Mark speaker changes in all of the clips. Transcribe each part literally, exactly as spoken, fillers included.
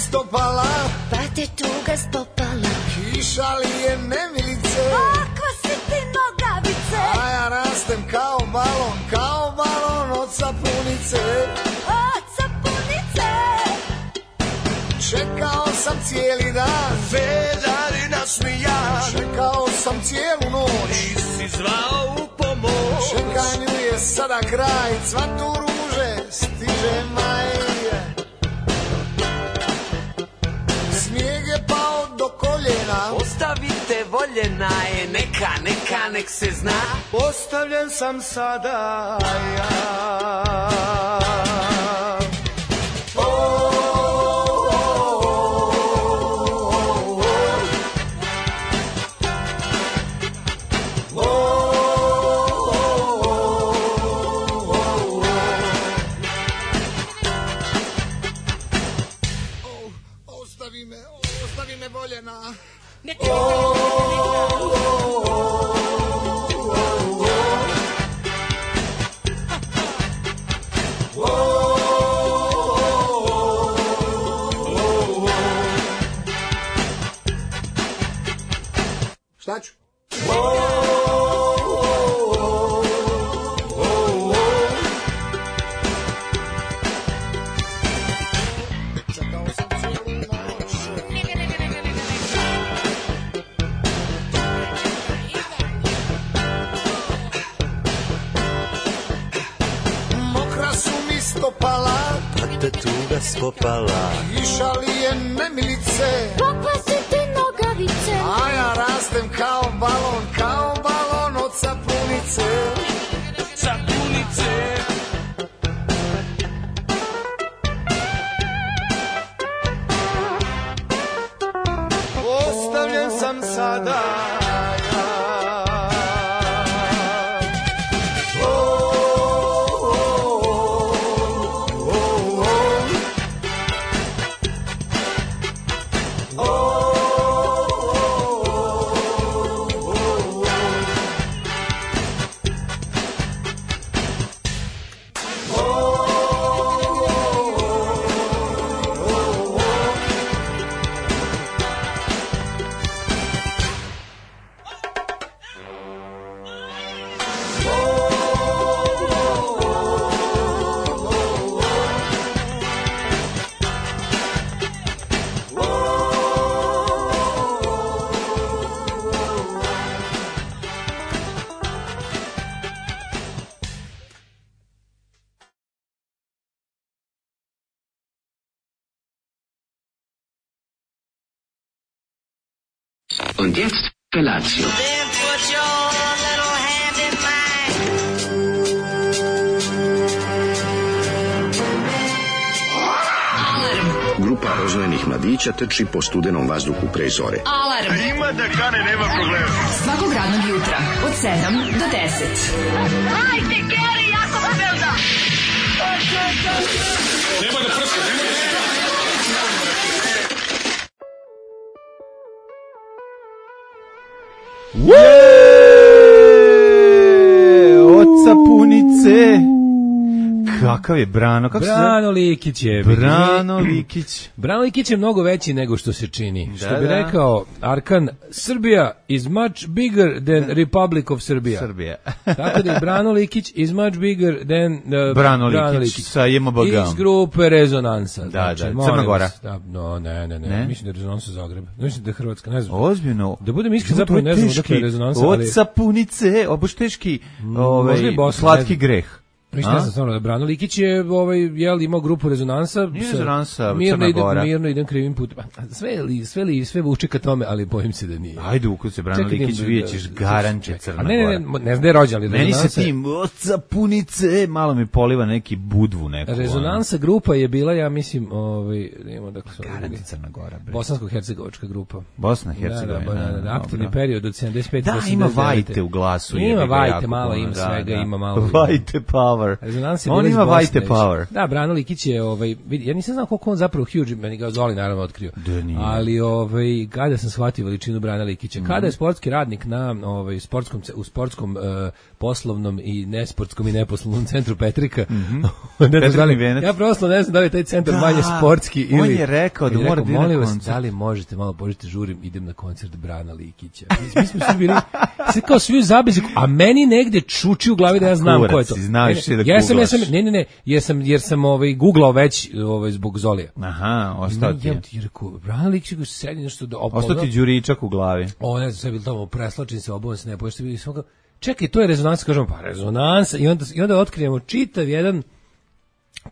Speaker 1: istopala,
Speaker 2: pate tuga stopala,
Speaker 1: kiša li je nemilice,
Speaker 2: kakva si ti nogavice,
Speaker 1: a ja rastem kao balon, kao balon od sapunice,
Speaker 2: od sapunice.
Speaker 1: Čekao sam cijeli dan,
Speaker 3: vedari nasmijan,
Speaker 1: čekao sam cijelu noć,
Speaker 3: nisi zvao u pomoć.
Speaker 1: Čekanju je sada kraj, cvatu ruže, stiže maj. Snijeg je pao do koljena,
Speaker 3: Ostavite voljena je, neka, neka, nek se zna.
Speaker 1: ostavljen sam sada ja. Ostavi me, ostavi me voljena. Šta ću? Stopala,
Speaker 3: pate tuga stopala,
Speaker 1: kiša li je nemilice,
Speaker 2: kakva si ti nogavice,
Speaker 1: a ja rastem kao balon, kao balon od sapunice,
Speaker 3: sapunice.
Speaker 1: Ostavljen sam sada.
Speaker 4: Und jetzt Felatio.
Speaker 5: Then put your little hand in
Speaker 4: mine. Grupa rozvojenih mladića trči po studenom vazduhu pre zore.
Speaker 6: Alarm.
Speaker 7: Ima da kane, nema problema.
Speaker 6: Svakog radnog jutra od sedam do deset.
Speaker 5: Hajde, Geri, jako se velda.
Speaker 7: Nema da prska, nema da prska.
Speaker 8: Oca punice. Kakav je Brano? Kako
Speaker 9: Brano Likić je.
Speaker 8: Brano Likić.
Speaker 9: Brano Likić je mnogo veći nego što se čini.
Speaker 8: Da,
Speaker 9: što bi
Speaker 8: da.
Speaker 9: rekao Arkan, Srbija is much bigger than Republic of Serbia.
Speaker 8: Srbija.
Speaker 9: Tako da je Brano Likić is much bigger than uh,
Speaker 8: Brano, Brano Likić, Likić sa J M B G.
Speaker 9: Iz grupe Rezonansa.
Speaker 8: Da,
Speaker 9: znači,
Speaker 8: da, Crna Gora.
Speaker 9: Da, no, ne, ne, ne, ne. Mislim da je Rezonansa Zagreb. Mislim da je Hrvatska, ne znam.
Speaker 8: Ozbiljno.
Speaker 9: Da budem iskren, zapravo ne znam da je Rezonansa.
Speaker 8: Od sapunice, oboš teški ovaj, slatki greh.
Speaker 9: Mislim ne znam stvarno da Brano Likić je ovaj jel imao grupu Rezonansa,
Speaker 8: Nije Rezonansa,
Speaker 9: mirno
Speaker 8: Crna
Speaker 9: idem,
Speaker 8: Gora.
Speaker 9: mirno idem krivim putem. Sve li sve li sve vuče ka tome, ali bojim se da nije.
Speaker 8: Ajde, ukud se Brano Likić vijećeš garant Crna Gora.
Speaker 9: Ne, ne, ne, ne znam da je rođen, ali
Speaker 8: meni se tim oca punice malo mi poliva neki budvu neku.
Speaker 9: Rezonansa ono. Grupa je bila, ja mislim, ovaj nema dakle
Speaker 8: garant Crna Gora.
Speaker 9: Bosansko-hercegovačka grupa.
Speaker 8: Bosna Hercegovina.
Speaker 9: Da, da, da, da, aktivni period od sedamdeset pete
Speaker 8: da,
Speaker 9: do osamdeset devete.
Speaker 8: Da, ima vajte u glasu.
Speaker 9: Ima vajte, malo ima svega, ima malo.
Speaker 8: Vajte Pavle. power.
Speaker 9: Rezonans je
Speaker 8: On
Speaker 9: bila iz
Speaker 8: ima
Speaker 9: Bosne
Speaker 8: white
Speaker 9: već.
Speaker 8: power.
Speaker 9: Da, Brano Likić je, ovaj, vidi, ja nisam znao koliko on zapravo huge, meni ga Zoli naravno otkrio.
Speaker 8: Da nije.
Speaker 9: Ali ovaj, kada sam shvatio veličinu Brana Likića, kada je sportski radnik na ovaj, sportskom, u sportskom uh, poslovnom i nesportskom i neposlovnom centru Petrika,
Speaker 8: Mm-hmm.
Speaker 9: ne znam da li,
Speaker 8: Venac.
Speaker 9: ja prosto ne znam da li je taj centar
Speaker 8: Da,
Speaker 9: manje sportski ili...
Speaker 8: on je rekao da
Speaker 9: i
Speaker 8: mora da ide na
Speaker 9: molim vas,
Speaker 8: koncert.
Speaker 9: da li možete malo požite žurim, idem na koncert Brana Likića. Mi, mi smo svi bili, sve kao svi u zabezi, a meni negde čuči u glavi da ja znam
Speaker 8: Kurac,
Speaker 9: ko je to.
Speaker 8: si znao još i da
Speaker 9: ja sam, ja sam,
Speaker 8: googlaš.
Speaker 9: ne, ne, ne, jer sam, jer sam ovaj, googlao već ovaj, zbog Zolija.
Speaker 8: Aha, ostao ti
Speaker 9: Ja
Speaker 8: je.
Speaker 9: ti rekao, Brana Likić sedi nešto da
Speaker 8: Ostao ti đuričak u glavi.
Speaker 9: O, ne znam, sve bilo tamo, preslačim se, obuvam se, ne poješće, vidim sam kao, čekaj, to je rezonansa, kažemo, pa rezonansa, i onda, i onda otkrijemo čitav jedan,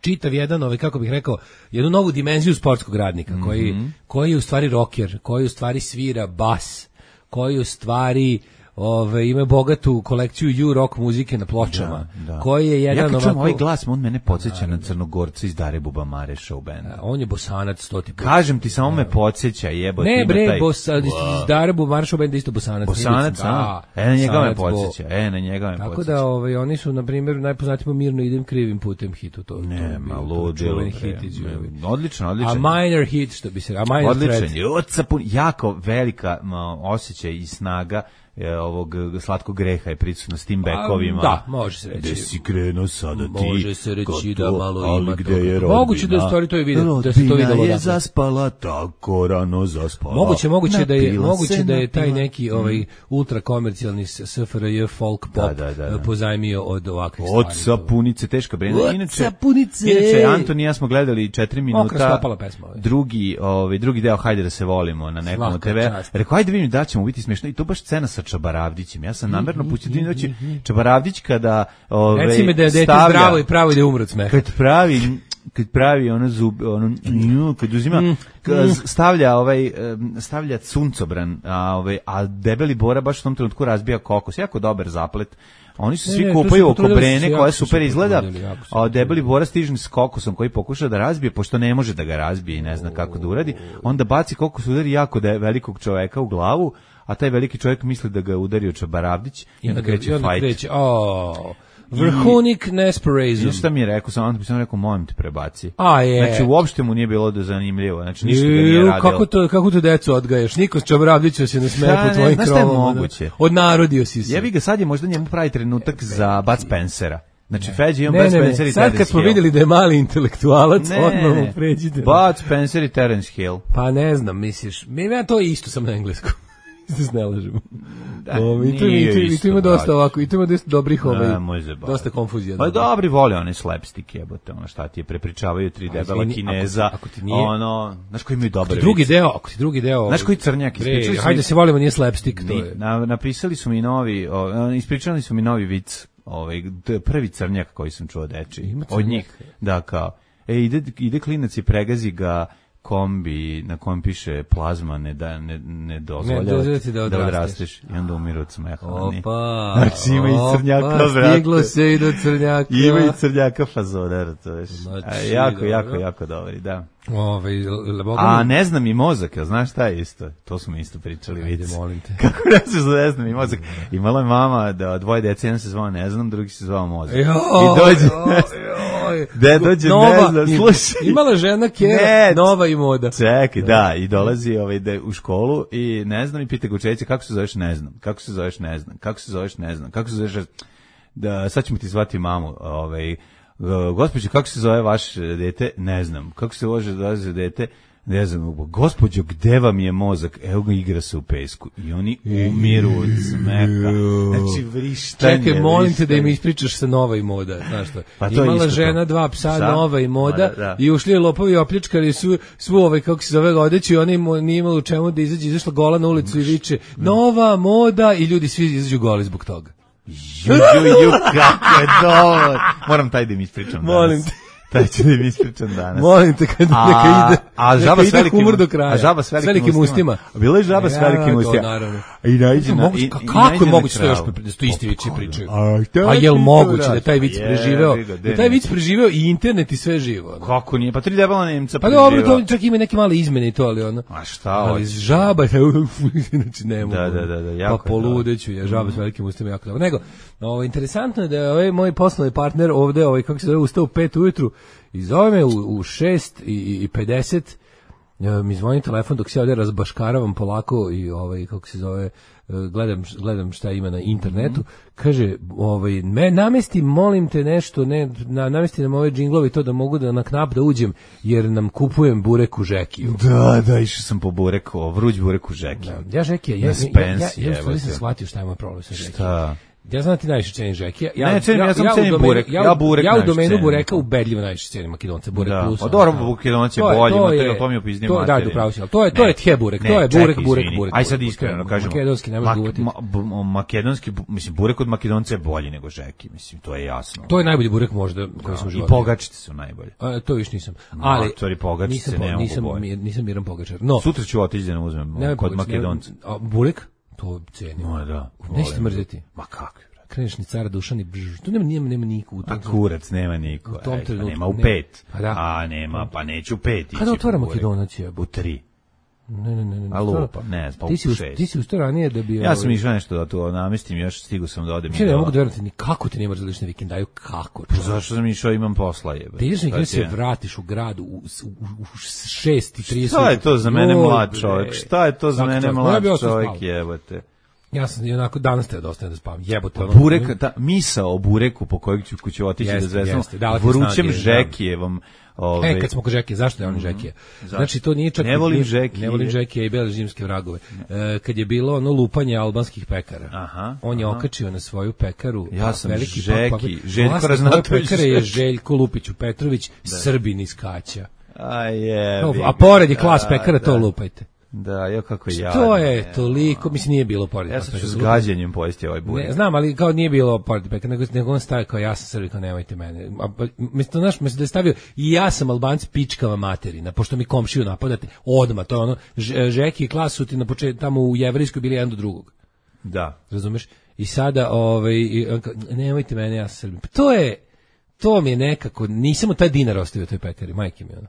Speaker 9: čitav jedan, ovaj, kako bih rekao, jednu novu dimenziju sportskog radnika, mm-hmm. koji, koji je u stvari rocker, koji u stvari svira bas, koji u stvari ove, ima bogatu kolekciju U-rock muzike na pločama,
Speaker 8: Da, da.
Speaker 9: koji je jedan
Speaker 8: ja kad čujem
Speaker 9: ovako...
Speaker 8: ovaj glas, on mene podsjeća na Crnogorca iz Dare Bubamare show banda.
Speaker 9: On je Bosanac, stoti put.
Speaker 8: Kažem ti, samo me podsjeća, jebote.
Speaker 9: Ne
Speaker 8: ima
Speaker 9: bre,
Speaker 8: taj-
Speaker 9: Bos, iz Darabu Maršo benda isto Bosanac.
Speaker 8: Bosanac,
Speaker 9: da,
Speaker 8: a? E, na njega me
Speaker 9: Bosanac, Bo-
Speaker 8: podsjeća, e, na njega me
Speaker 9: Tako
Speaker 8: podsjeća.
Speaker 9: da ovaj, oni su, na primjer, najpoznatiji po Mirno idem krivim putem hitu. To, to je
Speaker 8: Ne,
Speaker 9: bio
Speaker 8: ma
Speaker 9: to
Speaker 8: ludilo,
Speaker 9: čuveni
Speaker 8: bre.
Speaker 9: hit iz Jugovi.
Speaker 8: Odlično,
Speaker 9: A
Speaker 8: odlično.
Speaker 9: minor hit, što bi se... A minor
Speaker 8: Odličan
Speaker 9: threat.
Speaker 8: je. Oca pun- jako velika ma, osjećaj i snaga e, ovog e, slatkog greha je prisutna s tim bekovima.
Speaker 9: Da, može se reći.
Speaker 8: Gde si krenuo sada ti?
Speaker 9: Može se reći
Speaker 8: gotovo,
Speaker 9: da malo
Speaker 8: ali
Speaker 9: ima
Speaker 8: gde
Speaker 9: toga.
Speaker 8: je rodbina?
Speaker 9: Moguće da je u stvari to i video- da se to
Speaker 8: Rodbina
Speaker 9: videlo
Speaker 8: je
Speaker 9: odatle.
Speaker 8: zaspala, tako rano zaspala.
Speaker 9: Moguće, moguće da je
Speaker 8: Napila
Speaker 9: moguće
Speaker 8: se,
Speaker 9: da je taj
Speaker 8: napila.
Speaker 9: neki ovaj ultra komercijalni S F R J folk pop
Speaker 8: Da, da, da, da.
Speaker 9: pozajmio od ovakvih
Speaker 8: Od
Speaker 9: stvari.
Speaker 8: sapunice, teška brena.
Speaker 9: Od
Speaker 8: Inače,
Speaker 9: sapunice.
Speaker 8: inače, Anton i ja smo gledali četiri
Speaker 9: Mokra
Speaker 8: minuta.
Speaker 9: stopala pesma, ovaj.
Speaker 8: Drugi, ovaj, drugi deo, hajde da se volimo na nekom
Speaker 9: Svaka
Speaker 8: T V.
Speaker 9: čast.
Speaker 8: Rekao, hajde vidim da ćemo biti smiješno. I to baš scena sa Čabaravdićem. Ja sam namerno pustio da doći Čabaravdić kada ovaj,
Speaker 9: Reci mi da je dete
Speaker 8: stavlja-
Speaker 9: zdravo i pravo i da je umro od smeha.
Speaker 8: kad pravi kad pravi ono zub ono nju, kad uzima kad stavlja ovaj em, stavlja suncobran, a ovaj a debeli Bora baš u tom trenutku razbija kokos, jako dobar zaplet. Oni se
Speaker 9: Ne,
Speaker 8: svi
Speaker 9: ne, tu
Speaker 8: kupaju
Speaker 9: su
Speaker 8: oko
Speaker 9: potrudili se,
Speaker 8: Brene
Speaker 9: jako
Speaker 8: koja
Speaker 9: su se
Speaker 8: super izgleda,
Speaker 9: potrudili, jako su se
Speaker 8: a debeli Bora stiže s kokosom koji pokuša da razbije, pošto ne može da ga razbije i ne zna kako da uradi, onda baci kokos, udari jako da velikog čoveka u glavu, a taj veliki čovjek misli da ga je udario Čabaravdić i onda kreće
Speaker 9: I onda
Speaker 8: fajt.
Speaker 9: kreće, o, vrhunik nesporazum.
Speaker 8: Znaš šta mi je rekao, sam sam rekao, molim te prebaci.
Speaker 9: A je.
Speaker 8: Znači, uopšte mu nije bilo da zanimljivo, znači ništa ga nije
Speaker 9: Ju,
Speaker 8: radilo.
Speaker 9: kako to, kako to decu odgajaš? Niko Čabaravdića se ne smeje
Speaker 8: Da,
Speaker 9: po
Speaker 8: ne,
Speaker 9: tvojim
Speaker 8: znaš šta je
Speaker 9: krovama.
Speaker 8: moguće?
Speaker 9: Odnarodio si se.
Speaker 8: Jebi ga, sad je možda njemu pravi trenutak za Bud Spencera. Znači, Feđi i on
Speaker 9: Ne,
Speaker 8: Bud
Speaker 9: ne,
Speaker 8: Spencer
Speaker 9: ne,
Speaker 8: i
Speaker 9: sad
Speaker 8: Terence
Speaker 9: kad smo
Speaker 8: Hill.
Speaker 9: vidjeli da je mali intelektualac,
Speaker 8: Ne,
Speaker 9: odmah mu
Speaker 8: ne.
Speaker 9: pređite.
Speaker 8: Bud Spencer i Terence Hill.
Speaker 9: Pa ne znam, misliš, mi ja to isto sam na engleskom. Da se ne lažemo.
Speaker 8: Da,
Speaker 9: O, i to, i
Speaker 8: nije
Speaker 9: to, i to
Speaker 8: isto,
Speaker 9: ima dosta
Speaker 8: brate.
Speaker 9: ovako, i to ima dosta dobrih ovaj,
Speaker 8: Ne, može zebati.
Speaker 9: dosta konfuzija.
Speaker 8: Pa
Speaker 9: dobro.
Speaker 8: dobri vole one slapstick jebote, ono šta ti je, prepričavaju tri debela
Speaker 9: izvini,
Speaker 8: Kineza,
Speaker 9: ako ti- ako ti nije-
Speaker 8: ono, znaš koji imaju dobre
Speaker 9: Drugi
Speaker 8: vice?
Speaker 9: deo, ako ti drugi deo...
Speaker 8: Znaš koji crnjak,
Speaker 9: Bre,
Speaker 8: ispričali su
Speaker 9: hajde
Speaker 8: mi-
Speaker 9: se volimo, nije slapstick, to
Speaker 8: Ni-
Speaker 9: je.
Speaker 8: na, napisali su mi novi, o, ispričali su mi novi vic, ovaj, d- prvi crnjak koji sam čuo deči,
Speaker 9: Ima
Speaker 8: od
Speaker 9: crnjak?
Speaker 8: njih, da, kao, e, ide, ide klinac i pregazi ga kombi na kojem piše plazma ne da ne ne dozvoljava
Speaker 9: Ne dozvoljava ti da
Speaker 8: da
Speaker 9: odrasteš.
Speaker 8: odrasteš i onda umiru od smeha. oni.
Speaker 9: Opa,
Speaker 8: Znači ima i crnjaka,
Speaker 9: opa,
Speaker 8: brate.
Speaker 9: stiglo se i do crnjaka.
Speaker 8: Ima i crnjaka fazona, razumeš.
Speaker 9: Znači,
Speaker 8: A, jako,
Speaker 9: dobro.
Speaker 8: jako, jako dobri, da.
Speaker 9: Ove, Boga
Speaker 8: A
Speaker 9: mi-
Speaker 8: ne znam i mozak, jel znaš šta je isto? To smo isto pričali,
Speaker 9: Ajde,
Speaker 8: vic.
Speaker 9: molim te.
Speaker 8: Kako ne znaš da ne znam i mozak? Imala je mama da dvoje dece, jedan se zvao ne znam, drugi se zvao mozak.
Speaker 9: Joj,
Speaker 8: I dođe,
Speaker 9: joj, joj.
Speaker 8: gde dođe
Speaker 9: Nova,
Speaker 8: ne znam,
Speaker 9: im-
Speaker 8: slušaj.
Speaker 9: Imala žena Kjera,
Speaker 8: Ne.
Speaker 9: nova i moda.
Speaker 8: Čekaj, da, i dolazi ovaj, da, u školu i ne znam i pita ga učiteljica kako se zoveš, ne znam, kako se zoveš, ne znam, kako se zoveš, ne znam, kako se zoveš, da, sad ćemo ti zvati mamu, ovaj, gospođo, kako se zove vaš dete, ne znam, kako se može zove dete, ne znam, gospođo, gde vam je mozak? Evo ga, igra se u pesku. I oni umiru od smeha. Znači, vrištanje.
Speaker 9: Čekaj, molim te da im
Speaker 8: vrištanje.
Speaker 9: ispričaš sa nova i moda, znaš što.
Speaker 8: Pa to je
Speaker 9: Imala
Speaker 8: isto
Speaker 9: žena,
Speaker 8: to.
Speaker 9: dva psa,
Speaker 8: Psa,
Speaker 9: nova i moda,
Speaker 8: moda, da.
Speaker 9: i ušli je lopovi i opljačkali su svu ovaj, kako se zove, odeću i ona im nije imala u čemu da izađe, izašla gola na ulicu i viče, nova moda, i ljudi svi izađu goli zbog toga.
Speaker 8: Ju, ju, ju, kako je dobro. Moram taj da im ispričam danas.
Speaker 9: Molim te.
Speaker 8: Taj ću da im ispričam danas.
Speaker 9: Molim te, kad
Speaker 8: A-
Speaker 9: neka ide,
Speaker 8: a
Speaker 9: neka
Speaker 8: žaba s
Speaker 9: ide
Speaker 8: velikim-
Speaker 9: humor do kraja.
Speaker 8: a žaba s velikim
Speaker 9: ustima.
Speaker 8: ustima. Bila je žaba s
Speaker 9: Ja,
Speaker 8: velikim
Speaker 9: to
Speaker 8: ustima.
Speaker 9: naravno.
Speaker 8: I naiđe na...
Speaker 9: Moguće-
Speaker 8: i-
Speaker 9: ka-
Speaker 8: i
Speaker 9: kako
Speaker 8: naiđe
Speaker 9: je
Speaker 8: na
Speaker 9: moguće to još
Speaker 8: kravu.
Speaker 9: pre- da su to isti vici pričaju?
Speaker 8: A, šta
Speaker 9: A
Speaker 8: ti
Speaker 9: jel
Speaker 8: to
Speaker 9: moguće da
Speaker 8: radiš?
Speaker 9: je taj vic
Speaker 8: Pa
Speaker 9: preživeo?
Speaker 8: jebi ga,
Speaker 9: Da je taj
Speaker 8: ne.
Speaker 9: vic preživeo i internet i sve živo. ono.
Speaker 8: Kako nije? Pa tri debela Nemca
Speaker 9: Pa dobro,
Speaker 8: preživela.
Speaker 9: to čak ima neke male izmene i to, ali ono.
Speaker 8: A šta
Speaker 9: Ali
Speaker 8: hoćeš?
Speaker 9: žaba, znači ne mogu.
Speaker 8: Da, da, da, da, jako
Speaker 9: Pa
Speaker 8: je
Speaker 9: poludeću je, žaba s velikim ustima jako dobro. Nego, Ovo, interesantno je da je ovaj moj poslovni partner ovde, ovaj, kako se zove, ustao u pet ujutru i zove me u, u šest i pedeset, mi zvoni telefon dok se ovde razbaškaravam polako i ovaj, kako se zove, gledam, gledam šta ima na internetu, kaže, ovaj, me namesti, molim te nešto, ne, na, namesti nam ove džinglovi to da mogu da na knap da uđem, jer nam kupujem burek u Žekiju.
Speaker 8: Da, da, išao sam po burek, o, vruć burek u Žekiju.
Speaker 9: Da, ja Žekija, ja, ja, ja, ja, ja, ja, ja sam shvatio šta je moj problem sa Žekijom.
Speaker 8: Šta?
Speaker 9: Ja znam da ti najviše cenim Žekija. Ja,
Speaker 8: ne, cenim, ja, ja sam
Speaker 9: ja
Speaker 8: cenim
Speaker 9: domenu,
Speaker 8: burek.
Speaker 9: Ja,
Speaker 8: ja burek
Speaker 9: ja u domenu
Speaker 8: cenim.
Speaker 9: bureka ubedljivo najviše cenim Makedonce, burek
Speaker 8: da.
Speaker 9: plus.
Speaker 8: Pa dobro, Makedonac je bolji, to je, to mi upiznije
Speaker 9: materije. Da, upravo si, ali to je, to je tje burek, to je burek, burek, burek.
Speaker 8: Aj sad iskreno kažemo.
Speaker 9: Makedonski ne može uvati.
Speaker 8: Makedonski, mislim, burek od Makedonca je bolji nego Žeki, mislim, to je jasno.
Speaker 9: To je najbolji burek možda koji smo živali.
Speaker 8: I pogačice su najbolje.
Speaker 9: A, to još nisam. Ali,
Speaker 8: to je pogačice, ne
Speaker 9: nisam, nisam Miran Pogačar. No,
Speaker 8: sutra ću otići da ne uzmem kod Makedonca.
Speaker 9: Burek? To cenim.
Speaker 8: No, da.
Speaker 9: Nećete mrzeti.
Speaker 8: Ma kako?
Speaker 9: Kreneš ni cara Dušan i brž. Tu nema, nema, nema niko u tom.
Speaker 8: A kurac nema niko.
Speaker 9: U tom trenutku.
Speaker 8: Nema u pet.
Speaker 9: Pa da.
Speaker 8: A nema, pa neću u pet.
Speaker 9: Kada otvara Makedonac je?
Speaker 8: U tri.
Speaker 9: Ne, ne, ne. ne.
Speaker 8: A lupa, ne, pa u šest.
Speaker 9: Ti si ustao ranije da bi...
Speaker 8: Ja sam išao nešto da to namestim, još stigu sam da odem.
Speaker 9: Čekaj, ne mogu da verujem, ni kako ti nemaš zališne vikendaju, kako?
Speaker 8: Pa zašto sam išao, imam posla jebe.
Speaker 9: Ti ideš nekada se vratiš u grad u, u, u šest i trideset.
Speaker 8: Šta je to za mene mlad čovjek? Šta je to za mene mlad čovjek jebote?
Speaker 9: Ja sam onako danas te dosta da spavam. Jebote,
Speaker 8: ono. Burek, ta misao o bureku po kojeg ću kući otići da zvezam. Vrućem Žekijevom.
Speaker 9: Ove... E, kad smo ko Žekije, zašto je on Žekije? Znači, to nije čak...
Speaker 8: Ne volim Žekije.
Speaker 9: Ne volim Žekije i bele zimske vragove. E, kad je bilo ono lupanje albanskih pekara,
Speaker 8: aha,
Speaker 9: on je
Speaker 8: aha.
Speaker 9: okačio na svoju pekaru.
Speaker 8: Ja sam
Speaker 9: veliki
Speaker 8: Žeki,
Speaker 9: pa, pa,
Speaker 8: Željko Raznatović.
Speaker 9: Pekare je Željko Lupiću Petrović, da. Srbin iz Kaća.
Speaker 8: A je.
Speaker 9: No, a pored je klas pekara, da, to lupajte.
Speaker 8: Da, jo kako ja.
Speaker 9: To je toliko, mislim nije bilo pored.
Speaker 8: Ja sam ću s gađenjem pojesti ovaj burek.
Speaker 9: Ne, znam, ali kao nije bilo pored pekara, nego, nego on stavio kao ja sam Srbi, kao nemojte mene. A, mislim, znaš, mislim da je stavio i ja sam Albanc pičkava materina, pošto mi komšiju napadate, odmah, to je ono, Žeki i klas su ti na početku, tamo u Jevrejskoj bili jedan do drugog.
Speaker 8: Da.
Speaker 9: Razumeš? I sada, ovaj, nemojte mene, ja sam Srbi. To je, to mi je nekako, nisam u taj dinar ostavio toj pekari, majke mi ono.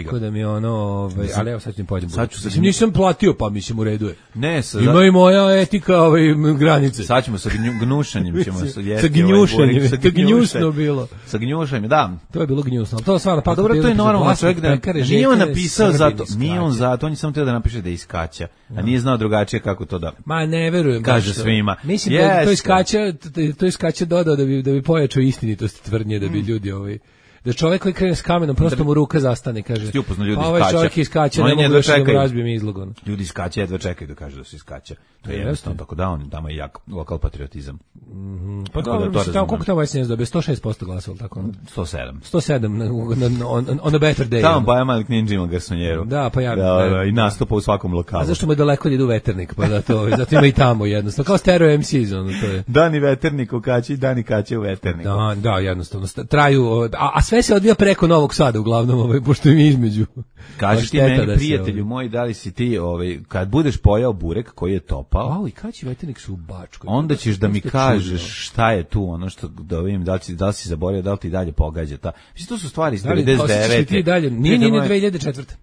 Speaker 9: Tako da mi ono, ovaj, ali evo sad ću mi pođem. Sad ću mislim, nisam platio, pa mislim u redu je.
Speaker 8: Ne, sa,
Speaker 9: ima i moja etika, ovaj, granice.
Speaker 8: Sad ćemo sa gnušanjem ćemo
Speaker 9: sa jesti. Sa gnjušanjem, ovaj, to gnjusno bilo.
Speaker 8: Sa gnjušanjem, da.
Speaker 9: To je bilo gnjusno. To stvarno pa
Speaker 8: dobro, to je normalno, čovjek da nije on napisao zato, nije on zato, on je samo htio da napiše da je iz Kaća, a nije znao drugačije kako to da.
Speaker 9: Ma ne verujem.
Speaker 8: Kaže svima.
Speaker 9: Mislim da to iz Kaća, to iz Kaća dodao da bi da bi pojačao istinitost tvrdnje, da bi ljudi ovaj da čovjek koji krene s kamenom, prosto mu ruka zastane, kaže. Pa ovaj čovjek iskače, ne mogu više da mu razbijem izlog.
Speaker 8: Ljudi iskače, jedva čekaju da kažu da se iskače. To je jednostavno tako da on, tamo je jak lokal patriotizam.
Speaker 9: Pa dobro, koliko tamo S N S dobio? sto šest posto glasova, tako?
Speaker 8: sto sedam.
Speaker 9: sto sedam, on a better day.
Speaker 8: Tamo Baja Malik Ninja ima garsonjeru.
Speaker 9: Da, pa ja.
Speaker 8: I nastupa u svakom lokalu.
Speaker 9: A zašto mu je daleko da ide u Veternik, pa da to, zato ima i tamo jednostavno, kao stereo M C, ono to je.
Speaker 8: Dani Veternik u Kaći, dani Kaće u Veterniku.
Speaker 9: Da, da, jednostavno, traju, a sve se odvija preko Novog Sada uglavnom, ovaj, pošto mi između.
Speaker 8: Kaži ti meni, prijatelju moj, da li si ti, ovaj, kad budeš pojao burek koji je topao,
Speaker 9: au, i Kaći Veternik su u Bačkoj.
Speaker 8: Onda ćeš da mi kažeš šta je tu, ono što da vidim, da li si, da li si zaboravio, da li ti dalje pogađa ta. Mislim, to su stvari iz devedeset devete.
Speaker 9: Dalje, nije, nije dve hiljade četvrte.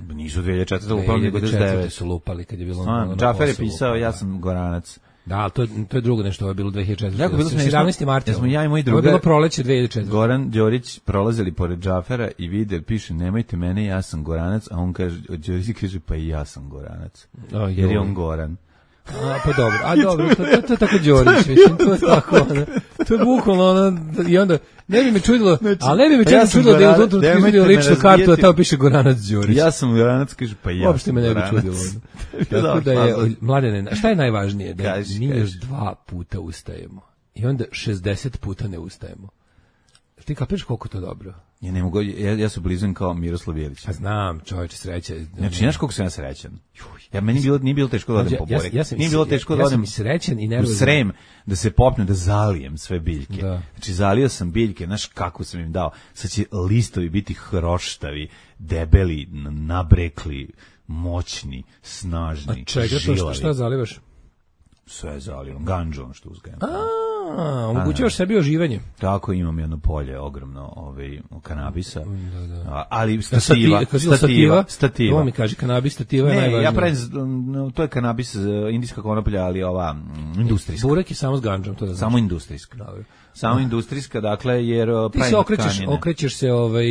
Speaker 8: Nisu dve hiljade četvrte, lupali nego devedeset devete.
Speaker 9: Su lupali kad je bilo.
Speaker 8: A, Džafer je pisao, ja sam Goranac.
Speaker 9: Da, to to je drugo nešto, ovo je bilo dve hiljade četvrte.
Speaker 8: Jako bilo
Speaker 9: sedamnaesti marta.
Speaker 8: Ja smo ja i moj drugar.
Speaker 9: To je bilo proleće dve hiljade četvrte.
Speaker 8: Goran Đorić prolazili pored Džafera i vide, piše nemojte mene, ja sam Goranac, a on kaže, Đorić kaže pa i ja sam Goranac.
Speaker 9: O,
Speaker 8: jer je on Goran.
Speaker 9: A, pa dobro, a dobro, to, to, to je tako Đorić, mislim, to je tako, ono, to je bukvalno, ono, i onda, ne bi me čudilo, ali ne bi me čudilo, ja čudilo da je u tom trenutku izvidio ličnu kartu, a tamo piše Goranac Đorić.
Speaker 8: Ja sam Goranac, kaže, pa ja
Speaker 9: uopšte me ne bi čudilo. Tako da je, mladene, šta je najvažnije? Da kaži, mi još dva puta ustajemo i onda šezdeset puta ne ustajemo. Ti kapiraš koliko to dobro?
Speaker 8: Ja ne mogu, ja, ja sam blizan kao Miroslav Jelić.
Speaker 9: A znam, čovječe, sreća.
Speaker 8: Znači, znaš koliko sam ja srećan? Ja, meni bilo, nije bilo teško da odem po burek.
Speaker 9: Ja, ja sam,
Speaker 8: nije bilo teško da odem
Speaker 9: ja sam i srećan i nervozan.
Speaker 8: U Srem, da se popnem, da zalijem sve biljke.
Speaker 9: Da.
Speaker 8: Znači, zalio sam biljke, znaš kako sam im dao. Sad će listovi biti hroštavi, debeli, nabrekli, moćni, snažni,
Speaker 9: a čega
Speaker 8: žilavi.
Speaker 9: To šta, šta zalivaš?
Speaker 8: Sve zalivam, ganđom što uzgajam.
Speaker 9: A, A, omogućavaš sebi oživanje.
Speaker 8: Tako, imam jedno polje ogromno, ovaj kanabisa.
Speaker 9: Da, da.
Speaker 8: A, ali stativa,
Speaker 9: stativa,
Speaker 8: stativa, stativa.
Speaker 9: To mi kaže, kanabis stativa je
Speaker 8: ne,
Speaker 9: najvažnije.
Speaker 8: ja pravim, no, to je kanabis, indijska konoplja, ali ova mm, industrijska.
Speaker 9: Burek je samo s ganđom, to da znaš.
Speaker 8: Samo industrijska.
Speaker 9: Dobro.
Speaker 8: Samo industrijska, dakle, jer
Speaker 9: ti se okrećeš, okrećeš se ovaj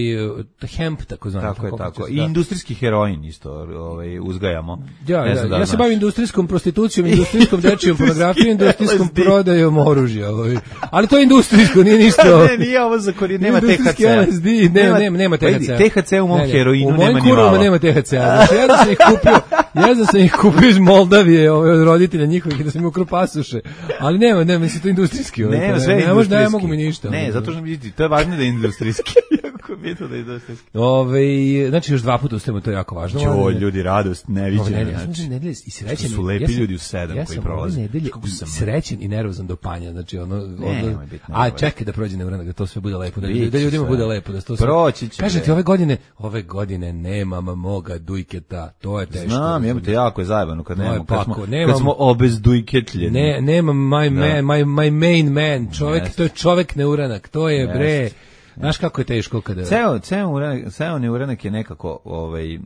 Speaker 9: hemp tako zvani.
Speaker 8: Tako je, tako. I industrijski heroin isto, ovaj uzgajamo.
Speaker 9: Ja, ja, da ja se bavim industrijskom prostitucijom, industrijskom dečijom pornografijom, industrijskom prodajom oružja, ovaj. Ali to je industrijsko, nije ništa.
Speaker 8: Ne, nije ovo za korijen, nema te ha ce.
Speaker 9: L S D, nema, nema, nema te ha ce.
Speaker 8: te ha ce u mom heroinu nema ni malo.
Speaker 9: U mojim kurvama nema te ha ce. Znači, ja da sam ih kupio, ja da sam ih kupio iz Moldavije, ovaj, od roditelja njihovih, da sam im ukrao pasoše. Ali nema, nema, mislim, to je industrijski. Ovaj,
Speaker 8: ne, sve je
Speaker 9: industrijski. Ne mogu mi ništa.
Speaker 8: Ne, zato što vidite, to je važno da je industrijski. Jako bitno da je industrijski.
Speaker 9: Ove, znači još dva puta ustajemo, to je jako važno.
Speaker 8: Jo, ljudi, radost, neviđena.
Speaker 9: Ja sam nedelje i srećen.
Speaker 8: Su lepi ljudi u sedam
Speaker 9: ja
Speaker 8: koji prolaze.
Speaker 9: Ja sam srećen i nervozan do panja, znači ono, ono a čekaj da prođe neuranak, da to sve bude lepo, da, da ljudima bude lepo, da to sve.
Speaker 8: Proći će.
Speaker 9: Kažete ove godine, ove godine nemam moga dujketa, to je teško.
Speaker 8: Znam, jebote, jako je zajebano kad nemamo, kad smo, kad smo obezdujketljeni.
Speaker 9: Ne, nemam my man, my my main man, čovjek, to je čovjek neuranak, to je bre. Znaš kako je teško kada...
Speaker 8: Ceo, ceo, uranak, ceo neuranak je nekako ovaj,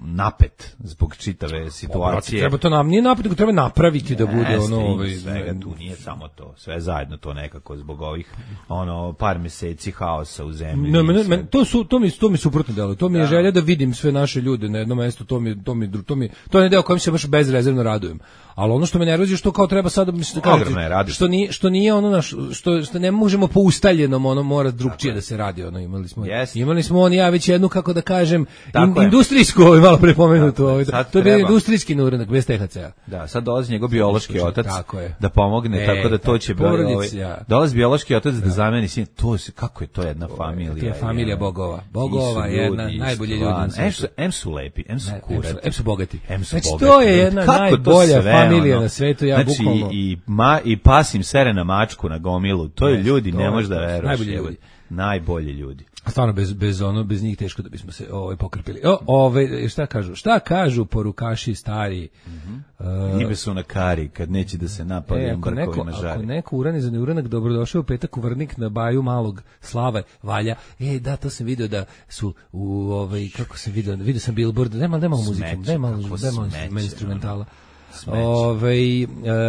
Speaker 8: napet zbog čitave situacije.
Speaker 9: Treba to nam, nije napet, nego treba napraviti da bude ono... Ovaj,
Speaker 8: svega, tu nije samo to, sve zajedno to nekako zbog ovih ono, par meseci haosa u zemlji.
Speaker 9: Ne, men, men, to, su, to, mi, to mi suprotno delo, to mi je želja da vidim sve naše ljude na jednom mestu, to mi, to mi, to mi, to je deo kojem se baš bezrezervno radujem. Ali ono što me nervozi što kao treba sada mislim da kažete, što nije što nije ono naš što što ne možemo po ustaljenom ono mora drugčije da se radi ono imali smo
Speaker 8: yes.
Speaker 9: imali smo on ja već jednu kako da kažem in, industrijsku ovaj malo prepomenuto ovaj to je bio industrijski neuranak bez te ha ce.
Speaker 8: Da, sad dolazi njegov biološki otac
Speaker 9: je.
Speaker 8: Da pomogne
Speaker 9: e,
Speaker 8: tako da to će
Speaker 9: ovaj
Speaker 8: dolazi biološki otac da, da zameni sin to se kako je to jedna familija.
Speaker 9: To je familija bogova. Bogova je jedna najbolji ljudi.
Speaker 8: Em su lepi, em su kurati,
Speaker 9: em su bogati.
Speaker 8: Znači
Speaker 9: to je jedna najbolja familija na svetu, ja
Speaker 8: znači,
Speaker 9: bukvalno.
Speaker 8: i, ma, i pasim sere na mačku na gomilu, to je ljudi, to ne možeš da veruješ.
Speaker 9: Najbolji ljudi.
Speaker 8: Najbolji ljudi.
Speaker 9: Stvarno, bez, bez, ono, bez njih teško da bismo se ovaj, pokrpili. O, ove, šta kažu? Šta kažu porukaši stari?
Speaker 8: Mm-hmm. Uh, Njime su na kari, kad neće da se napali
Speaker 9: e, ako, neko,
Speaker 8: na žari.
Speaker 9: Ako neko urani za neuranak, dobrodošao u petak u Vrnik na baju malog Slave Valja. E, da, to sam vidio da su u, ovaj, kako sam vidio, vidio sam billboard, nema, nema muziku, nema, nema instrumentala. Ove,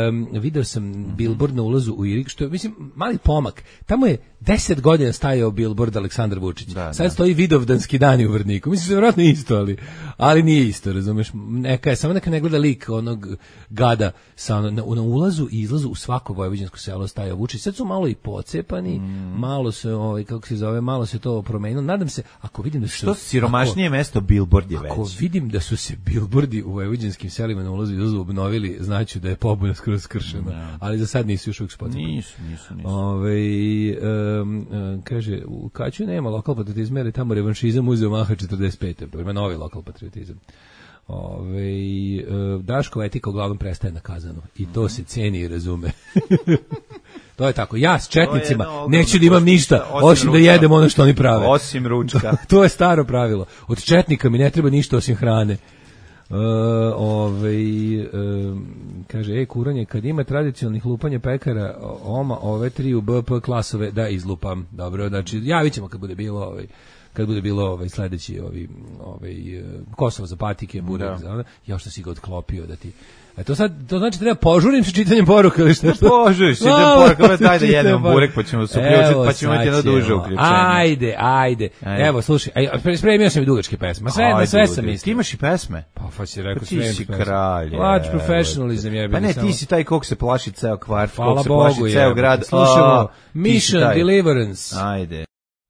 Speaker 9: um, video sam mm-hmm. billboard na ulazu u Irig, što je, mislim, mali pomak. Tamo je deset godina stajao billboard Aleksandar Vučić. Da, sad da. Stoji Vidovdanski dani u Vrniku. Mislim, se vjerojatno isto, ali, ali nije isto, razumeš. Neka je, samo neka ne gleda lik onog gada sa, na, na ulazu i izlazu u svako vojvođansko selo stajao Vučić. Sad su malo i pocepani, mm. malo se, ovaj, kako se zove, malo se to promenilo. Nadam se, ako vidim da su...
Speaker 8: Što siromašnije ako, mesto, billboard je već.
Speaker 9: Ako vidim da su se billboardi u vojvođanskim selima na ulazu i izlazu obnovili, znaću da je pobuna skoro skršena. No. Ali za sad nisu još uvijek spocepani.
Speaker 8: Nisu, nisu, nisu.
Speaker 9: Ove, um, um, kaže, u Kaću nema lokal patriotizma, jer je tamo revanšizam uzeo maha četrdeset pete. Ima novi lokal patriotizam. Ove, uh, Daškova etika uglavnom prestaje na Kazanu. I to se ceni i razume. To je tako. Ja s četnicima neću da imam ništa, osim, osim da jedem ono što oni prave.
Speaker 8: Osim ručka.
Speaker 9: To je staro pravilo. Od četnika mi ne treba ništa osim hrane. Uh, ovaj, uh, kaže, e, kuranje, kad ima tradicionalnih lupanja pekara, oma, ove tri u B P klasove, da izlupam. Dobro, znači, javit ćemo kad bude bilo, ovaj, kad bude bilo ovaj, sledeći, ovaj, ovaj, Kosovo za patike, burek, da. Ja što si ga odklopio da ti... A to sad, to znači treba požurim sa čitanjem poruka ili šta?
Speaker 8: Požuriš, čitanjem poruka, daj da jedemo burek, pa ćemo se uključiti, pa ćemo imati jedno duže uključenje.
Speaker 9: Ajde, ajde, ajde. Evo, slušaj, aj, spremio sam i dugačke pesme, sve, na sve sam mislio.
Speaker 8: Ti imaš i pesme?
Speaker 9: Pa, pa si rekao,
Speaker 8: pa ti si kralj.
Speaker 9: Watch professionalism je.
Speaker 8: Pa ne, ti si taj kog se plaši ceo kvart, kog se plaši ceo grad.
Speaker 9: Slušamo, Mission Deliverance.
Speaker 8: Ajde.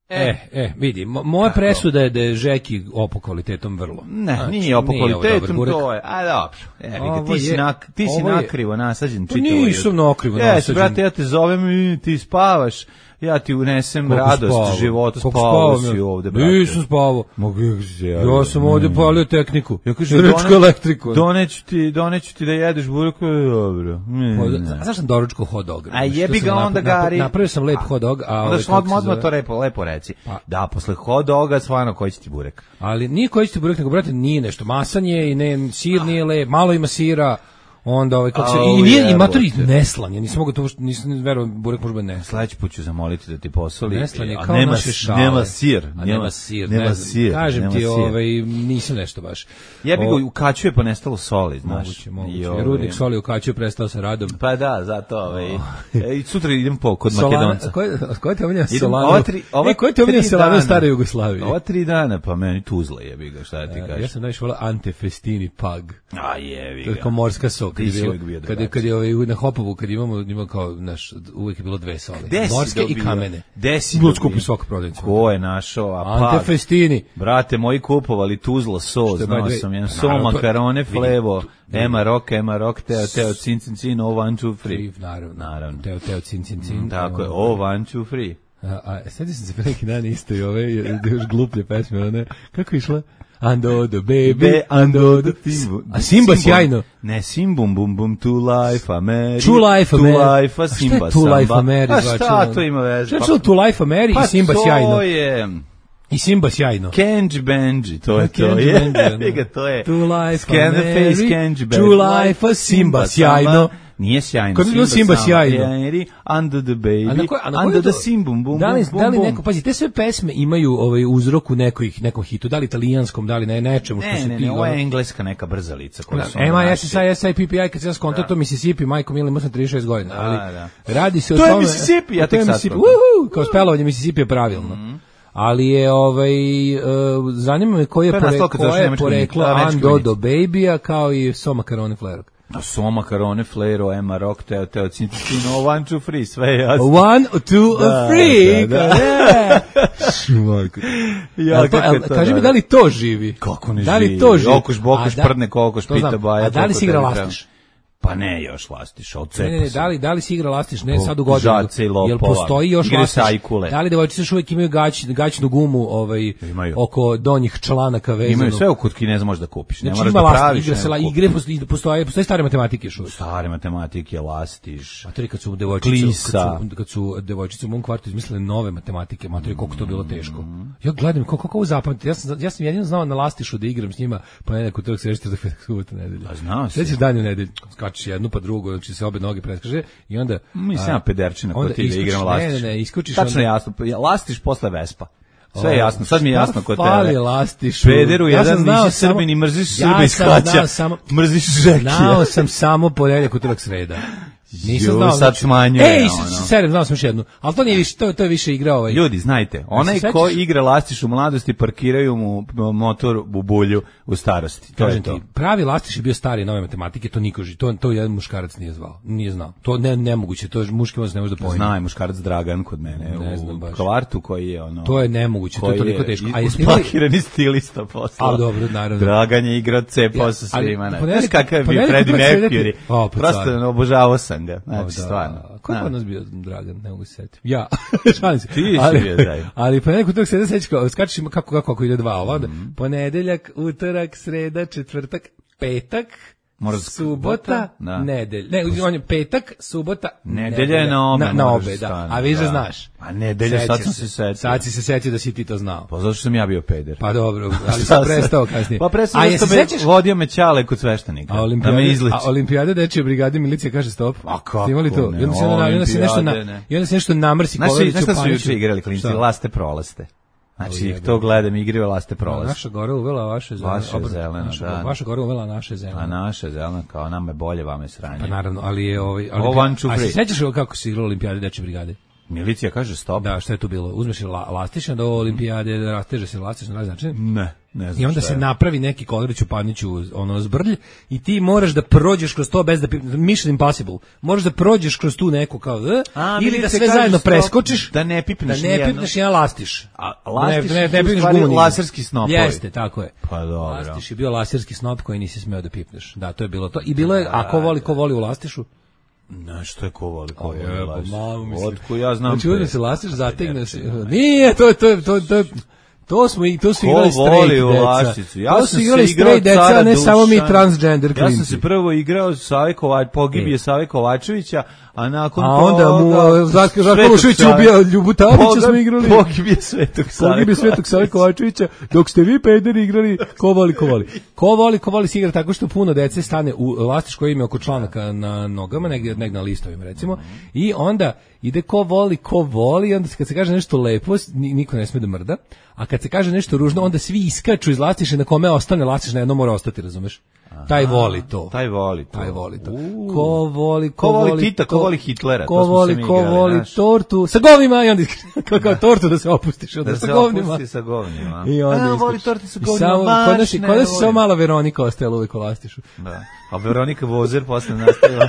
Speaker 9: E, e, vidi, moja presuda je da je Žeki opo kvalitetom vrlo.
Speaker 8: Ne, znači, nije opo kvalitetom, to je, a dobro. E, ti si, na, ti si nakrivo nasađen čitavo.
Speaker 9: Pa nisam nakrivo
Speaker 8: nasađen.
Speaker 9: Jes,
Speaker 8: brate, ja te zovem i ti spavaš. Ja ti unesem koliko radost spavo? Života, spavao si ovde, brate.
Speaker 9: Nisam spavao.
Speaker 8: Mogu se ja.
Speaker 9: Ja sam ovde mm. palio tehniku.
Speaker 8: Ja kažem, doneću elektriku. Doneću ti, doneću ti da jedeš burek, dobro. Mm.
Speaker 9: A zašto sam doručkao hot dog?
Speaker 8: A jebi ga onda, Gari.
Speaker 9: Napravio sam lep hot dog, a
Speaker 8: onda što odmah to lepo, lepo reci. Pa. Da, posle hot doga stvarno koji će ti burek.
Speaker 9: Ali nije koji će ti burek, nego brate, nije nešto masanje i ne, sir nije lep, malo ima sira. Onda ovaj kako se
Speaker 8: Au,
Speaker 9: i nije i matori
Speaker 8: jebote.
Speaker 9: neslan, ja nisam mogao to nisam verovao burek može biti neslan.
Speaker 8: Sledeći put ću zamoliti da ti posoli.
Speaker 9: Neslan je
Speaker 8: a
Speaker 9: kao
Speaker 8: nema,
Speaker 9: naše šale.
Speaker 8: nema sir.
Speaker 9: A nema sir,
Speaker 8: nema
Speaker 9: ne znam.
Speaker 8: sir.
Speaker 9: Kažem
Speaker 8: nema
Speaker 9: ti,
Speaker 8: sir.
Speaker 9: ovaj, nisam nešto baš.
Speaker 8: Ja bih
Speaker 9: O-
Speaker 8: ga u kaću je pa nestalo soli, znaš.
Speaker 9: Moguće, moguće.
Speaker 8: I, ovaj,
Speaker 9: Rudnik soli u kaću je prestao sa radom.
Speaker 8: Pa da, zato ovaj. E, sutra idem po kod
Speaker 9: Solana,
Speaker 8: Makedonca.
Speaker 9: ko je, ko je te omiljena
Speaker 8: Idem,
Speaker 9: Solana?
Speaker 8: ova tri- ova
Speaker 9: E, ko je te omiljena
Speaker 8: tri
Speaker 9: Solana u
Speaker 8: dana.
Speaker 9: staroj Jugoslaviji?
Speaker 8: Ova tri dana, pa meni Tuzla jebi ga, šta ti
Speaker 9: Ja
Speaker 8: kažeš.
Speaker 9: sam najviše volao Ante Festini Pag.
Speaker 8: A jebi
Speaker 9: To je
Speaker 8: ga.
Speaker 9: kao morska sok.
Speaker 8: Ti
Speaker 9: Kad je
Speaker 8: si
Speaker 9: bilo-
Speaker 8: uvijek bio
Speaker 9: kad je,
Speaker 8: drugačiji.
Speaker 9: kad je ovaj, na Hopovu, kad imamo, ima kao, naš, uvijek je bilo dve soli.
Speaker 8: Gde si
Speaker 9: Morske i
Speaker 8: dobio?
Speaker 9: kamene.
Speaker 8: Gde si
Speaker 9: Bilo
Speaker 8: dobio?
Speaker 9: skupi svaka prodavnica.
Speaker 8: Ko je našao? A
Speaker 9: Ante
Speaker 8: Pag.
Speaker 9: Festini.
Speaker 8: Brate, moji kupovali Tuzla so,
Speaker 9: Što je
Speaker 8: znao
Speaker 9: by the way-
Speaker 8: sam, jedan
Speaker 9: Pa
Speaker 8: so,
Speaker 9: naravno, to-
Speaker 8: makarone,
Speaker 9: vidi,
Speaker 8: flevo,
Speaker 9: tu-
Speaker 8: ema rock, ema rock, teo, teo, cin, cin, cin, o one, two, three.
Speaker 9: Naravno.
Speaker 8: Naravno.
Speaker 9: Teo, teo, cin, cin, cin.
Speaker 8: Tako je,
Speaker 9: Ovaj,
Speaker 8: o one, two, three.
Speaker 9: A, a sjećam sam se pre neki dan isto i ove, još gluplje pesme, one, kako je išla? Ando the baby,
Speaker 8: Be ando the
Speaker 9: Simbu. A Simba sjajno.
Speaker 8: Ne, Simbum, bum, bum, to life, a Mary.
Speaker 9: To Life, a
Speaker 8: To
Speaker 9: Mary.
Speaker 8: life, a
Speaker 9: A šta je
Speaker 8: Simba,
Speaker 9: To Life,
Speaker 8: samba.
Speaker 9: a Mary,
Speaker 8: A
Speaker 9: znači,
Speaker 8: šta
Speaker 9: ono?
Speaker 8: to ima veze?
Speaker 9: Šta je čuo To Life, a Mary
Speaker 8: Pa
Speaker 9: i Simba
Speaker 8: to
Speaker 9: sjajno?
Speaker 8: je...
Speaker 9: I Simba sjajno.
Speaker 8: Kenji Benji, to je to.
Speaker 9: Kenji
Speaker 8: je.
Speaker 9: Benji, ono.
Speaker 8: Ga, to je.
Speaker 9: To life,
Speaker 8: Scan
Speaker 9: a
Speaker 8: the
Speaker 9: Mary,
Speaker 8: face, Kenji Benji.
Speaker 9: True life, a Simba, sjajno.
Speaker 8: Nije sjajno.
Speaker 9: Kad bi bilo Simba
Speaker 8: samba.
Speaker 9: sjajno.
Speaker 8: Mary, under the baby,
Speaker 9: A na koje, a na koje
Speaker 8: under
Speaker 9: to-
Speaker 8: the simbum, bum,
Speaker 9: da li,
Speaker 8: bum,
Speaker 9: da li
Speaker 8: bum,
Speaker 9: neko,
Speaker 8: bum.
Speaker 9: pazi, te sve pesme imaju ovaj uzrok u nekoj, nekom hitu, da li italijanskom, da li ne, nečemu što
Speaker 8: Ne,
Speaker 9: se
Speaker 8: ne,
Speaker 9: ti...
Speaker 8: ne, ovo je
Speaker 9: ono-
Speaker 8: engleska neka brzalica. koja su ono
Speaker 9: M I
Speaker 8: naši-
Speaker 9: S S I S I P P I, kad sam ja skonto to Mississippi, majko mili, imao sam trideset šest godina, ali
Speaker 8: da.
Speaker 9: radi se o
Speaker 8: To je
Speaker 9: tome...
Speaker 8: Mississippi, ja
Speaker 9: to je
Speaker 8: tek sad
Speaker 9: Mississippi,
Speaker 8: skontam.
Speaker 9: uhu, kao spelovanje Mississippi je pravilno. Ali je, ovaj, uh, zanima me koji je,
Speaker 8: To je
Speaker 9: pore,
Speaker 8: nastalo kad
Speaker 9: koje
Speaker 8: završi
Speaker 9: je
Speaker 8: nemački
Speaker 9: poreklo
Speaker 8: vojnik, američki
Speaker 9: Ando
Speaker 8: vojnici.
Speaker 9: do Baby-a, kao i So Macaroni Flerok.
Speaker 8: A so makarone, flero, ema rock, teo, teo, cintino, one, two, three, sve je jasno.
Speaker 9: One, two,
Speaker 8: Da,
Speaker 9: a three,
Speaker 8: da, da.
Speaker 9: da. Šmajko.
Speaker 8: Ja,
Speaker 9: Jel to-
Speaker 8: kako je
Speaker 9: jel-
Speaker 8: to,
Speaker 9: Kaži mi,
Speaker 8: da,
Speaker 9: da li to živi?
Speaker 8: Kako ne
Speaker 9: Da li
Speaker 8: živi?
Speaker 9: to živi?
Speaker 8: Okuš, bokuš,
Speaker 9: A da-
Speaker 8: prdne, kokoš,
Speaker 9: to
Speaker 8: pita
Speaker 9: znam.
Speaker 8: baja,
Speaker 9: A da li
Speaker 8: koliko
Speaker 9: si igra
Speaker 8: tebi treba?
Speaker 9: lastiš?
Speaker 8: Pa ne, još lastiš, od cepa
Speaker 9: Ne, ne, ne,
Speaker 8: sam.
Speaker 9: da li, da li si igra lastiš? Ne,
Speaker 8: O,
Speaker 9: sad u godinu.
Speaker 8: žace i lopova.
Speaker 9: Jel postoji još
Speaker 8: Igre
Speaker 9: lastiš?
Speaker 8: sajkule.
Speaker 9: Da li devojčice još uvijek imaju gać, gaćnu gumu ovaj,
Speaker 8: Imaju.
Speaker 9: oko donjih članaka vezanu?
Speaker 8: Imaju sve u kod Kineza možeš da kupiš. Ne
Speaker 9: Znači
Speaker 8: moraš
Speaker 9: ima
Speaker 8: da
Speaker 9: lastiš,
Speaker 8: praviš.
Speaker 9: igra se, la,
Speaker 8: nego
Speaker 9: igre
Speaker 8: kupiš.
Speaker 9: postoji, postoje, postoje stare matematike još uvijek.
Speaker 8: Stare matematike, lastiš.
Speaker 9: Materi, kad su devojčice,
Speaker 8: Klisa.
Speaker 9: kad su, kad su devojčice u mom kvartu izmislile nove matematike, materi, koliko to bilo teško. Ja gledam, kako, kako ovo zapamtiti, ja sam, ja sam jedino znao na lastišu da igram s njima, pa nekako trk sreći da subota nedelja.
Speaker 8: A znao si.
Speaker 9: Sljedeći dan u nedelju, skačeš jednu pa drugu, znači se obe noge preskaže i onda...
Speaker 8: Mislim,
Speaker 9: a,
Speaker 8: ja pederčina
Speaker 9: onda
Speaker 8: kod ti da
Speaker 9: iskočiš-
Speaker 8: igram lastiš.
Speaker 9: Ne, ne, ne, iskočiš
Speaker 8: Tačno
Speaker 9: onda-
Speaker 8: jasno, ja, lastiš posle Vespa. Sve je
Speaker 9: O,
Speaker 8: jasno, sad mi je
Speaker 9: šta
Speaker 8: jasno kod
Speaker 9: fali
Speaker 8: tebe.
Speaker 9: lastišu?
Speaker 8: Pederu,
Speaker 9: Ja sam
Speaker 8: jedan
Speaker 9: znao
Speaker 8: nisi
Speaker 9: samo-
Speaker 8: Srbin i mrziš
Speaker 9: Ja
Speaker 8: Srbe iz
Speaker 9: sam
Speaker 8: hlaća.
Speaker 9: znao samo-
Speaker 8: Mrziš Žekija.
Speaker 9: Znao sam samo ponedeljak, utorak, sreda. Nisam
Speaker 8: Ju,
Speaker 9: znao.
Speaker 8: sad
Speaker 9: znači-
Speaker 8: smanjuje,
Speaker 9: Ej,
Speaker 8: ono.
Speaker 9: sedam, znao sam još jednu. Ali to nije više, to, to je više igra ovaj.
Speaker 8: Ljudi, znajte, onaj
Speaker 9: se
Speaker 8: ko
Speaker 9: sećaš?
Speaker 8: igra lastiš u mladosti, parkiraju mu motor u bulju u starosti. To je
Speaker 9: Kažem
Speaker 8: to.
Speaker 9: ti, pravi lastiš je bio stari nove matematike, to niko ži, to, to jedan muškarac nije zvao, nije znao. To ne nemoguće, to je muški mozak ne može da pojmi.
Speaker 8: Zna je muškarac Dragan kod mene
Speaker 9: Ne
Speaker 8: u
Speaker 9: znam baš.
Speaker 8: kvartu koji je ono...
Speaker 9: To je nemoguće, to je
Speaker 8: koji
Speaker 9: toliko teško. A
Speaker 8: i-
Speaker 9: jeste imali-
Speaker 8: uspakirani stilista posla.
Speaker 9: A, dobro, naravno.
Speaker 8: Dragan je igrao cepao
Speaker 9: Ja,
Speaker 8: sa
Speaker 9: ali
Speaker 8: svima. Ne.
Speaker 9: ponedeljak-
Speaker 8: Znaš kakav je bio
Speaker 9: ponedeljak
Speaker 8: Freddie
Speaker 9: utorak, sreda ti-
Speaker 8: Mercury?
Speaker 9: O, pa
Speaker 8: Prosto
Speaker 9: car.
Speaker 8: obožavao sam ga.
Speaker 9: O,
Speaker 8: Znači,
Speaker 9: da.
Speaker 8: stvarno.
Speaker 9: Ko je
Speaker 8: Da.
Speaker 9: kod nas bio Dragan, ne mogu se setiti. Ja, šalim se.
Speaker 8: Ti si
Speaker 9: ali,
Speaker 8: bio taj.
Speaker 9: ali ponedeljak, utorak, sreda, sećaš kao, skačeš ima kako, kako, kako ide dva, ova, onda
Speaker 8: Mhm.
Speaker 9: ponedeljak, utorak, sreda, četvrtak, petak,
Speaker 8: Mora da-
Speaker 9: subota,
Speaker 8: da.
Speaker 9: nedelj. Ne, on je petak, subota,
Speaker 8: Nedelja je na obe,
Speaker 9: Na, na
Speaker 8: moraš
Speaker 9: obe, da.
Speaker 8: stane,
Speaker 9: A vi že
Speaker 8: da.
Speaker 9: znaš.
Speaker 8: A nedelja, sad
Speaker 9: Sećaš
Speaker 8: sam se setio.
Speaker 9: Sad si se setio da si ti to znao.
Speaker 8: Pa zato što sam ja bio peder.
Speaker 9: Pa dobro, ali
Speaker 8: Šta
Speaker 9: sam
Speaker 8: sad?
Speaker 9: prestao kasnije.
Speaker 8: Pa prestao
Speaker 9: A
Speaker 8: zato
Speaker 9: jesi
Speaker 8: što me
Speaker 9: sećaš?
Speaker 8: vodio me ćale kod sveštenika.
Speaker 9: A
Speaker 8: da
Speaker 9: olimpijade,
Speaker 8: me izliči.
Speaker 9: a olimpijade dečje brigade milicija kaže stop.
Speaker 8: A kako
Speaker 9: Ste imali to?
Speaker 8: ne,
Speaker 9: I onda se, onda, i onda se nešto na,
Speaker 8: olimpijade, ne.
Speaker 9: i onda se nešto namrsi
Speaker 8: Znaš,
Speaker 9: Koleriću,
Speaker 8: znaš šta su
Speaker 9: Paniću.
Speaker 8: juče igrali klinci?
Speaker 9: Šta?
Speaker 8: Laste prolaste. Znači,
Speaker 9: O,
Speaker 8: ih
Speaker 9: jebe.
Speaker 8: to gledam, igraju laste prolaste.
Speaker 9: Naša Gora uvela vaše zelene.
Speaker 8: Vaše
Speaker 9: obrnuto,
Speaker 8: zeleno,
Speaker 9: naša,
Speaker 8: da.
Speaker 9: Vaša Gora uvela naše zelene.
Speaker 8: A naše zeleno, kao nama je bolje, vama je sranje.
Speaker 9: Pa naravno, ali je ovaj
Speaker 8: Ovo
Speaker 9: olimpija-
Speaker 8: one, two,
Speaker 9: A se
Speaker 8: three.
Speaker 9: sećaš kako se igralo olimpijade dečje brigade?
Speaker 8: Milicija kaže stop.
Speaker 9: Da, šta je tu bilo? Uzmeš la, lastiš, onda ovo olimpijade rasteže se lastiš na razne načine.
Speaker 8: Ne, ne znam
Speaker 9: I onda
Speaker 8: šta
Speaker 9: se
Speaker 8: je.
Speaker 9: napravi neki Koleriću Paniću ono zbrlj i ti moraš da prođeš kroz to bez da pi- Mission Impossible. Moraš da prođeš kroz tu neku kao e,
Speaker 8: A,
Speaker 9: ili da
Speaker 8: milicija
Speaker 9: sve
Speaker 8: kaže
Speaker 9: zajedno
Speaker 8: stop,
Speaker 9: preskočiš.
Speaker 8: da ne pipneš
Speaker 9: Da ne
Speaker 8: nijedno.
Speaker 9: pipneš jedan lastiš.
Speaker 8: A lastiš
Speaker 9: ne, ne,
Speaker 8: su
Speaker 9: ne
Speaker 8: u
Speaker 9: pipneš
Speaker 8: stvari
Speaker 9: gumu nigde.
Speaker 8: laserski snopovi.
Speaker 9: Jeste, tako je.
Speaker 8: Pa dobro.
Speaker 9: Lastiš je bio laserski snop koji nisi smeo da pipneš. Da, to je bilo to. I bilo je, a ko voli, ko voli u lastišu?
Speaker 8: Znaš što je ko voli, ko voli
Speaker 9: jebo,
Speaker 8: lastiš.
Speaker 9: mamu, mislim.
Speaker 8: Otku ja znam.
Speaker 9: Znači,
Speaker 8: ko je.
Speaker 9: uzme se lastiš, zategne se. Nije, to je, to je, to je, to je, To smo i to su
Speaker 8: Ko
Speaker 9: igrali
Speaker 8: voli
Speaker 9: straight
Speaker 8: u
Speaker 9: deca.
Speaker 8: Lašicu? Ja
Speaker 9: to
Speaker 8: sam
Speaker 9: su igrali
Speaker 8: se igrao
Speaker 9: straight deca,
Speaker 8: cara
Speaker 9: a ne samo mi
Speaker 8: Dušana.
Speaker 9: transgender
Speaker 8: Ja
Speaker 9: klinci.
Speaker 8: sam se prvo igrao Save Kovač, pogibije
Speaker 9: E.
Speaker 8: Save Kovačevića, a nakon
Speaker 9: A
Speaker 8: toga...
Speaker 9: onda mu uh, Žarko
Speaker 8: Svetog
Speaker 9: Lušević
Speaker 8: Save.
Speaker 9: ubija Ljubu Tavića, smo igrali.
Speaker 8: Pogibije Svetog Save
Speaker 9: Pogibije Svetog Save Kovačevića, dok ste vi pederi igrali ko voli, ko voli. Ko voli, ko voli se igra tako što puno dece stane u lastiš koji ima oko članaka na nogama, negdje, negdje na listovima recimo, i onda ide ko voli, ko voli, i onda kad se kaže nešto lepo, niko ne sme da mrda, a kad se kaže nešto ružno, onda svi iskaču iz lastiša, na kome ostane lastiš, na jedno mora ostati, razumeš? Aha, taj voli to.
Speaker 8: Taj voli to.
Speaker 9: Taj voli to.
Speaker 8: Uh.
Speaker 9: Ko voli, ko,
Speaker 8: Ko voli
Speaker 9: voli
Speaker 8: Tita, ko voli Hitlera,
Speaker 9: ko
Speaker 8: to smo
Speaker 9: voli,
Speaker 8: se mi
Speaker 9: ko
Speaker 8: igrali,
Speaker 9: voli
Speaker 8: znaš.
Speaker 9: tortu sa govnima, i onda kako tortu da se opustiš, onda
Speaker 8: Da
Speaker 9: sa
Speaker 8: se
Speaker 9: govnima.
Speaker 8: opusti sa govnima.
Speaker 9: I onda
Speaker 8: A, voli
Speaker 9: iskačeš.
Speaker 8: torte sa
Speaker 9: I
Speaker 8: govnima,
Speaker 9: samo,
Speaker 8: baš
Speaker 9: kod nas,
Speaker 8: ne
Speaker 9: kod nas je
Speaker 8: volim.
Speaker 9: samo mala Veronika ostala uvijek u lastišu.
Speaker 8: Da. A Veronika Vozer posle nastavila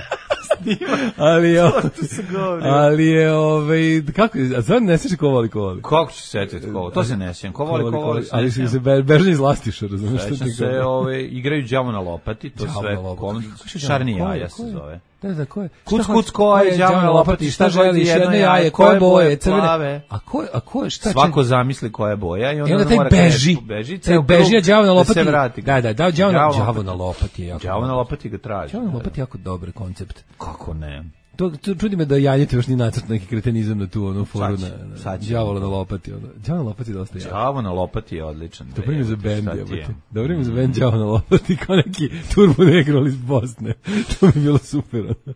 Speaker 8: snima.
Speaker 9: Ali je,
Speaker 8: Tortu sa govnima.
Speaker 9: ali je, ovaj, kako, a sad ne sjeća ko voli, ko voli.
Speaker 8: Kako ću se setiti ko? To se ne sjećam. Ko voli, ko voli, se
Speaker 9: ali
Speaker 8: ne
Speaker 9: si se
Speaker 8: sjećam.
Speaker 9: be- bežni iz lastiša, razumiješ što
Speaker 8: Sećam
Speaker 9: ti
Speaker 8: se,
Speaker 9: govorim.
Speaker 8: ove, igraju đavo na lopati, to
Speaker 9: Đavo
Speaker 8: sve,
Speaker 9: na lopati.
Speaker 8: kom,
Speaker 9: Kako se
Speaker 8: šarni
Speaker 9: đavo? Ko je,
Speaker 8: jaja
Speaker 9: ko
Speaker 8: se
Speaker 9: je?
Speaker 8: zove.
Speaker 9: Da, da, ko je?
Speaker 8: Kuc,
Speaker 9: Šta
Speaker 8: kuc,
Speaker 9: hoće-
Speaker 8: ko je đavo na lopati, šta
Speaker 9: želiš,
Speaker 8: jedno
Speaker 9: jedno
Speaker 8: jaje,
Speaker 9: jaje,
Speaker 8: koje
Speaker 9: koje boje,
Speaker 8: boje,
Speaker 9: crvene.
Speaker 8: plave.
Speaker 9: A ko je, a ko je, šta
Speaker 8: Svako
Speaker 9: čekaj?
Speaker 8: zamisli koja je boja i onda,
Speaker 9: I onda taj
Speaker 8: mora
Speaker 9: beži,
Speaker 8: krenuti, beži,
Speaker 9: taj
Speaker 8: ceo
Speaker 9: beži,
Speaker 8: krug
Speaker 9: a đavo na
Speaker 8: da
Speaker 9: lopati.
Speaker 8: se vrati.
Speaker 9: Da, da, da, đavo na,
Speaker 8: Đavo
Speaker 9: đavo
Speaker 8: lopati.
Speaker 9: na lopati je jako.
Speaker 8: Đavo na
Speaker 9: dobro.
Speaker 8: lopati ga traži.
Speaker 9: Đavo na lopati je jako dobar koncept.
Speaker 8: Kako ne?
Speaker 9: To, to čudi me da Janjete još ni nacrt neki kretenizam na tu onu foru
Speaker 8: Sad će,
Speaker 9: na, na
Speaker 8: sad će.
Speaker 9: đavola na lopati. Ono. Đavo na lopati je dosta jako.
Speaker 8: Đavo na lopati je odličan.
Speaker 9: Dobro ime za bend,
Speaker 8: Šta ti
Speaker 9: jebote.
Speaker 8: je?
Speaker 9: Dobro ime za bend đavo na lopati, kao neki turbo negro iz Bosne. To bi bilo super. ono.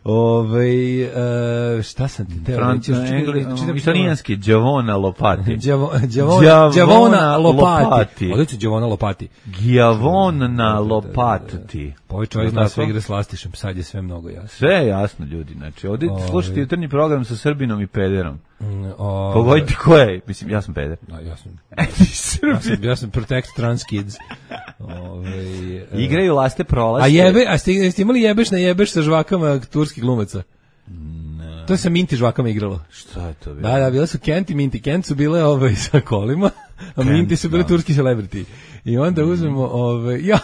Speaker 9: Ovaj e, šta sam ti teo
Speaker 8: Franc,
Speaker 9: reći? Još čekaj,
Speaker 8: engli,
Speaker 9: čitam-
Speaker 8: italijanski đavona lopati.
Speaker 9: Đavo, đavona,
Speaker 8: Đavona
Speaker 9: đavona lopati.
Speaker 8: lopati.
Speaker 9: Odlično, đavona lopati.
Speaker 8: Gjavon na lopati.
Speaker 9: Pa ovaj čovjek
Speaker 8: Je
Speaker 9: zna
Speaker 8: tako?
Speaker 9: sve igre s lastišem, sad je sve mnogo jasno.
Speaker 8: Sve je jasno, ljudi. Znači, ovdje
Speaker 9: Ovaj.
Speaker 8: slušajte jutarnji program sa Srbinom i pederom.
Speaker 9: Mm, ovaj,
Speaker 8: Pogodite ko je. Mislim, ja sam peder.
Speaker 9: Da, ja sam,
Speaker 8: Eti,
Speaker 9: ja sam,
Speaker 8: Srbi.
Speaker 9: ja sam protect trans kids. Ovaj, e,
Speaker 8: Igraju laste prolaske.
Speaker 9: A jebe, a ste, jeste imali jebeš na jebeš sa žvakama turskih glumaca?
Speaker 8: Ne.
Speaker 9: To se Minti žvakama igralo.
Speaker 8: Šta je to bilo?
Speaker 9: Da, da, bile su Kent i Minti. Kent su bile ovaj, sa kolima, a
Speaker 8: Kent,
Speaker 9: Minti su bile
Speaker 8: da.
Speaker 9: turski celebrity. I onda uzmemo, ovaj, ja...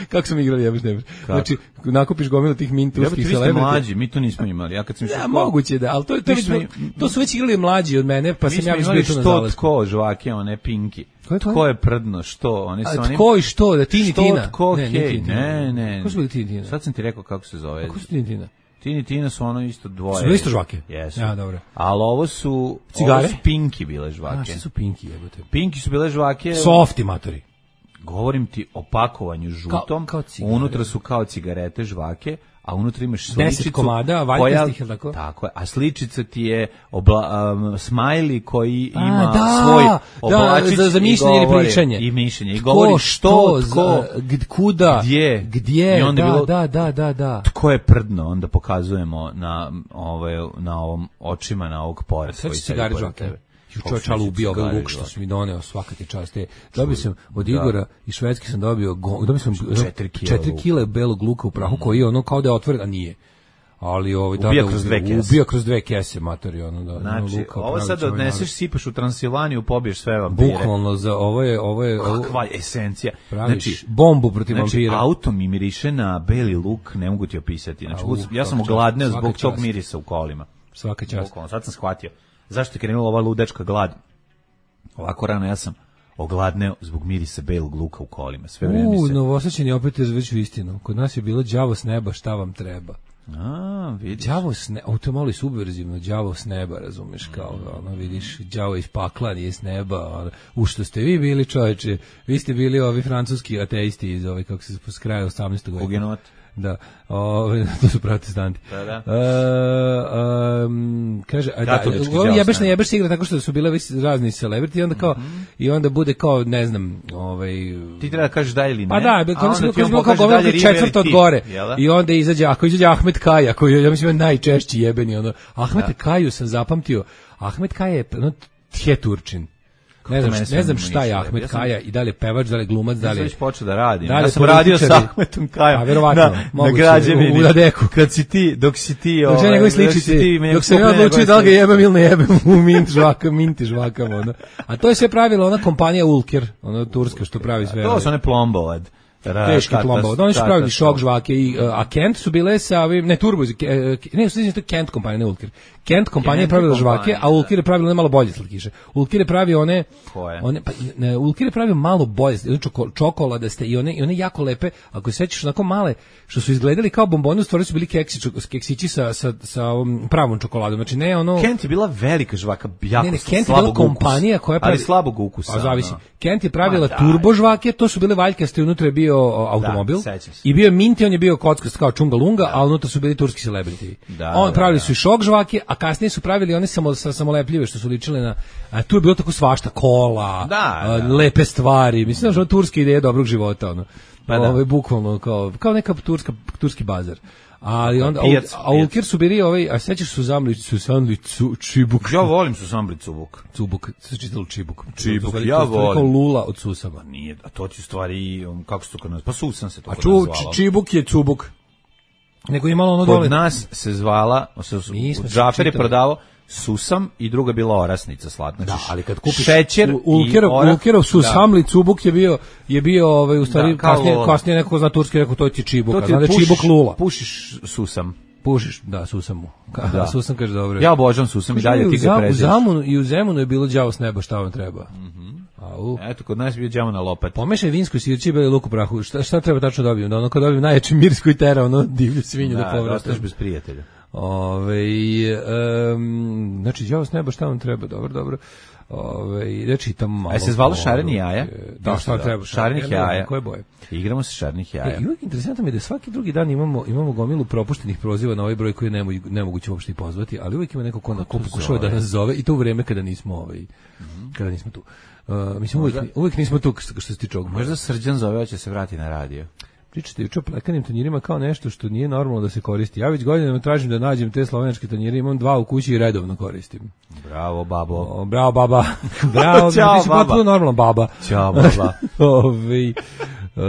Speaker 9: Kako sam igrali jebeš ne jebeš? Znači, nakupiš gomilu tih Minti
Speaker 8: Jebote,
Speaker 9: turskih
Speaker 8: vi ste
Speaker 9: celebrity.
Speaker 8: mlađi, mi to nismo imali. Ja kad sam išao
Speaker 9: Ja,
Speaker 8: u školu-
Speaker 9: moguće da, ali to, to,
Speaker 8: Mi smo
Speaker 9: to, to su već igrali mlađi od mene, pa
Speaker 8: Mi
Speaker 9: sam
Speaker 8: smo
Speaker 9: ja već
Speaker 8: imali
Speaker 9: bio tu na
Speaker 8: što
Speaker 9: zalasku.
Speaker 8: tko žvake, one pinki.
Speaker 9: Ko je to?
Speaker 8: Tko je prdno, što? Oni su
Speaker 9: A
Speaker 8: oni...
Speaker 9: tko i što, da Tini
Speaker 8: Što,
Speaker 9: Tina?
Speaker 8: tko,
Speaker 9: Ne, nije
Speaker 8: hej,
Speaker 9: Tini Tina.
Speaker 8: ne, ne.
Speaker 9: Ko su bili Tini Tina?
Speaker 8: Sad sam ti rekao kako se zove.
Speaker 9: Ko su Tini Tina?
Speaker 8: Tini Tina su ono isto dvoje.
Speaker 9: Su bili isto žvake?
Speaker 8: Jesu.
Speaker 9: Ja, dobro.
Speaker 8: Ali ovo su...
Speaker 9: Cigare?
Speaker 8: Ovo su pinki bile
Speaker 9: A,
Speaker 8: žvake.
Speaker 9: šta su pinki jebote?
Speaker 8: Pinki su bile žvake...
Speaker 9: Softi matori.
Speaker 8: Govorim ti o pakovanju žutom.
Speaker 9: Kao- kao cigare.
Speaker 8: Unutra su kao cigarete žvake, a unutra imaš
Speaker 9: Deset
Speaker 8: sličicu.
Speaker 9: komada,
Speaker 8: koja-
Speaker 9: valjkastih, jel tako?
Speaker 8: Tako je, a sličica ti je obla, um, smajli koji ima
Speaker 9: A, da,
Speaker 8: svoj
Speaker 9: da,
Speaker 8: oblačić
Speaker 9: za- za
Speaker 8: i
Speaker 9: mišljenje ili
Speaker 8: govori-
Speaker 9: pričanje.
Speaker 8: I mišljenje. I
Speaker 9: Tko,
Speaker 8: govori što,
Speaker 9: za-
Speaker 8: tko,
Speaker 9: gd- kuda,
Speaker 8: gdje.
Speaker 9: gdje,
Speaker 8: I onda je
Speaker 9: da,
Speaker 8: bilo-
Speaker 9: da, da, da, da.
Speaker 8: tko je prdno, onda pokazujemo na, ovaj, na ovom očima, na ovog pored.
Speaker 9: Sad
Speaker 8: koji
Speaker 9: će
Speaker 8: sedi
Speaker 9: cigare
Speaker 8: pored
Speaker 9: žvake.
Speaker 8: tebe.
Speaker 9: Ju
Speaker 8: Kako
Speaker 9: čovječ,
Speaker 8: su
Speaker 9: ali
Speaker 8: mi
Speaker 9: ubio ovaj
Speaker 8: cigare
Speaker 9: luk što
Speaker 8: žvake?
Speaker 9: su mi doneo, svaka ti čast. E, dobio sam od Igora iz Švedske sam dobio, go- dobio sam
Speaker 8: Četiri kile
Speaker 9: četiri
Speaker 8: luka.
Speaker 9: kile belog luka u prahu, koji je ono kao da je otvoren, a nije. Ali ovaj da,
Speaker 8: Ubija
Speaker 9: da,
Speaker 8: kroz dve kese.
Speaker 9: ubija kroz dve kese, matori, ono da. ono
Speaker 8: Znači,
Speaker 9: luka,
Speaker 8: ovo
Speaker 9: pravi
Speaker 8: sad
Speaker 9: čovjek
Speaker 8: odneseš,
Speaker 9: narod.
Speaker 8: sipaš u Transilvaniju, pobiješ sve vampire.
Speaker 9: Bukvalno za ovo je, ovo je, ovo,
Speaker 8: Kakva esencija.
Speaker 9: praviš
Speaker 8: Znači,
Speaker 9: bombu protiv
Speaker 8: Znači,
Speaker 9: vampira.
Speaker 8: auto mi miriše na beli luk, ne mogu ti opisati. Znači,
Speaker 9: Au,
Speaker 8: ja sam
Speaker 9: svaka čast,
Speaker 8: ogladneo
Speaker 9: svaka
Speaker 8: zbog tog
Speaker 9: čast.
Speaker 8: mirisa u kolima.
Speaker 9: Svaka čast.
Speaker 8: Bukvalno, sad sam shvatio. Zašto je krenula ova ludačka glad? Ovako rano ja sam ogladneo zbog mirisa belog luka u kolima. Sve vreme mi
Speaker 9: U,
Speaker 8: se...
Speaker 9: Novosađeni opet je već u istinu. Kod nas je bilo đavo s neba, šta vam treba?
Speaker 8: A, vidiš.
Speaker 9: Đavo s neba, to je malo i subverzivno, đavo s neba, razumeš, kao, ono, vidiš, đavo iz pakla, nije s neba, ono, u što ste vi bili, čoveče, vi ste bili ovi francuski ateisti iz ovi, kako se s kraja osamnaestog veka.
Speaker 8: Hugenot.
Speaker 9: Da, ove, to su protestanti.
Speaker 8: Da, da.
Speaker 9: E, um, kaže, a da,
Speaker 8: Katolički
Speaker 9: ovo
Speaker 8: đavo
Speaker 9: jebeš
Speaker 8: s
Speaker 9: na
Speaker 8: neba.
Speaker 9: jebeš se igra tako što su bile visi razni celebrity i onda kao,
Speaker 8: Mhm.
Speaker 9: i onda bude kao, ne znam, ovaj...
Speaker 8: Ti treba da kažeš da ili ne.
Speaker 9: Pa da,
Speaker 8: a
Speaker 9: kao
Speaker 8: onda
Speaker 9: smo
Speaker 8: ti on
Speaker 9: kao
Speaker 8: pokaže
Speaker 9: kao
Speaker 8: dalje
Speaker 9: govor
Speaker 8: river
Speaker 9: četvrto
Speaker 8: i
Speaker 9: od
Speaker 8: ti,
Speaker 9: gore.
Speaker 8: jel da?
Speaker 9: I onda izađe, ako izađe Ahmed Kaja, koji je, ja mislim, najčešći jebeni, ono. Ahmed Kaju sam zapamtio. Ahmed Kaja je, ono, tje Turčin. Ne znam,
Speaker 8: mene
Speaker 9: ne
Speaker 8: sve
Speaker 9: znam
Speaker 8: ne
Speaker 9: šta je
Speaker 8: mišlja,
Speaker 9: Ahmed
Speaker 8: ja sam-
Speaker 9: Kaja i da li je pevač, da li je glumac, da
Speaker 8: Ja
Speaker 9: li
Speaker 8: sam
Speaker 9: je...
Speaker 8: već počeo da radim.
Speaker 9: Da li
Speaker 8: Ja sam
Speaker 9: političari?
Speaker 8: radio sa Ahmetom Kajom.
Speaker 9: A, verovatno,
Speaker 8: na, na
Speaker 9: moguće,
Speaker 8: građevini.
Speaker 9: u- u Dadeku.
Speaker 8: Kad si ti, dok si ti...
Speaker 9: Dok se
Speaker 8: ovaj,
Speaker 9: njegovi
Speaker 8: dok si
Speaker 9: sličici,
Speaker 8: ti meni
Speaker 9: dok sam ja
Speaker 8: kupio
Speaker 9: odlučio
Speaker 8: njegove
Speaker 9: da li ga
Speaker 8: sličice.
Speaker 9: jebem ili ne jebem u mint žvaka, minti žvakama, ono. A to je sve pravila ona kompanija Ulker, ona turska što pravi sve.
Speaker 8: To
Speaker 9: ove-
Speaker 8: su one plombovad.
Speaker 9: teški plombao. Oni su pravili šok žvake, i, a Kent su bile sa ovim, ne Turbo, ne, u sličnosti to Kent kompanija, ne Ulker. Kent kompanija je pravila žvake, a Ulker je pravila malo bolje slatkiše. Ulker je pravio one, one pa, ne, Ulker je pravio malo bolje, čoko, čokoladaste i one, i one jako lepe, ako se sećaš, onako male, što su izgledali kao bomboni, u stvari su bili keksi, keksići sa, sa, sa ovom pravom čokoladom. Znači ne ono...
Speaker 8: Kent je bila velika žvaka, jako ne, ne,
Speaker 9: Kent je bila kompanija koja pravi...
Speaker 8: Ali slabog ukusa.
Speaker 9: A zavisi. Kent je pravila turbo žvake, to su bile valjkaste, unutra je bio automobil. Da, i bio Minti, on je bio kockast kao Čunga Lunga, da. A unutra su bili turski celebrity. Da, on pravili da, da. su i šok žvake, a kasnije su pravili one samo sa samolepljive što su ličile na a tu je bilo tako svašta, kola,
Speaker 8: da,
Speaker 9: a,
Speaker 8: da.
Speaker 9: lepe stvari. Mislim da je turska ideja dobrog života, ono.
Speaker 8: Pa da.
Speaker 9: Ovo je bukvalno kao kao neka turska turski bazar. Ali onda pijac, a Ulker su bili ovaj, a sećaš su zamli su sanli čibuk.
Speaker 8: Ja volim su samli cubuk.
Speaker 9: Cubuk, se čitalo čibuk.
Speaker 8: Čibuk, ja volim.
Speaker 9: Kao lula od susama.
Speaker 8: Nije, a to ti u stvari kako se to kod nas, pa susan se to kod
Speaker 9: nas
Speaker 8: zvalo.
Speaker 9: A čibuk je cubuk. Nego imalo ono
Speaker 8: kod
Speaker 9: dole.
Speaker 8: Kod nas se zvala, Džafer je prodavao susam i druga bila orasnica slatna.
Speaker 9: Da, ali kad kupiš
Speaker 8: šećer
Speaker 9: Ulkerov, Ulkerov susamli cubuk je bio je bio ovaj u stvari da, kasnije kasnije neko zna turski rekao to ti čibuk, a znači čibuk lula.
Speaker 8: Pušiš susam.
Speaker 9: Pušiš, da, susam. Da. Susam kaže dobro.
Speaker 8: Ja obožavam susam i dalje ti ga prezeš.
Speaker 9: U Zamunu i u Zemunu je bilo đavo s neba, šta vam treba.
Speaker 8: Mhm. Au. Eto, kod nas je bio đavo na lopati.
Speaker 9: Pomešaj vinsko sirće i beli luk u prahu. Šta, šta treba tačno dobijem? Da ono kad dobijem najjači miris koji tera, ono divlju svinju da, da povratim.
Speaker 8: Da, bez prijatelja.
Speaker 9: Ove, um, znači, đavo s neba, šta vam treba? Dobro, dobro. Ove, da čitam malo.
Speaker 8: A se zvalo šareni jaja?
Speaker 9: Da, šta da, treba?
Speaker 8: Šarenih jaja.
Speaker 9: Koje boje?
Speaker 8: Igramo se šarenih jaja.
Speaker 9: E, i uvijek interesantno mi je da svaki drugi dan imamo, imamo gomilu propuštenih proziva na ovaj broj koji je nemoguće uopšte i pozvati, ali uvijek ima neko ko, ko pokušava da nas zove i to u vreme kada nismo, ovaj, mm-hmm. kada nismo tu. Uh, mislim, uvijek, uvijek nismo tu što se tiče ovog.
Speaker 8: Možda Srđan zove, će se vrati na radio.
Speaker 9: Pričate juče o plekanim tanjirima kao nešto što nije normalno da se koristi. Ja već godinama tražim da nađem te slovenačke tanjire, imam dva u kući i redovno koristim.
Speaker 8: Bravo, babo.
Speaker 9: O, bravo, baba. Bravo,
Speaker 8: Ćao,
Speaker 9: ti si potpuno normalno, baba.
Speaker 8: Ćao, baba.
Speaker 9: Ovi, Uh,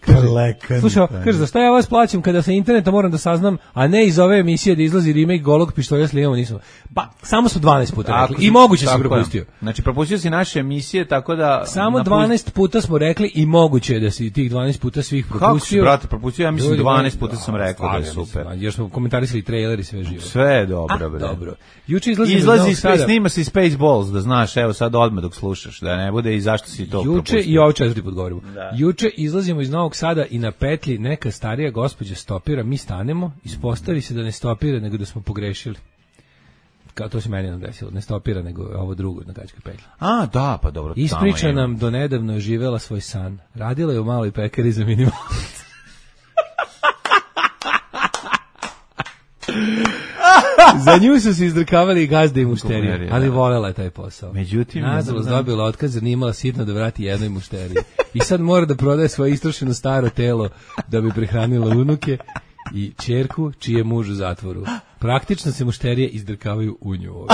Speaker 9: kaže, slušaj, kaže, za šta ja vas plaćam kada sa interneta moram da saznam, a ne iz ove emisije da izlazi remake Golog pištolja s Lijom, nisam. Pa, samo smo dvanaest puta rekli i moguće si propustio.
Speaker 8: Znači, propustio si naše emisije, tako da...
Speaker 9: Samo napust... dvanaest puta smo rekli i moguće je da si tih dvanaest puta svih propustio.
Speaker 8: Kako si, brate, propustio? Ja mislim dvanaest puta sam rekao da je super.
Speaker 9: Mislim, jer smo komentarisali trailer i sve živo.
Speaker 8: Sve je dobro, bre.
Speaker 9: Dobro. Juče izlazi
Speaker 8: izlazi snima se Spaceballs, da znaš, evo sad odmah dok slušaš, da ne bude i zašto si to propustio.
Speaker 9: Juče i ovo četvrti put govorimo. Juče izlazimo iz Novog Sada i na petlji neka starija gospođa stopira, mi stanemo, ispostavi se da ne stopira, nego da smo pogrešili. Kao to se meni nam desilo, ne stopira, nego ovo drugo na Gačkoj petlji.
Speaker 8: A, da, pa dobro.
Speaker 9: Ispriča nam, do nedavno je živela svoj san. Radila je u maloj pekari za minimalac. Za nju su se izdrkavali i gazde i mušterije, ali volela je taj posao.
Speaker 8: Međutim,
Speaker 9: nažalost dobila otkaz jer nije imala sitno da vrati jednoj mušteriji. I sad mora da prodaje svoje istrošeno staro telo da bi prehranila unuke i ćerku čiji je muž u zatvoru. Praktično se mušterije izdrkavaju u nju.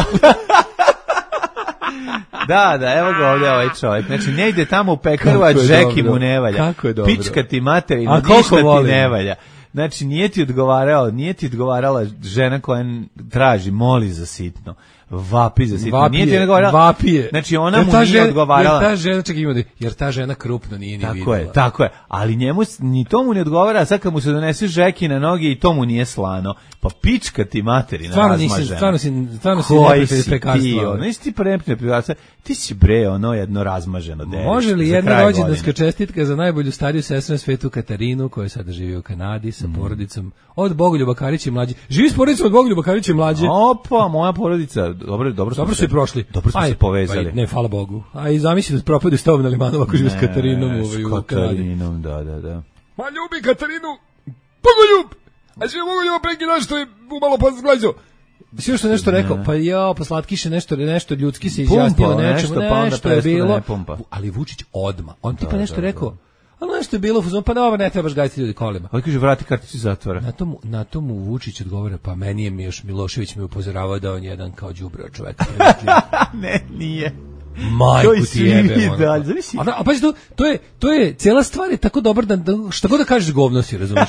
Speaker 8: Da, da, evo ga ovdje ovaj čovjek. Znači, ne ide tamo u pekaru, a džeki mu ne valja.
Speaker 9: Kako je dobro.
Speaker 8: Pička ti materina, ništa ti ne valja. Znači, nije ti odgovarao, nije ti odgovarala žena koja traži, moli za sitno, vapi za sitno.
Speaker 9: Vapije,
Speaker 8: nije ti odgovarala.
Speaker 9: Vapije.
Speaker 8: Znači, ona mu nije žena, odgovarala.
Speaker 9: Jer ta žena, čekaj, ima, jer ta žena krupno nije ni
Speaker 8: tako
Speaker 9: videla.
Speaker 8: Tako je, tako je. Ali njemu, ni to mu ne odgovara, a sad kad mu se donese žeki na noge i to mu nije slano. Pa pička ti materina
Speaker 9: stvarno
Speaker 8: razmažena.
Speaker 9: Nisi, stvarno si, stvarno si neprijatelj prekarstva.
Speaker 8: Nisi ti neprijatelj prekarstva. Ti si bre, ono jedno razmaženo derište.
Speaker 9: Može li jedna rođendanska čestitka za najbolju stariju sestru na svetu Katarinu, koja sada živi u Kanadi sa mm. porodicom od Bogoljuba Karića i mlađe. Živi s porodicom od Bogoljuba Karića i mlađe.
Speaker 8: Opa, moja porodica. Dobro, dobro smo
Speaker 9: dobro se prošli.
Speaker 8: Dobro smo aj, se povezali.
Speaker 9: Aj, ne, hvala Bogu. A i zamisli da propade s tobom na Limanova ako živi s Katarinom ovaj, u Kanadi.
Speaker 8: Katarinom, da, da, da.
Speaker 9: Ma ljubi Katarinu, Bogoljub! A sve Bogoljuba preki naš što je umalo pozglađo. Sve što nešto rekao, pa ja, pa slatkiše nešto, nešto ljudski se izjasnio nečemu, nešto, pa nešto je bilo, ali Vučić odma. On tipa nešto da, rekao, ali nešto je bilo, pa dobro, ne trebaš gajiti ljudi kolima.
Speaker 8: Ali kaže, vrati karticu zatvora.
Speaker 9: Na tomu, na tomu Vučić odgovara, pa meni je Miloš Milošević me upozoravao da on je jedan kao đubreo čovjek.
Speaker 8: Ne, nije.
Speaker 9: Majku ti jebe. A, a pazi, to, to, je, to je, cijela stvar je tako dobra da, da šta god da kažeš govno si, razumiješ?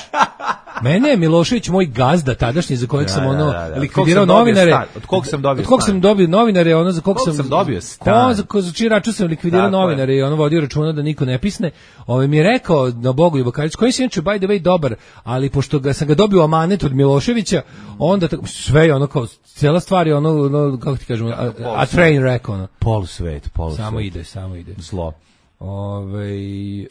Speaker 9: Mene je Milošević moj gazda tadašnji za kojeg
Speaker 8: Da,
Speaker 9: sam
Speaker 8: da,
Speaker 9: ono
Speaker 8: da, da.
Speaker 9: likvidirao
Speaker 8: Od kog sam dobio
Speaker 9: novinare.
Speaker 8: stan? Od kog sam dobio
Speaker 9: Od kog
Speaker 8: stan?
Speaker 9: sam dobio novinare, ono za kog
Speaker 8: Kog
Speaker 9: sam
Speaker 8: sam dobio stan?
Speaker 9: Ko za ko za čiji račun sam likvidirao
Speaker 8: Tako je.
Speaker 9: novinare i ono vodio računa da niko ne pisne. Ovaj mi je rekao na Bogoljub Karić, koji se inače by the way dobar, ali pošto ga sam ga dobio amanet od Miloševića, onda tako, sve je ono kao cela stvar je ono, ono kako ti kažemo, a, a train wreck ono.
Speaker 8: Polu svet, polu
Speaker 9: Samo
Speaker 8: svet.
Speaker 9: ide, samo ide.
Speaker 8: Zlo.
Speaker 9: Ovaj uh,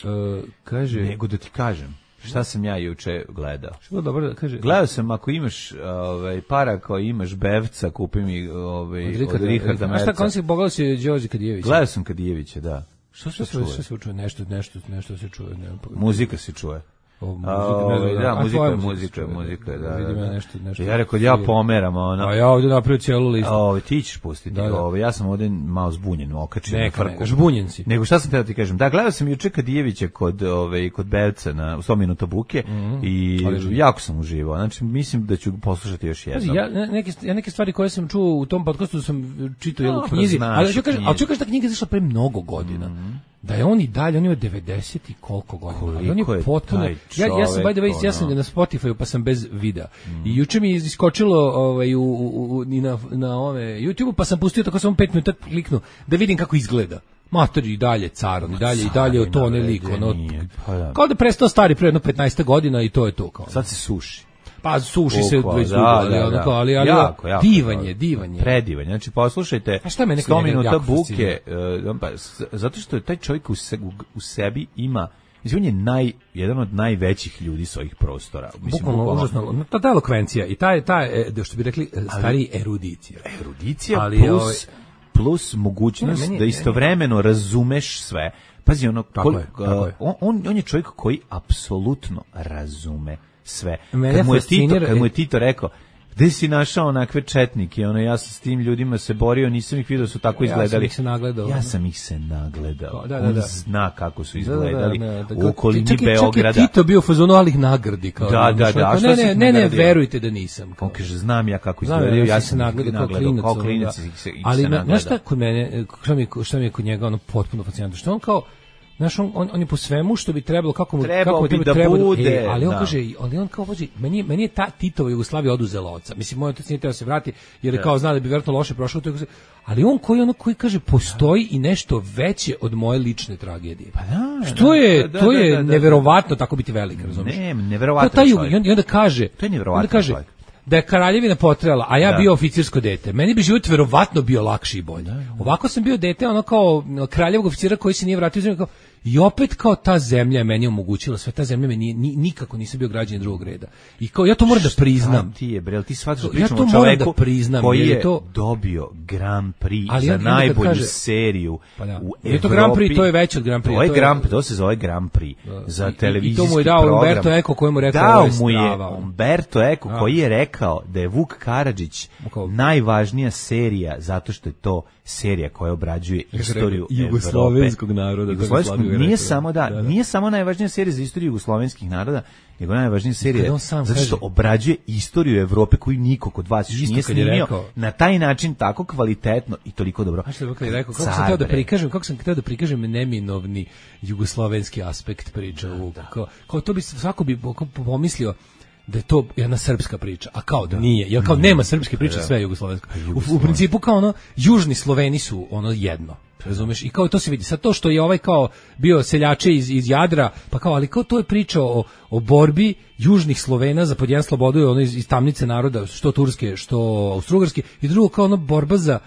Speaker 9: kaže
Speaker 8: Nego da ti kažem, šta sam ja juče gledao?
Speaker 9: što je dobro da kaže.
Speaker 8: Gledao sam, ako imaš ovaj, para, ako imaš bevca, kupi mi ovaj, od Richarda, Richarda
Speaker 9: A šta
Speaker 8: Merca.
Speaker 9: kon si pogledao si Đorđe Kadijević?
Speaker 8: Gledao sam Kadijevića, da.
Speaker 9: Što se čuje? Što se čuje? Nešto, nešto, nešto se čuje. Ne,
Speaker 8: Muzika se čuje.
Speaker 9: O, muzika,
Speaker 8: A,
Speaker 9: ne znam,
Speaker 8: ovaj,
Speaker 9: a
Speaker 8: da, muzika
Speaker 9: tvoja
Speaker 8: je
Speaker 9: muzika
Speaker 8: muzika,
Speaker 9: se čuje,
Speaker 8: muzika, da,
Speaker 9: vidim
Speaker 8: da,
Speaker 9: ja
Speaker 8: da.
Speaker 9: nešto, nešto
Speaker 8: Ja rekao, ja
Speaker 9: svira.
Speaker 8: pomeram, ono.
Speaker 9: A ja ovdje napravio cijelu listu.
Speaker 8: A, ovaj, ti ćeš pustiti.
Speaker 9: Da, da.
Speaker 8: Ovaj, ja sam ovdje malo zbunjen, okačen na
Speaker 9: Neka,
Speaker 8: frku.
Speaker 9: neka, žbunjen si.
Speaker 8: Nego šta sam teo ti kažem? Da, gledao sam juče Kadijevića kod, ovaj, kod Bevca na u sto minuta buke
Speaker 9: Mhm.
Speaker 8: i
Speaker 9: Ali-
Speaker 8: jako sam uživao. Znači, mislim da ću poslušati još jednom.
Speaker 9: Pazi, ja ne- neke ja neke stvari koje sam čuo u tom podcastu sam čitao jel u
Speaker 8: Dobro,
Speaker 9: knjizi,
Speaker 8: znaš
Speaker 9: ali ću kažem,
Speaker 8: knjizi.
Speaker 9: ali ću kažem da knjiga je izašla pre mnogo godina. Da je on i dalje, on ima devedeset i koliko godina. Ali on
Speaker 8: Koliko
Speaker 9: je
Speaker 8: je
Speaker 9: potpuno.
Speaker 8: taj
Speaker 9: Ja ja sam by the way,
Speaker 8: čovek,
Speaker 9: ja sam ga
Speaker 8: ono.
Speaker 9: na Spotify pa sam bez videa. I juče mi je iskočilo ovaj u, u, u i na na ove YouTubeu pa sam pustio tako samo pet minuta kliknu da vidim kako izgleda. Mater i dalje car, on i dalje i dalje od to ne lik, ono.
Speaker 8: Nije, pa da.
Speaker 9: Kao da je prestao stari pre jedno petnaest godina i to je to kao.
Speaker 8: Sad se suši.
Speaker 9: Pa suši se
Speaker 8: Bukvalno,
Speaker 9: već
Speaker 8: da,
Speaker 9: dugo, ali,
Speaker 8: da,
Speaker 9: ono
Speaker 8: da.
Speaker 9: kao, ali, ali
Speaker 8: Jako, jako
Speaker 9: divan
Speaker 8: dobro.
Speaker 9: je, divan je.
Speaker 8: Predivan. Znači, poslušajte,
Speaker 9: A šta mene kod
Speaker 8: sto
Speaker 9: njega
Speaker 8: minuta
Speaker 9: jako
Speaker 8: buke,
Speaker 9: fascinira?
Speaker 8: uh, pa, s- zato što je taj čovjek u, se, u, u sebi ima, mislim, on je naj, jedan od najvećih ljudi s ovih prostora. Mislim,
Speaker 9: Bukvalno užasno. Ta ta elokvencija i ta ta e, što bi rekli e, stari erudicija.
Speaker 8: Erudicija
Speaker 9: Ali,
Speaker 8: plus,
Speaker 9: ovaj-
Speaker 8: plus mogućnost
Speaker 9: Ne, meni je-
Speaker 8: da istovremeno razumeš sve. Pazi, ono,
Speaker 9: Tako
Speaker 8: kol-
Speaker 9: je, tako je.
Speaker 8: on, on, on je čovjek koji apsolutno razume sve.
Speaker 9: Mene
Speaker 8: Kad mu je Tito,
Speaker 9: fascinira-
Speaker 8: kad mu je Tito rekao, gde si našao onakve četnike, ono, ja sam s tim ljudima se borio, nisam ih vidio da su tako
Speaker 9: Ja sam
Speaker 8: izgledali.
Speaker 9: ih se nagledao.
Speaker 8: Ja sam ih se nagledao.
Speaker 9: Da, da,
Speaker 8: On
Speaker 9: da.
Speaker 8: zna kako su
Speaker 9: Da, da, da,
Speaker 8: izgledali
Speaker 9: da, da,
Speaker 8: u
Speaker 9: kao-
Speaker 8: okolini
Speaker 9: čak i-
Speaker 8: Beograda.
Speaker 9: Čak i Tito bio u fazonu, ali ih nagradi. Kao,
Speaker 8: Da, da,
Speaker 9: znaš,
Speaker 8: da, a
Speaker 9: kao,
Speaker 8: šta
Speaker 9: ne,
Speaker 8: si
Speaker 9: ne,
Speaker 8: ih
Speaker 9: ne, ne,
Speaker 8: nagradio?
Speaker 9: verujte da nisam. Kao.
Speaker 8: On kaže, znam ja kako
Speaker 9: Znam,
Speaker 8: izgledaju, ja
Speaker 9: ja
Speaker 8: sam ih
Speaker 9: nagledao kao
Speaker 8: nagledao,
Speaker 9: klinac.
Speaker 8: kao
Speaker 9: ono,
Speaker 8: klinac
Speaker 9: da.
Speaker 8: ih se, ih
Speaker 9: Ali
Speaker 8: se
Speaker 9: na,
Speaker 8: nagledao.
Speaker 9: znaš šta kod mene, šta mi, je- šta mi je kod njega ono potpuno fascinantno, što on kao, znaš, on, on, on je po svemu što bi trebalo, kako mu,
Speaker 8: Trebao
Speaker 9: kako mu
Speaker 8: bi
Speaker 9: treba,
Speaker 8: da
Speaker 9: treba
Speaker 8: bude,
Speaker 9: e, ali on
Speaker 8: da.
Speaker 9: kaže, ali on kao, pazi, meni, je- meni je ta Titova Jugoslavija oduzela oca. Mislim, moj otac nije teo da se vrati, jer je kao zna da bi vjerojatno loše prošao, to je- ali on koji ono koji kaže, postoji i nešto veće od moje lične tragedije. Pa
Speaker 8: da,
Speaker 9: što
Speaker 8: da,
Speaker 9: je,
Speaker 8: da, da,
Speaker 9: to je
Speaker 8: da, da, da.
Speaker 9: neverovatno tako biti velik, razumiješ?
Speaker 8: Ne, neverovatan
Speaker 9: Kao taj,
Speaker 8: čovjek.
Speaker 9: i onda, i onda kaže,
Speaker 8: To je neverovatan
Speaker 9: onda kaže,
Speaker 8: čovjek.
Speaker 9: da je kraljevina potrela, a ja
Speaker 8: Da.
Speaker 9: bio oficirsko dete. Meni bi život verovatno bio lakši i bolji. Ovako sam bio dete, ono kao kraljevog oficira koji se nije vratio u zemlju, kao, i opet kao ta zemlja je meni omogućila sve, ta zemlja me nije, ni, nikako nisam bio građanin drugog reda. I kao, ja to moram da priznam.
Speaker 8: Šta ti je, bre, ti shvataš da
Speaker 9: Ja
Speaker 8: pričamo
Speaker 9: to
Speaker 8: o
Speaker 9: moram
Speaker 8: čoveku
Speaker 9: da priznam,
Speaker 8: koji
Speaker 9: jer je
Speaker 8: je
Speaker 9: to-
Speaker 8: dobio Grand Prix
Speaker 9: Ali
Speaker 8: za
Speaker 9: on- onda kad
Speaker 8: najbolju
Speaker 9: kaže-
Speaker 8: seriju
Speaker 9: Pa da.
Speaker 8: u
Speaker 9: Nije to
Speaker 8: Evropi.
Speaker 9: Grand Prix, to je veće od Grand Prix,
Speaker 8: To je
Speaker 9: to je-
Speaker 8: Grand Prix, to se zove Grand Prix za
Speaker 9: I- i- i to
Speaker 8: televizijski
Speaker 9: mu je dao
Speaker 8: program.
Speaker 9: Umberto Eco koji mu je rekao,
Speaker 8: Dao
Speaker 9: ovo je
Speaker 8: mu je
Speaker 9: strava.
Speaker 8: Umberto Eco
Speaker 9: Da.
Speaker 8: koji je rekao da je Vuk Karadžić
Speaker 9: Kao-
Speaker 8: najvažnija serija zato što je to serija koja obrađuje istoriju
Speaker 9: jugoslovenskog
Speaker 8: Evrope.
Speaker 9: naroda,
Speaker 8: Jugoslovenskog
Speaker 9: tako je
Speaker 8: nije
Speaker 9: rekao.
Speaker 8: samo da,
Speaker 9: Da, da.
Speaker 8: nije samo najvažnija serija za istoriju jugoslovenskih naroda, nego najvažnija serija
Speaker 9: Kad on sam
Speaker 8: zato što
Speaker 9: kaže-
Speaker 8: obrađuje istoriju Evrope koju niko kod vas još
Speaker 9: Isto
Speaker 8: nije
Speaker 9: kad je
Speaker 8: snimio
Speaker 9: rekao-
Speaker 8: na taj način tako kvalitetno i toliko dobro.
Speaker 9: Znaš što je Vukaj rekao, kako
Speaker 8: Car,
Speaker 9: sam hteo da
Speaker 8: bre.
Speaker 9: prikažem, kako sam hteo da prikažem neminovni jugoslovenski aspekt priče Vuk. Kao, kao to bi svako bi pomislio da je to jedna srpska priča, a kao da nije, jer kao nema srpske priče, sve je jugoslovensko. U, u principu kao ono, južni Sloveni su ono jedno, razumeš? I kao to se vidi. Sad to što je ovaj kao bio seljače iz, iz Jadra, pa kao, ali kao to je priča o, o borbi južnih Slovena za pod jedan slobodu, ono iz, iz tamnice naroda, što turske, što austrougarske, i drugo kao ono borba za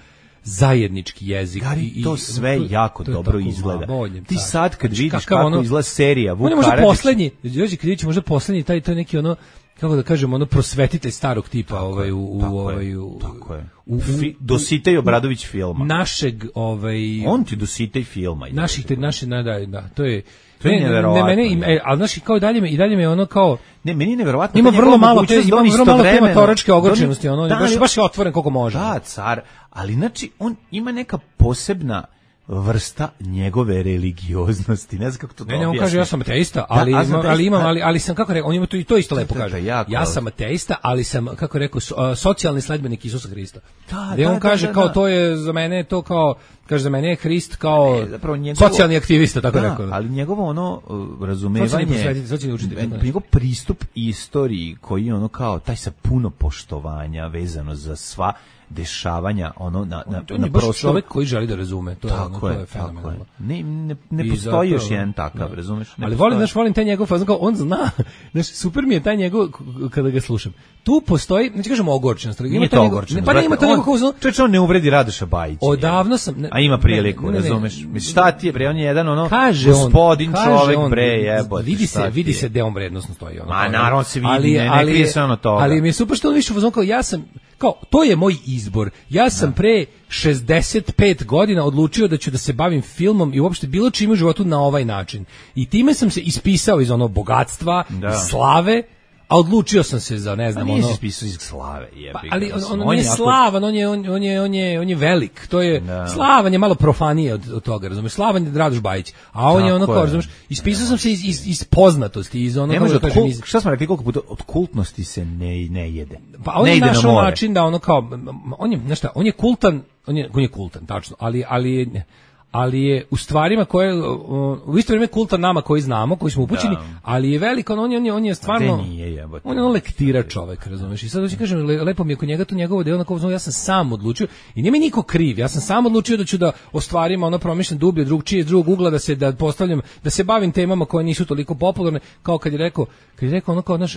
Speaker 9: zajednički jezik.
Speaker 8: Gari,
Speaker 9: i, i,
Speaker 8: to sve
Speaker 9: to je-
Speaker 8: jako
Speaker 9: to je
Speaker 8: dobro
Speaker 9: tako
Speaker 8: izgleda.
Speaker 9: bolje,
Speaker 8: Ti
Speaker 9: car.
Speaker 8: sad kad
Speaker 9: Znači,
Speaker 8: vidiš
Speaker 9: kakav
Speaker 8: kako
Speaker 9: ono-
Speaker 8: izgleda serija Vuk
Speaker 9: On je možda
Speaker 8: Karadžić,
Speaker 9: poslednji, Đorđe Krivić je možda poslednji, taj, taj neki ono, kako da kažem, ono prosvetitelj starog tipa, ovaj, u, u,
Speaker 8: tako je,
Speaker 9: ovaj, u,
Speaker 8: tako je.
Speaker 9: u, u,
Speaker 8: Fi- Dositej Obradović filma.
Speaker 9: našeg, ovaj,
Speaker 8: On ti Dositej filma. ide.
Speaker 9: naših, te, naše, da, da, da, to je,
Speaker 8: To je
Speaker 9: ne, ne,
Speaker 8: neverovatno,
Speaker 9: ne, mene,
Speaker 8: je.
Speaker 9: e, ali znaš, kao i dalje me, i dalje me ono kao,
Speaker 8: Ne, meni je neverovatno.
Speaker 9: ima
Speaker 8: ta
Speaker 9: vrlo
Speaker 8: njegova
Speaker 9: malo, te,
Speaker 8: mogućnost da
Speaker 9: ima
Speaker 8: on
Speaker 9: vrlo malo tema
Speaker 8: istovremeno-
Speaker 9: toračke
Speaker 8: da on-
Speaker 9: ogorčenosti, ono,
Speaker 8: da,
Speaker 9: baš,
Speaker 8: ali-
Speaker 9: baš je otvoren koliko može.
Speaker 8: Da, car, ali znači on ima neka posebna vrsta njegove religioznosti. Ne znam kako to
Speaker 9: Ne, ne, on
Speaker 8: objasnim.
Speaker 9: kaže ja sam ateista, ali
Speaker 8: Da, a
Speaker 9: imam,
Speaker 8: sam
Speaker 9: ali
Speaker 8: ateista,
Speaker 9: imam,
Speaker 8: a-
Speaker 9: ali ali sam kako rekao, on ima to i to isto lepo
Speaker 8: Da, da,
Speaker 9: kaže.
Speaker 8: jako,
Speaker 9: Ja
Speaker 8: ali-
Speaker 9: sam ateista, ali sam kako rekao so- a, socijalni sledbenik Isusa Hrista.
Speaker 8: Da,
Speaker 9: Gde
Speaker 8: da,
Speaker 9: on
Speaker 8: da,
Speaker 9: kaže
Speaker 8: da,
Speaker 9: kao
Speaker 8: da.
Speaker 9: to je za mene to kao kaže za mene je Hrist kao
Speaker 8: Ne, zapravo njegovo-
Speaker 9: socijalni aktivista, tako
Speaker 8: Da,
Speaker 9: rekao.
Speaker 8: ali njegovo ono uh,
Speaker 9: Socijalni
Speaker 8: razumevanje,
Speaker 9: posvetitelj, socijalni učitelj, tako nešto.
Speaker 8: njegov pristup istoriji koji je ono kao taj sa puno poštovanja vezano za sva dešavanja ono na na
Speaker 9: To je
Speaker 8: na
Speaker 9: baš
Speaker 8: prostoru.
Speaker 9: čovjek koji želi da razume, to je, ono,
Speaker 8: Tako
Speaker 9: to
Speaker 8: je,
Speaker 9: je
Speaker 8: tako je.
Speaker 9: fenomenalno.
Speaker 8: Ne, ne, ne
Speaker 9: I
Speaker 8: postoji još
Speaker 9: zapravo-
Speaker 8: jedan takav,
Speaker 9: da.
Speaker 8: razumeš? Ne
Speaker 9: Ali
Speaker 8: postoji.
Speaker 9: volim, znaš, volim taj njegov fazon, kao on zna, znaš, super mi je taj njegov, k- kada ga slušam. Tu postoji, znači kažemo ogorčenost, ali ima
Speaker 8: Nije
Speaker 9: taj
Speaker 8: to
Speaker 9: njegov-
Speaker 8: ogorčeno.
Speaker 9: ne, pa ne, ima to njegov fazon,
Speaker 8: Čovječe, on ne uvredi Radoša Bajića.
Speaker 9: odavno sam... ne-
Speaker 8: A ima priliku,
Speaker 9: ne, ne, ne,
Speaker 8: razumeš? Mislim, šta ti je, bre, on je jedan ono
Speaker 9: kaže on,
Speaker 8: gospodin
Speaker 9: kaže
Speaker 8: čovek,
Speaker 9: on,
Speaker 8: bre, jebote.
Speaker 9: vidi
Speaker 8: šta
Speaker 9: se,
Speaker 8: ti
Speaker 9: vidi
Speaker 8: je?
Speaker 9: se gde on vrednosno stoji. Ono,
Speaker 8: Ma,
Speaker 9: kao,
Speaker 8: naravno se vidi,
Speaker 9: ali,
Speaker 8: ne- ne
Speaker 9: ali,
Speaker 8: krije se ono toga.
Speaker 9: Ali mi je super što on više u fazonu kao, ja sam, kao, to je moj izbor. Ja sam pre šezdeset pet godina odlučio da ću da se bavim filmom i uopšte bilo čime u životu na ovaj način. I time sam se ispisao iz onog bogatstva,
Speaker 8: Da.
Speaker 9: iz slave, a odlučio sam se za, ne
Speaker 8: Pa
Speaker 9: znam,
Speaker 8: nije
Speaker 9: ono...
Speaker 8: se spisao iz slave, jebi
Speaker 9: Pa,
Speaker 8: ga,
Speaker 9: ali on,
Speaker 8: mislim,
Speaker 9: on, nije
Speaker 8: jako-
Speaker 9: slavan, on je on, on je on je on je velik. To je
Speaker 8: Da.
Speaker 9: slavan je malo profanije od, od toga, razumeš? Slavan je Radoš Bajić, a on je
Speaker 8: Tako
Speaker 9: ono kao,
Speaker 8: je.
Speaker 9: razumeš? Ispisao sam se iz, iz, iz poznatosti, iz ono
Speaker 8: Ne
Speaker 9: kako
Speaker 8: može
Speaker 9: da
Speaker 8: od
Speaker 9: kažem,
Speaker 8: kul-
Speaker 9: iz,
Speaker 8: šta smo rekli koliko puta, od kultnosti se ne, ne jede.
Speaker 9: pa on
Speaker 8: ne
Speaker 9: je
Speaker 8: ide na
Speaker 9: našao
Speaker 8: more.
Speaker 9: način da ono kao m, m, on je, znaš šta, on je kultan, on je, on je kultan, tačno, ali ali je ali je u stvarima koje uh, u isto vrijeme kultan nama koji znamo, koji smo upućeni,
Speaker 8: Da.
Speaker 9: ali je velik, on, on je on je on je stvarno
Speaker 8: Gde nije, jebote?
Speaker 9: on je ono lektira čovek, razumeš? I sad hoću kažem, le, lepo mi je kod njega to njegovo delo, onako, ja sam sam odlučio i nije mi niko kriv, ja sam sam odlučio da ću da o stvarima ono promišljam dublje, drugčije, iz drugog ugla, da se da postavljam, da se bavim temama koje nisu toliko popularne, kao kad je rekao, kad je rekao ono kao naš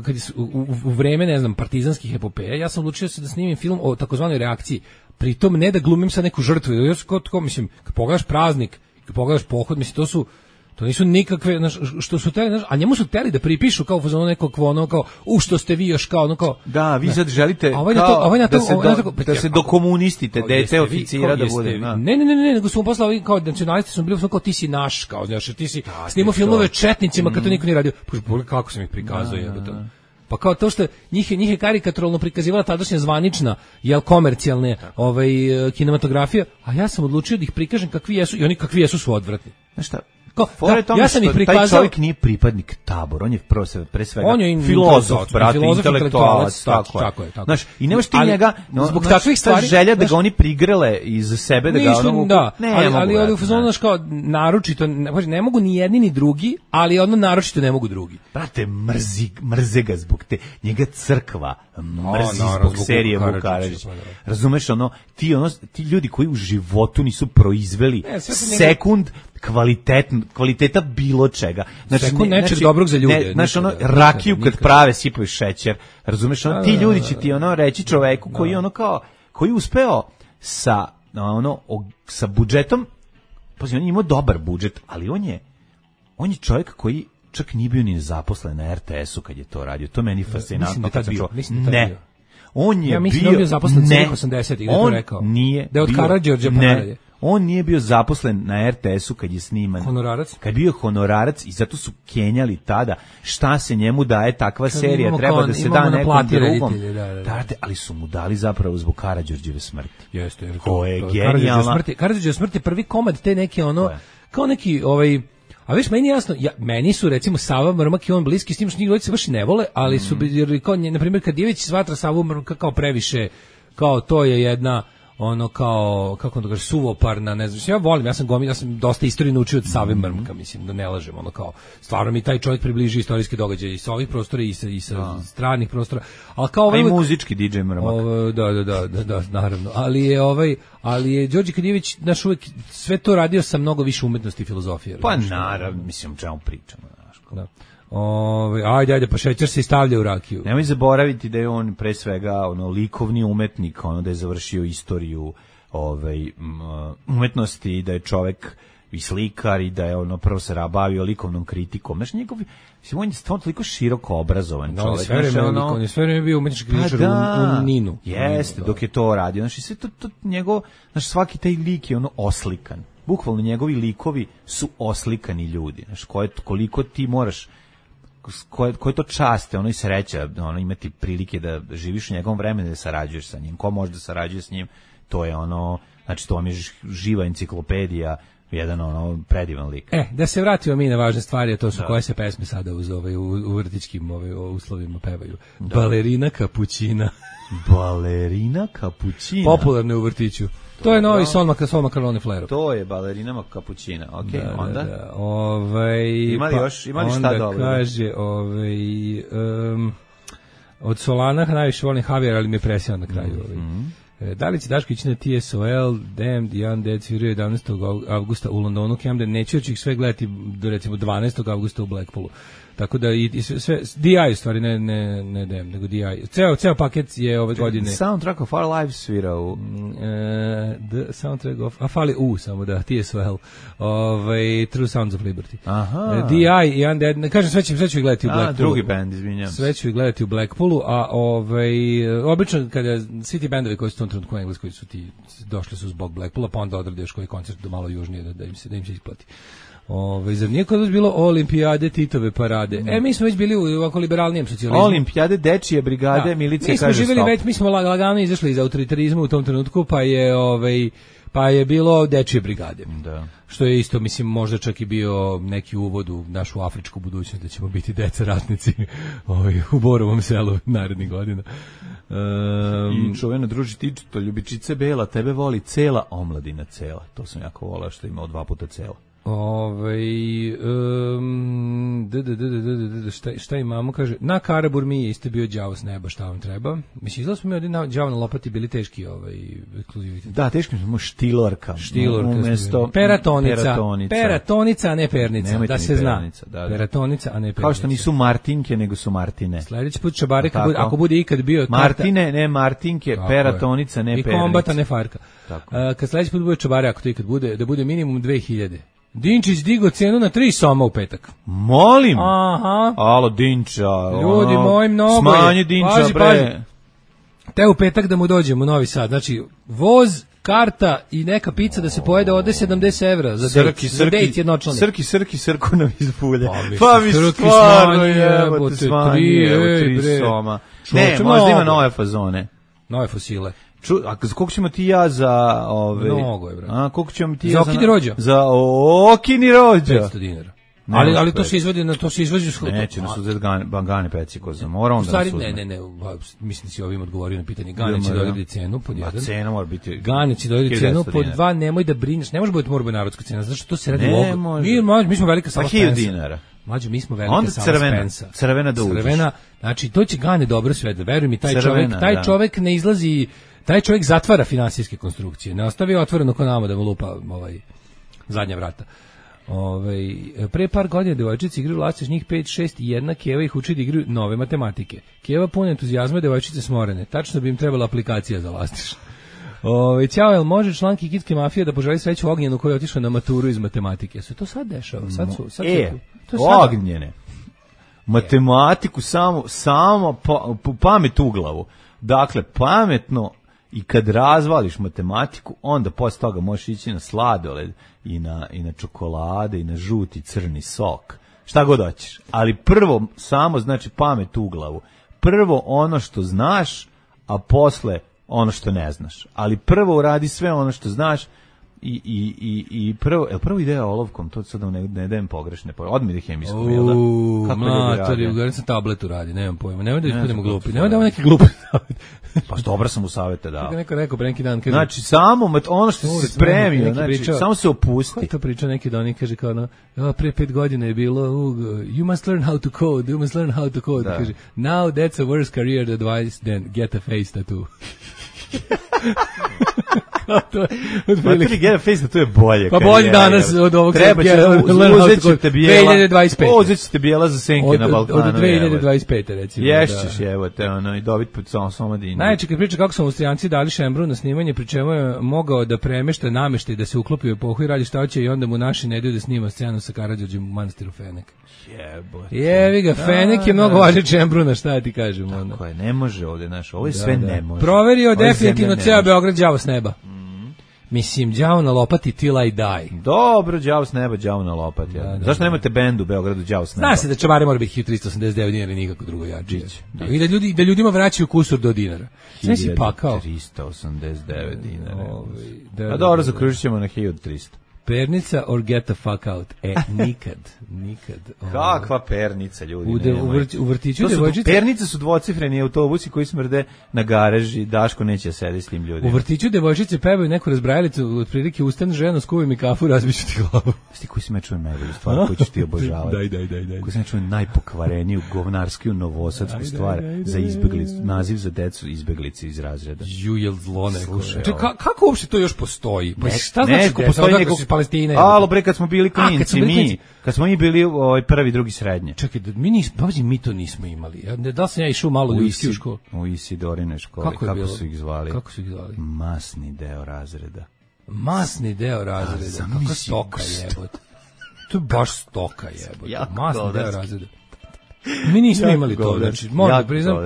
Speaker 9: kad je, u, u, u vreme, ne znam, partizanskih epopeja, ja sam odlučio se da snimim film o takozvanoj reakciji. Pritom ne da glumim sa neku žrtvu, jer kao, kao, mislim, kad pogledaš praznik, kad pogledaš pohod, mislim, to su to nisu nikakve, znaš, što su teli, znaš, a njemu su teli da pripišu kao ono nekog ono kao, u što ste vi još kao, ono kao,
Speaker 8: Da, vi
Speaker 9: ne.
Speaker 8: sad želite
Speaker 9: A ovaj na
Speaker 8: kao
Speaker 9: to- ovaj na to-
Speaker 8: da se,
Speaker 9: ovaj na
Speaker 8: do,
Speaker 9: to-
Speaker 8: da se dokomunistite,
Speaker 9: Kao, jeste
Speaker 8: dete
Speaker 9: vi-
Speaker 8: oficira
Speaker 9: kao,
Speaker 8: da
Speaker 9: jeste
Speaker 8: bude.
Speaker 9: vi-
Speaker 8: Da.
Speaker 9: Ne, ne, ne, ne, nego su mu poslali kao nacionalisti su bili u kao ti si naš, kao znaš, ti si snimao filmove o četnicima kad to niko nije radio. Pa pogledaj kako sam ih prikazao, jebote. Pa kao to što njih je, njih je karikaturalno prikazivala tadašnja zvanična, jel komercijalne ovaj, e, kinematografija, a ja sam odlučio da ih prikažem kakvi jesu i oni kakvi jesu su odvratni.
Speaker 8: Znaš šta?
Speaker 9: Kao,
Speaker 8: Fora je
Speaker 9: da,
Speaker 8: tome
Speaker 9: ja sam
Speaker 8: što
Speaker 9: ih prikazao-
Speaker 8: taj čovjek nije pripadnik tabora, on je prvo se pre svega
Speaker 9: On je in-
Speaker 8: filozof,
Speaker 9: intelektualac,
Speaker 8: brate,
Speaker 9: filozof,
Speaker 8: intelektualac,
Speaker 9: intelektualac,
Speaker 8: tako,
Speaker 9: tako je, tako je.
Speaker 8: Znaš, i nemaš ti
Speaker 9: Ali
Speaker 8: njega, no,
Speaker 9: zbog
Speaker 8: znaš,
Speaker 9: takvih
Speaker 8: ta
Speaker 9: stvari-
Speaker 8: želja da
Speaker 9: znaš-
Speaker 8: ga oni prigrele iz sebe, da ga
Speaker 9: Nisu,
Speaker 8: ono...
Speaker 9: da,
Speaker 8: ne,
Speaker 9: ali,
Speaker 8: mogu,
Speaker 9: ali
Speaker 8: brate,
Speaker 9: ovdje u fazonu,
Speaker 8: ne.
Speaker 9: znaš, kao, naročito, ne, pazi, ne mogu ni jedni ni drugi, ali ono naročito ne mogu drugi.
Speaker 8: Brate, mrzi, mrze ga zbog te, njega crkva mrzi
Speaker 9: naravno,
Speaker 8: zbog
Speaker 9: zbog
Speaker 8: serije
Speaker 9: Vuka
Speaker 8: Vuk
Speaker 9: Karadžića,
Speaker 8: Karadžić.
Speaker 9: pa da.
Speaker 8: Razumeš, ono, ti, ono, ti ljudi koji u životu nisu proizveli
Speaker 9: Ne, sve su njega-
Speaker 8: sekund kvalitet, kvaliteta bilo čega.
Speaker 9: Sekund nečeg dobrog za ljude,
Speaker 8: Ne, znaš,
Speaker 9: nikada,
Speaker 8: ono,
Speaker 9: nikada,
Speaker 8: rakiju kad
Speaker 9: nikada.
Speaker 8: prave sipaju šećer. Razumeš, ono,
Speaker 9: Da,
Speaker 8: ti
Speaker 9: da,
Speaker 8: ljudi
Speaker 9: da,
Speaker 8: će ti ono reći čoveku koji ono kao, koji je uspeo sa, ono, o- sa budžetom, pazi, on je imao dobar budžet, ali on je on je čovjek koji čak nije bio ni zaposlen na er te esu kad je to radio. To meni fascinantno.
Speaker 9: Mislim da je
Speaker 8: kad
Speaker 9: tad
Speaker 8: sam
Speaker 9: bio,
Speaker 8: čuo.
Speaker 9: mislim da je tad bio.
Speaker 8: Ne. On je
Speaker 9: Ja mislim
Speaker 8: bio,
Speaker 9: da je on bio zaposlen
Speaker 8: ne,
Speaker 9: celih osamdesetih, da je to
Speaker 8: on
Speaker 9: rekao.
Speaker 8: Nije
Speaker 9: Da je od
Speaker 8: bio-
Speaker 9: Karađorđa pa
Speaker 8: ne,
Speaker 9: nadalje.
Speaker 8: on nije bio zaposlen na er te esu kad je sniman.
Speaker 9: Honorarac?
Speaker 8: Kad je bio honorarac i zato su kenjali tada šta se njemu daje takva
Speaker 9: Kad
Speaker 8: serija,
Speaker 9: imamo
Speaker 8: treba
Speaker 9: kao-
Speaker 8: da se
Speaker 9: imamo
Speaker 8: da
Speaker 9: na
Speaker 8: nekom
Speaker 9: plati
Speaker 8: drugom.
Speaker 9: reditelje, da, da, da.
Speaker 8: Brate, ali su mu dali zapravo zbog Karađorđeve smrti.
Speaker 9: Jeste, jer
Speaker 8: Ko je
Speaker 9: Karađorđeva
Speaker 8: genijalna.
Speaker 9: smrt je- Karađorđeva smrt je prvi komad te neke ono,
Speaker 8: Ko je?
Speaker 9: kao neki ovaj, a viš, meni je jasno, ja, meni su recimo Sava Mrmak i on bliski, s tim što njih dvojica se baš i ne vole, ali su,
Speaker 8: Mhm.
Speaker 9: jer kao, nje- na primjer, kad Dijević smatra Savu Mrmaka kao previše, kao to je jedna, ono kao, kako on to kaže, suvoparna, ne znam, ja volim, ja sam gomil, ja sam dosta istorije naučio od Save
Speaker 8: Mhm.
Speaker 9: Mrmka, mislim, da ne lažem, ono kao, stvarno mi taj čovjek približi istorijske događaje i sa ovih prostora i sa, i sa stranih prostora, ali kao
Speaker 8: A
Speaker 9: ovaj
Speaker 8: i
Speaker 9: uvek-
Speaker 8: muzički di džej Mrmak.
Speaker 9: Ovo, da, da, da, da, da, naravno. Ali je ovaj, ali je Đorđe Kadijević naš uvek sve to radio sa mnogo više umetnosti i filozofije.
Speaker 8: Pa
Speaker 9: razumeš?
Speaker 8: naravno, mislim, o čemu pričamo, znaš.
Speaker 9: Da. Ovaj, ajde, ajde, pa šećer se i stavlja u rakiju.
Speaker 8: Nemoj zaboraviti da je on pre svega ono likovni umetnik, ono da je završio istoriju ovaj m, umetnosti i da je čovek i slikar i da je ono prvo se bavio likovnom kritikom. Znaš, njegov, mislim, on je stvarno toliko široko obrazovan
Speaker 9: Da, on je
Speaker 8: čovek.
Speaker 9: sve vreme,
Speaker 8: znaš,
Speaker 9: ono, on je sve vreme bio umetnički
Speaker 8: Pa
Speaker 9: kritičar
Speaker 8: da,
Speaker 9: u, u Ninu.
Speaker 8: jeste,
Speaker 9: Da.
Speaker 8: dok je to radio. Znaš, i sve to, to njegov, znaš, svaki taj lik je ono oslikan. Bukvalno njegovi likovi su oslikani ljudi. Znaš, koje, koliko ti moraš koje, koje to časte, ono i sreća, ono imati prilike da živiš u njegovom vremenu, da sarađuješ sa njim. Ko može da sarađuje s njim, to je ono, znači to vam je živa enciklopedija, jedan ono predivan lik.
Speaker 9: E, da se vratimo mi na važne stvari, a to su koje se pesme sada uz ovaj, u, u vrtićkim ovaj, uslovima pevaju. Balerina Kapućina.
Speaker 8: Balerina Kapućina.
Speaker 9: Popularne u vrtiću. To je novi Sol Mac- Sol McCartney Flare.
Speaker 8: To je balerina kapućina. Ok,
Speaker 9: Da,
Speaker 8: onda?
Speaker 9: da, da. Ovaj,
Speaker 8: Ima li
Speaker 9: pa
Speaker 8: još- ima li šta
Speaker 9: onda
Speaker 8: dobro?
Speaker 9: kaže, ovaj, um, od Solana najviše volim Javier, ali mi je presjao na kraju. Ovaj. E, Da li će Daško ići na T S O L, Damned, The Undead, sviraju jedanaestog avgusta u Londonu, Camden, neću još ih sve gledati do recimo dvanaestog avgusta u Blackpoolu. Tako da i, i sve, sve D I u stvari, ne, ne, ne Damned, nego D I. Ceo, ceo paket je ove godine.
Speaker 8: Soundtrack of Our Lives svira u...
Speaker 9: E, the soundtrack of, a fali U samo da, T S O L, ovaj, True Sounds of Liberty.
Speaker 8: Aha.
Speaker 9: E, D I i Undead, ne kažem, sve ću, sve ću ih gledati u
Speaker 8: A,
Speaker 9: Blackpoolu.
Speaker 8: drugi band, izvinjam.
Speaker 9: Sve ću ih gledati u Blackpoolu, a ovaj, obično kada svi ti bendovi koji su u tom trenutku u Engleskoj su ti, došli su zbog Blackpoola, pa onda odrade još koji koncert do malo južnije da, da, im, se, da im se isplati. Ove, zar nije kod vas bilo olimpijade, Titove parade? E, mi smo već bili u ovako liberalnijem socijalizmu.
Speaker 8: Olimpijade, dečije brigade,
Speaker 9: Da.
Speaker 8: milicija
Speaker 9: mi smo
Speaker 8: kaže
Speaker 9: živjeli
Speaker 8: stop.
Speaker 9: već, mi smo lag- lagano izašli iz autoritarizma u tom trenutku, pa je ovaj pa je bilo dečije brigade.
Speaker 8: Da.
Speaker 9: Što je isto, mislim, možda čak i bio neki uvod u našu afričku budućnost, da ćemo biti deca ratnici ovaj, u Borovom selu narednih godina. Um,
Speaker 8: I čuvena druži tičito, ljubičice bela, tebe voli cela omladina cela. To sam jako volao što imao dva puta cela.
Speaker 9: Ovaj um, d, d, d, d, d, d, šta, šta imamo, kaže, na Karaburmi je isto bio đavo s neba, šta vam treba. Mislim, izgleda smo mi ovdje na đavo na lopati bili teški ovaj, ekskluzivitet.
Speaker 8: Da, teško smo štilorka.
Speaker 9: Štilorka.
Speaker 8: Umesto
Speaker 9: Peratonica.
Speaker 8: peratonica.
Speaker 9: Peratonica, a ne pernica,
Speaker 8: Nemojte
Speaker 9: da
Speaker 8: mi
Speaker 9: se zna.
Speaker 8: pernica, da, da.
Speaker 9: Peratonica, a ne pernica.
Speaker 8: Kao što nisu Martinke, nego su Martine.
Speaker 9: Sljedeći put čabare,
Speaker 8: Tako.
Speaker 9: bude, ako bude ikad bio...
Speaker 8: Martine, ne Martinke,
Speaker 9: Tako
Speaker 8: peratonica, ne
Speaker 9: I
Speaker 8: pernica.
Speaker 9: kombata, ne farka.
Speaker 8: Tako.
Speaker 9: A, kad sljedeći put bude čabare, ako to ikad bude, da bude minimum dve hiljade. Dinčić digo cenu na tri soma u petak.
Speaker 8: Molim.
Speaker 9: Aha.
Speaker 8: Alo, Dinča.
Speaker 9: Ljudi
Speaker 8: ono,
Speaker 9: moji, mnogo je.
Speaker 8: Smanji Dinča,
Speaker 9: Pazi,
Speaker 8: bre.
Speaker 9: pazi. Te u petak da mu dođemo u Novi Sad. Znači, voz, karta i neka pizza da se pojede ode sedamdeset evra za dejt,
Speaker 8: Srki,
Speaker 9: za dejt
Speaker 8: srki,
Speaker 9: jednočlani.
Speaker 8: srki, srki, srku nam iz bulje.
Speaker 9: Pa mi
Speaker 8: Pa mi
Speaker 9: Srki
Speaker 8: stvarno
Speaker 9: smanji,
Speaker 8: jebote,
Speaker 9: jebote,
Speaker 8: smanji,
Speaker 9: tri,
Speaker 8: evo,
Speaker 9: ej,
Speaker 8: tri
Speaker 9: bre.
Speaker 8: soma.
Speaker 9: Čovječe,
Speaker 8: Ne, možda ima
Speaker 9: mnogo.
Speaker 8: nove fazone.
Speaker 9: Nove fosile.
Speaker 8: Ču, a z- koliko ćemo ti ja za... Ove,
Speaker 9: Mnogo je, brate.
Speaker 8: A, koliko ćemo ti
Speaker 9: Za
Speaker 8: ja
Speaker 9: Okini rođo?
Speaker 8: Za Okini rođo.
Speaker 9: petsto dinara.
Speaker 8: Ne,
Speaker 9: ali,
Speaker 8: može
Speaker 9: ali to
Speaker 8: petsto.
Speaker 9: se izvodi na to se izvodi u shod-
Speaker 8: Neće nas uzeti gane, bangane pecikoza. Mora
Speaker 9: U
Speaker 8: onda
Speaker 9: stvari,
Speaker 8: nas uzme.
Speaker 9: ne, ne, ne, ba, mislim da si ovim odgovorio na pitanje. Gane će
Speaker 8: Idemo, da.
Speaker 9: dodati cenu pod
Speaker 8: Ma,
Speaker 9: jedan.
Speaker 8: cena mora biti...
Speaker 9: Gane će dodati
Speaker 8: hiljadu
Speaker 9: cenu
Speaker 8: devetsto
Speaker 9: pod
Speaker 8: dinara.
Speaker 9: dva, nemoj da brineš, ne može biti mora biti narodska cena, zato što to se radi
Speaker 8: Ne
Speaker 9: u ogledu.
Speaker 8: može.
Speaker 9: Mi, mlađe, mi smo velika
Speaker 8: Pa
Speaker 9: sala
Speaker 8: hiljadu
Speaker 9: Spensa.
Speaker 8: dinara.
Speaker 9: Mlađe, mi smo velika
Speaker 8: Onda
Speaker 9: sala
Speaker 8: crvena,
Speaker 9: Spensa.
Speaker 8: crvena da uđeš.
Speaker 9: Crvena, znači to će Gane dobro sve da veruj mi, taj
Speaker 8: Crvena,
Speaker 9: čovjek, taj
Speaker 8: da.
Speaker 9: čovjek ne izlazi, taj čovjek zatvara finansijske konstrukcije, ne ostavi otvoreno ko nama da mu lupa ovaj zadnja vrata. Ovaj pre par godina devojčice igraju vlastiš njih pet šest i jedna Keva ih uči da igraju nove matematike. Keva puna entuzijazma, devojčice smorene. Tačno bi im trebala aplikacija za vlastiš. Ovaj ćao, jel može član Kikitske mafije da poželi sreću Ognjenu koji je otišao na maturu iz matematike? Se to sad dešava? Sad su, sad
Speaker 8: E,
Speaker 9: su, to je sada.
Speaker 8: Ognjene. Matematiku samo, samo pa, pa- pamet u glavu. Dakle, pametno i kad razvališ matematiku, onda posle toga možeš ići na sladoled i na, i na čokolade i na žuti crni sok. Šta god hoćeš. Ali prvo samo znači pamet u glavu. Prvo ono što znaš, a posle ono što ne znaš. Ali prvo uradi sve ono što znaš i, i, i, i prvo, je li prvo ideja olovkom, to sad ne, ne dajem pogrešne, odmah ide hemijskom, jel da?
Speaker 9: Uuu,
Speaker 8: Kako ljudi
Speaker 9: matori,
Speaker 8: rade?
Speaker 9: ugarim sam tabletu radi, nemam pojma. Nemoj da
Speaker 8: Ne
Speaker 9: ispademo
Speaker 8: znam kako
Speaker 9: glupi,
Speaker 8: to
Speaker 9: nemoj da
Speaker 8: zove.
Speaker 9: ovo neki glupi savjet.
Speaker 8: Pa dobro sam u savete dao.
Speaker 9: Kako neko rekao pre neki dan, kaže,
Speaker 8: Znači, samo mat- ono što
Speaker 9: Uvek
Speaker 8: si spremio,
Speaker 9: neki
Speaker 8: znači,
Speaker 9: pričao-
Speaker 8: samo se
Speaker 9: ko
Speaker 8: opusti.
Speaker 9: je to pričao neki dan i kaže kao ono, "Ja, pre pet godina je bilo, uh, you must learn how to code, you must learn how to code."
Speaker 8: Da.
Speaker 9: Kaže, now that's a worse career advice than get a face tattoo. Kao to je, otprilike.
Speaker 8: Materi get a face, to je bolje.
Speaker 9: Pa
Speaker 8: karijera,
Speaker 9: bolje danas
Speaker 8: jel?
Speaker 9: od ovog
Speaker 8: Treba će,
Speaker 9: sad,
Speaker 8: uz-
Speaker 9: learn how
Speaker 8: uzet
Speaker 9: to
Speaker 8: ćete
Speaker 9: code.
Speaker 8: bijela.
Speaker 9: dve hiljade dvadeset pete.
Speaker 8: Uzet ćete bijela za senke
Speaker 9: Od,
Speaker 8: na
Speaker 9: od,
Speaker 8: Balkanu.
Speaker 9: od dve hiljade
Speaker 8: evo.
Speaker 9: dvadeset pete recimo.
Speaker 8: Ješćeš,
Speaker 9: da.
Speaker 8: evo te, ono, i dobit pod samo somadinu.
Speaker 9: Najjače kad priča kako su Austrijanci dali Šembru na snimanje, pri čemu je mogao da premešta nameštaj, da se uklopi u epohu i radi šta hoće i onda mu naši ne daju da snima scenu sa Karađorđem u manastiru Fenek.
Speaker 8: Jebote.
Speaker 9: Jevi ga, Fenek je mnogo
Speaker 8: da.
Speaker 9: važniji Šembruna, šta ja ti kažem. Onda.
Speaker 8: Koje, ne može ovde, znaš, ovo je
Speaker 9: Da,
Speaker 8: sve
Speaker 9: da.
Speaker 8: ne može.
Speaker 9: Proverio
Speaker 8: Ovo je
Speaker 9: definitivno
Speaker 8: zemlja ne
Speaker 9: ceo
Speaker 8: može.
Speaker 9: Beograd đavo s neba. Mislim, đavo na lopati till I die.
Speaker 8: Dobro, đavo s neba, đavo na lopat. Ja.
Speaker 9: Da, da,
Speaker 8: Zašto
Speaker 9: da.
Speaker 8: nemate bend u Beogradu đavo s neba?
Speaker 9: Zna se da čavari mora biti hiljadu tristo osamdeset devet dinara i nikako drugo jače. Da, I da, ljudi, da ljudima vraćaju kusur do dinara. Sve si pakao.
Speaker 8: trista osamdeset devet dinara.
Speaker 9: Ovaj, da,
Speaker 8: A
Speaker 9: da,
Speaker 8: dobro,
Speaker 9: da,
Speaker 8: zakružit ćemo na hiljadu trista.
Speaker 9: pernica or get the fuck out. E, nikad, nikad.
Speaker 8: Kakva pernica, ljudi.
Speaker 9: U, de, u, vrt, u vrtiću devojčice...
Speaker 8: Pernice su dvocifreni autobusi koji smrde na garaži. Daško neće sedi s tim ljudima.
Speaker 9: U vrtiću devojčice pevaju neku razbrajalicu, otprilike ustan ženo, skuvaj mi kafu, razbiću ti glavu.
Speaker 8: Sti koji se me čuje najbolju stvar koju ćeš ti obožavati.
Speaker 9: Daj, daj, daj, daj.
Speaker 8: Koji se me čuje najpokvareniju, govnarskiju, novosadsku stvar daj, daj, za izbeglicu, naziv za decu izbeglice iz razreda.
Speaker 9: Ju, jel zlo neko. Ka, kako uopšte to još postoji? Pa šta
Speaker 8: ne,
Speaker 9: znači postoji neko iz Palestine?
Speaker 8: Alo bre, kad smo bili klinci, mi, kad smo mi bili ovaj prvi, drugi, srednje.
Speaker 9: Čekaj, mi nismo, baš mi to nismo imali. Da li sam ja išao malo u Isti u školu?
Speaker 8: U Isidorine škole.
Speaker 9: Kako,
Speaker 8: kako su ih zvali?
Speaker 9: Kako su ih zvali?
Speaker 8: Masni deo razreda.
Speaker 9: Masni deo razreda. Kako stoka jebote. To je baš stoka jebote. Masni deo razreda. Mi nismo imali to, znači, moram priznam.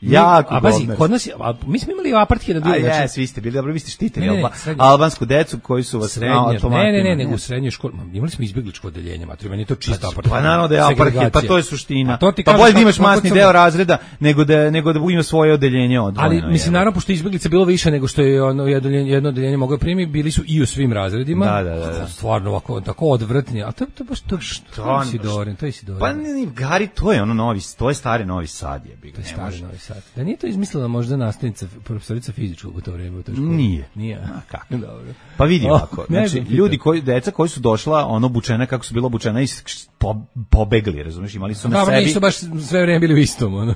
Speaker 8: Jako
Speaker 9: a bazi, kod nas je, a, mi smo imali apartheid na drugi način.
Speaker 8: A jes, vi ste bili, dobro, vi ste štitili ne, ne, alba, albansku decu koji su vas
Speaker 9: srednje,
Speaker 8: automatima.
Speaker 9: Ne, ne, ne, nego u srednjoj školi, imali smo izbegličko odeljenje, matri, meni je to čisto
Speaker 8: pa,
Speaker 9: apartheid.
Speaker 8: Pa naravno da je apartheid, pa to je suština.
Speaker 9: To
Speaker 8: pa bolje da imaš masni deo razreda nego da nego da ima svoje odeljenje odvojeno.
Speaker 9: Ali mislim naravno pošto izbeglica bilo više nego što je ono odeljenje, jedno odeljenje moglo primi, bili su i u svim razredima.
Speaker 8: Da, da, da.
Speaker 9: Stvarno ovako tako odvrtni, a to to baš to što Sidorin, to je Sidorin.
Speaker 8: Pa ne, Gari, to je ono novi, to je stari Novi Sad je, bi ga.
Speaker 9: To je stari Novi Sad. Da nije to mislila možda nastavnica, profesorica fizičkog u to vreme u toj školi?
Speaker 8: Nije.
Speaker 9: Nije.
Speaker 8: A kako?
Speaker 9: Dobro.
Speaker 8: Pa vidi ovako, znači, ljudi koji, deca koji su došla, ono, obučena kako su bila obučena i po, pobegli, razumiješ, imali su na
Speaker 9: da,
Speaker 8: sebi...
Speaker 9: nisu baš sve vreme bili u istom, ono.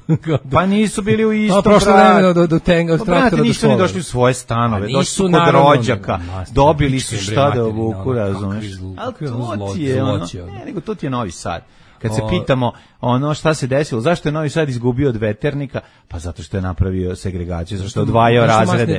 Speaker 8: Pa nisu bili u istom,
Speaker 9: a, prošlo vreme do, do tenga, od
Speaker 8: pa,
Speaker 9: traktora do
Speaker 8: nisu ni došli u svoje stanove, došli su kod rođaka, dobili su šta da obuku, razumiješ. Ali to ti je, ono, ne, nego to ti je Novi Sad. Kad se pitamo ono šta se desilo, zašto je Novi Sad izgubio od Veternika, pa zato što je napravio segregaciju, zato što je odvajao razrede,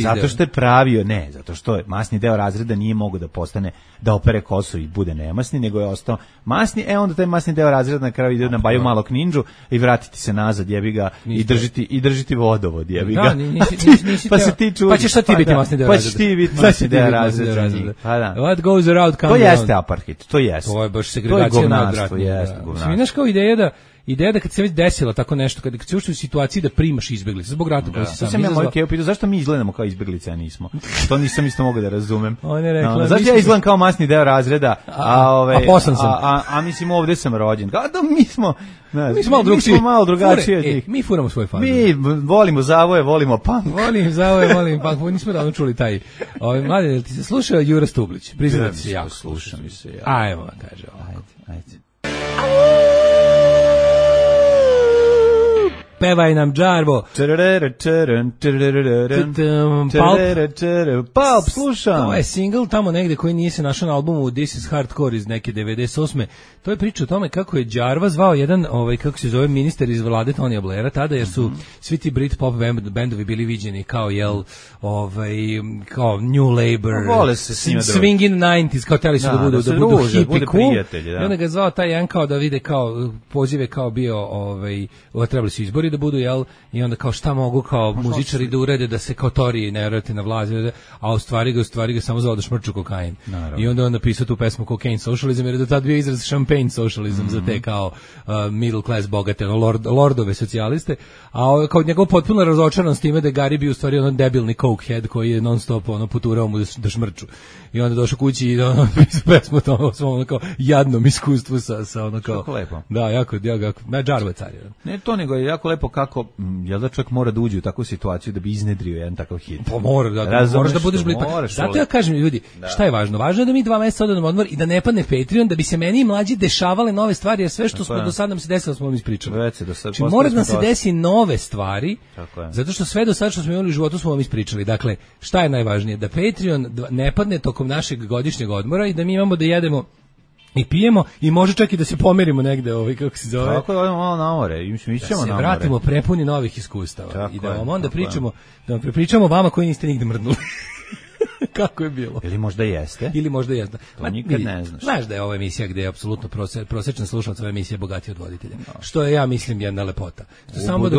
Speaker 8: zato što je pravio, ne, zato što je masni deo razreda nije mogao da postane, da opere kosu i bude nemasni, nego je ostao masni, e onda taj masni deo razreda na kraju ide na Baju Malog Ninđu i vratiti se nazad, jebi ga, i držiti, i držiti vodovod, jebi ga.
Speaker 9: Da, nisi, nisi, nisi
Speaker 8: pa se ti čudi.
Speaker 9: Pa ćeš šta ti biti masni deo razreda?
Speaker 8: Pa ćeš ti biti masni deo razreda. Pa da.
Speaker 9: What goes around comes
Speaker 8: around. To jeste apartheid, to jeste.
Speaker 9: To je baš segregacija nadvratna.
Speaker 8: Govnarstvo.
Speaker 9: Znaš kao ideja da ideja da kad se već desilo tako nešto, kad kad si ušao u situaciji da primaš izbeglice zbog rata koji si sam
Speaker 8: izazvao. Ja moj Keo pitao zašto mi izgledamo kao izbeglice, a nismo. To nisam isto mogao da razumem.
Speaker 9: On je rekla, no,
Speaker 8: zašto ja izgledam kao masni deo razreda, a ove
Speaker 9: a, a,
Speaker 8: a, a, a mislim ovde sam rođen. Kao da mi smo,
Speaker 9: ne, mi smo malo drugačiji,
Speaker 8: malo drugačije.
Speaker 9: E, mi furamo svoje faze.
Speaker 8: Mi volimo zavoje, volimo punk.
Speaker 9: Volim zavoje, volim punk. Nismo davno čuli taj. Ovaj mladi, jel ti se slušao Jura Stublić? Priznam se ja,
Speaker 8: slušam mi se ja.
Speaker 9: Ajmo, kaže ovako.
Speaker 8: Ajde, ajde.
Speaker 9: Pevaj nam Džarvo.
Speaker 8: Palp, slušam.
Speaker 9: To je single tamo negde koji nije se našao na albumu This is Hardcore iz neke devedeset osme. To je priča o tome kako je Džarva zvao jedan, ovaj, kako se zove, ministar iz vlade Tonija Blaira tada, jer su svi ti Britpop bendovi bili viđeni kao, jel, ovaj, kao New Labour, Swingin' nineties, kao teli su da budu, da budu hippie cool. I onda ga zvao taj jedan kao da vide kao pozive kao bio, ovaj, trebali su izbori da budu, jel, i onda kao šta mogu kao muzičari da urede da se kao Toriji ne vrati na vlast, a u stvari ga, u stvari ga samo zvao da šmrču kokain. Naravno. I onda on napisao tu pesmu Cocaine Socialism, jer je do tad bio izraz Champagne Socialism mm -hmm. za te kao uh, middle class bogate, lord, lordove socijaliste, a kao njegov potpuno razočaran s time da je Gari bio u stvari ono debilni cokehead koji je non stop ono puturao mu da, da šmrču. I onda došao kući i ono napisao pesmu to svom ono kao jadnom iskustvu sa, sa ono kao...
Speaker 8: Kako lepo.
Speaker 9: Da, jako, jako, na Džarvo je car.
Speaker 8: Ne to, nego je jako lepo kako, jel da čovjek mora da uđe u takvu situaciju da bi iznedrio jedan takav hit.
Speaker 9: Pa mora, da, da moraš da budeš blizu. Zato ja kažem ljudi, da. Šta je važno? Važno je da mi dva mjeseca odemo odmor i da ne padne Patreon, da bi se meni i mlađi dešavale nove stvari, jer sve što smo do sada nam se desilo smo vam ispričali. Znači mora da se desi nove stvari, zato što sve do sada što smo imali u životu smo vam ispričali. Dakle, šta je najvažnije? Da Patreon ne padne tokom našeg godišnjeg odmora i da mi imamo da jedemo i pijemo i može čak i da se pomerimo negde, ovaj kako se zove.
Speaker 8: Tako da odemo malo na more, i mi ćemo na more.
Speaker 9: Da se vratimo prepuni novih iskustava tako i da vam onda pričamo, da vam prepričamo vama koji niste nigde mrdnuli. Kako je bilo?
Speaker 8: Ili možda jeste.
Speaker 9: Ili možda jeste.
Speaker 8: To nikad ne znaš.
Speaker 9: Znaš da je ova emisija gde je apsolutno prose, prosečan slušalac ove emisije bogatiji od voditelja. No. Što je, ja mislim, jedna lepota. Što samo da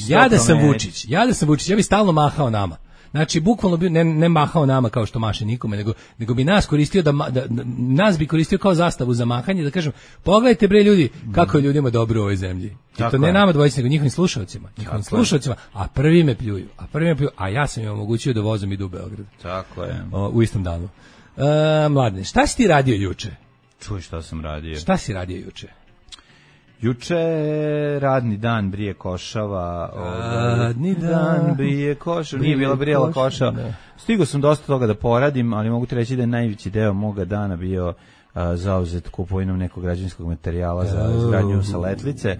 Speaker 9: ja da sam Vučić, ja da sam Vučić, ja bi stalno mahao nama. Znači, bukvalno bi ne, ne mahao nama kao što maše nikome, nego, nego bi nas koristio da, da, da nas bi koristio kao zastavu za mahanje, da kažem, pogledajte bre ljudi, kako je ljudima dobro u ovoj zemlji. I to ne nama dvojici, nego njihovim slušalcima, njihovim slušalcima, a prvi me pljuju, a prvi me pljuju, a ja sam im omogućio da vozom idu u Beograd.
Speaker 8: Tako je.
Speaker 9: O, u istom danu. Uh, Mladene, šta si ti radio juče?
Speaker 8: Čuj šta sam radio.
Speaker 9: Šta si radio juče?
Speaker 8: Juče radni dan brije košava.
Speaker 9: Radni dan
Speaker 8: brije košava. Nije bila brijela košava. Stigao sam dosta toga da poradim, ali mogu ti reći da je najveći deo moga dana bio a, zauzet kupovinom nekog građevinskog materijala za izgradnju saletlice.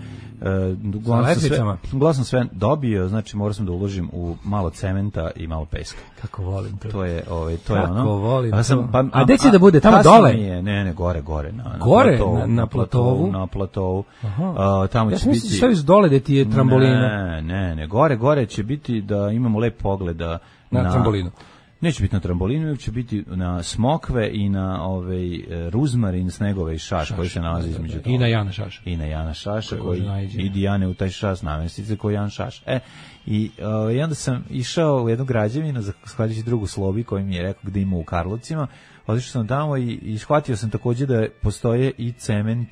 Speaker 8: Uglavnom sam sve dobio, znači morao sam da uložim u malo cementa i malo peska.
Speaker 9: Kako volim to.
Speaker 8: To je, ovaj, to je
Speaker 9: Kako
Speaker 8: ono.
Speaker 9: volim
Speaker 8: a sam, pa,
Speaker 9: a gde će da bude? Tamo dole?
Speaker 8: Je, ne, ne, gore, gore. Na,
Speaker 9: gore?
Speaker 8: Na platovu.
Speaker 9: Na, na platovu?
Speaker 8: Na platovu. Aha. Uh, tamo
Speaker 9: ja
Speaker 8: će biti...
Speaker 9: Ja sam dole da ti je trambolina.
Speaker 8: Ne, ne, ne. Gore, gore će biti da imamo lep pogled da,
Speaker 9: na,
Speaker 8: na
Speaker 9: trambolinu.
Speaker 8: Neće biti na trambolinu, nego će biti na smokve i na ovaj ruzmarin, snegove i šaš, šaš koji se nalazi između toga.
Speaker 9: I na Jana Šaša.
Speaker 8: I na Jana Šaša, koji, koji idi Jane u taj šas namestice koji Jan Šaš. E, i, uh, i onda sam išao u jednu građevinu, zahvaljujući drugu Slobi koji mi je rekao gde ima u Karlovcima, otišao sam tamo i, i shvatio sam takođe da postoje i cement.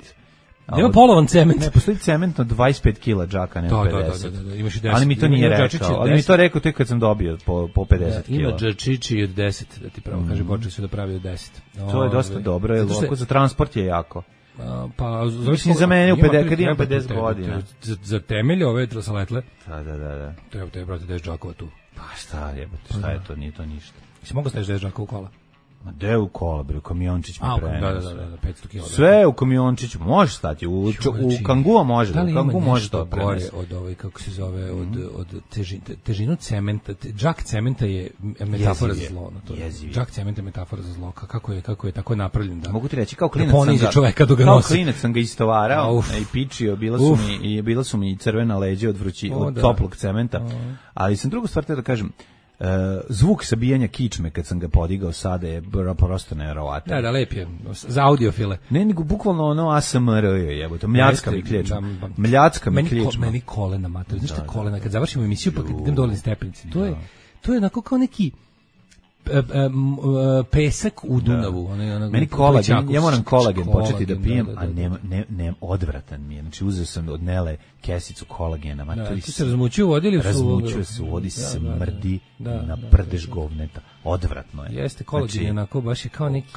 Speaker 9: Nema polovan cement.
Speaker 8: Ne, postoji cement od dvadeset pet kila džaka, ne
Speaker 9: da,
Speaker 8: pedeset.
Speaker 9: Da, da, da, imaš i deset.
Speaker 8: Ali mi to nije rekao, ali mi to rekao tek kad sam dobio po, po pedeset
Speaker 9: da, ima
Speaker 8: kila.
Speaker 9: Ima džačići od deset, da ti pravo mm. kaže, počeli su da pravi od deset.
Speaker 8: To je dosta dobro, je lako, za transport je jako.
Speaker 9: A, pa,
Speaker 8: mislim za mene u pedeset, kad imam pedeset godina.
Speaker 9: Za, za temelje ove trasaletle.
Speaker 8: Da, da, da, da.
Speaker 9: Treba te, brate, deset džakova tu.
Speaker 8: Pa šta jebote, šta je to, nije to ništa.
Speaker 9: Si mogu staviš deset džakova u kola?
Speaker 8: Ma de u kola, bre, kamiončić mi prenosi.
Speaker 9: Da, da, da, da, petsto kila.
Speaker 8: Sve u kamiončiću, može stati, u, u Kangua može,
Speaker 9: da
Speaker 8: u Kangua može to
Speaker 9: gore od ovaj, kako se zove, od, od težin, težinu cementa, te, džak cementa je metafora za zlo. To je, džak cementa je metafora za zlo, kako je, kako je tako napravljen. Da,
Speaker 8: mogu ti reći, kao klinac sam ga,
Speaker 9: čoveka dok ga
Speaker 8: kao
Speaker 9: nosi.
Speaker 8: klinac sam ga istovarao i pičio, bila su, mi, i, bila su mi crvena leđa od, vrući, o, od da. toplog cementa, o. ali sam drugu stvar te da kažem, Uh, zvuk sabijanja kičme kad sam ga podigao sada je prosto nevjerovatan.
Speaker 9: Da, da, lep je. Za audiofile.
Speaker 8: Ne, nego bukvalno ono A S M R je, jebote. Mljacka mi klječma. Mljacka mi klječma.
Speaker 9: Meni kolena, mater. Znaš šta kolena? Kad završimo emisiju, pa kad idem dole na stepenici. To je, to je onako kao neki pesak u Dunavu.
Speaker 8: Da.
Speaker 9: One, one,
Speaker 8: meni kolagen, ja moram kolagen početi da pijem, da, da, da, a nema, ne, ne, odvratan mi je. Znači uzeo sam od Nele kesicu kolagena. Ma,
Speaker 9: da,
Speaker 8: to
Speaker 9: ti se razmućio u vodi ili su...
Speaker 8: Razmućio se u vodi, smrdi
Speaker 9: da, da,
Speaker 8: na
Speaker 9: da,
Speaker 8: prdež
Speaker 9: da, da.
Speaker 8: govneta. Odvratno je.
Speaker 9: Jeste, kolagen znači, je onako, baš je kao neki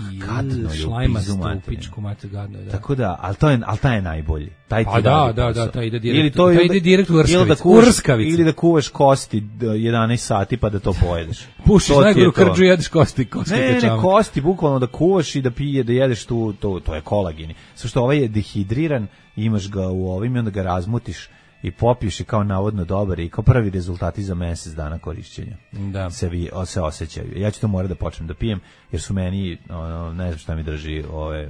Speaker 9: šlajmasto u pičku, mate, gadno je. Da.
Speaker 8: Tako da, ali to je, ali taj je najbolji. Taj
Speaker 9: pa da, da, da, taj ide direkt, ili to, taj ide direkt u Rskavicu.
Speaker 8: Ili, da ili da kuvaš kosti jedanaest sati pa da to pojedeš.
Speaker 9: Pušiš najgoru krđu i jedeš kosti. kosti
Speaker 8: ne, ne, ne, kosti, bukvalno da kuvaš i da pije, da jedeš tu, to, to je kolageni. Sve što ovaj je dehidriran, imaš ga u ovim i onda ga razmutiš i popiješ i kao navodno dobar i kao prvi rezultati za mesec dana korišćenja.
Speaker 9: Da.
Speaker 8: Se, vi, se osjećaju. Ja ću to morati da počnem da pijem, jer su meni, ono, ne znam šta mi drži ove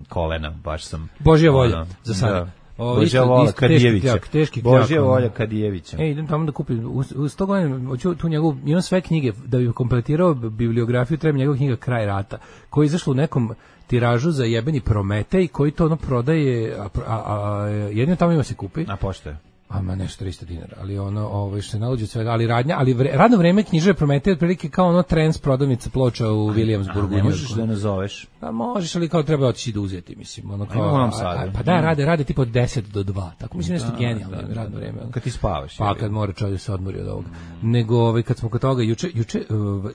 Speaker 8: kolena, baš sam...
Speaker 9: Božja volja, ono, za sada. Da.
Speaker 8: O, Božja volja Kadijevića. Božja volja Kadijevića.
Speaker 9: E, idem tamo da kupim. U, u sto godina, hoću tu njegovu, imam sve knjige, da bi kompletirao bibliografiju, treba njegova knjiga Kraj rata, koja je izašla u nekom tiražu za jebeni Prometej, koji to ono prodaje, a, a, a jedino tamo ima se kupi.
Speaker 8: A pošto je?
Speaker 9: Ama nešto tristo dinara, ali ono, ovaj što se nalazi svega, ali radnja, ali vre, radno vreme knjižare Prometej otprilike kao ono Trends prodavnica ploča u Williamsburgu.
Speaker 8: Ne možeš da nazoveš.
Speaker 9: Pa možeš, ali kao treba otići da uzeti, mislim, ono kao.
Speaker 8: A, a,
Speaker 9: pa da, rade, rade tipo od deset do dva. Tako mislim nešto genijalno da, radno vreme.
Speaker 8: Kad ti spavaš.
Speaker 9: Pa kad mora čovjek se odmori od ovoga. Mm. Nego ovaj kad smo kod toga juče juče uh, uh,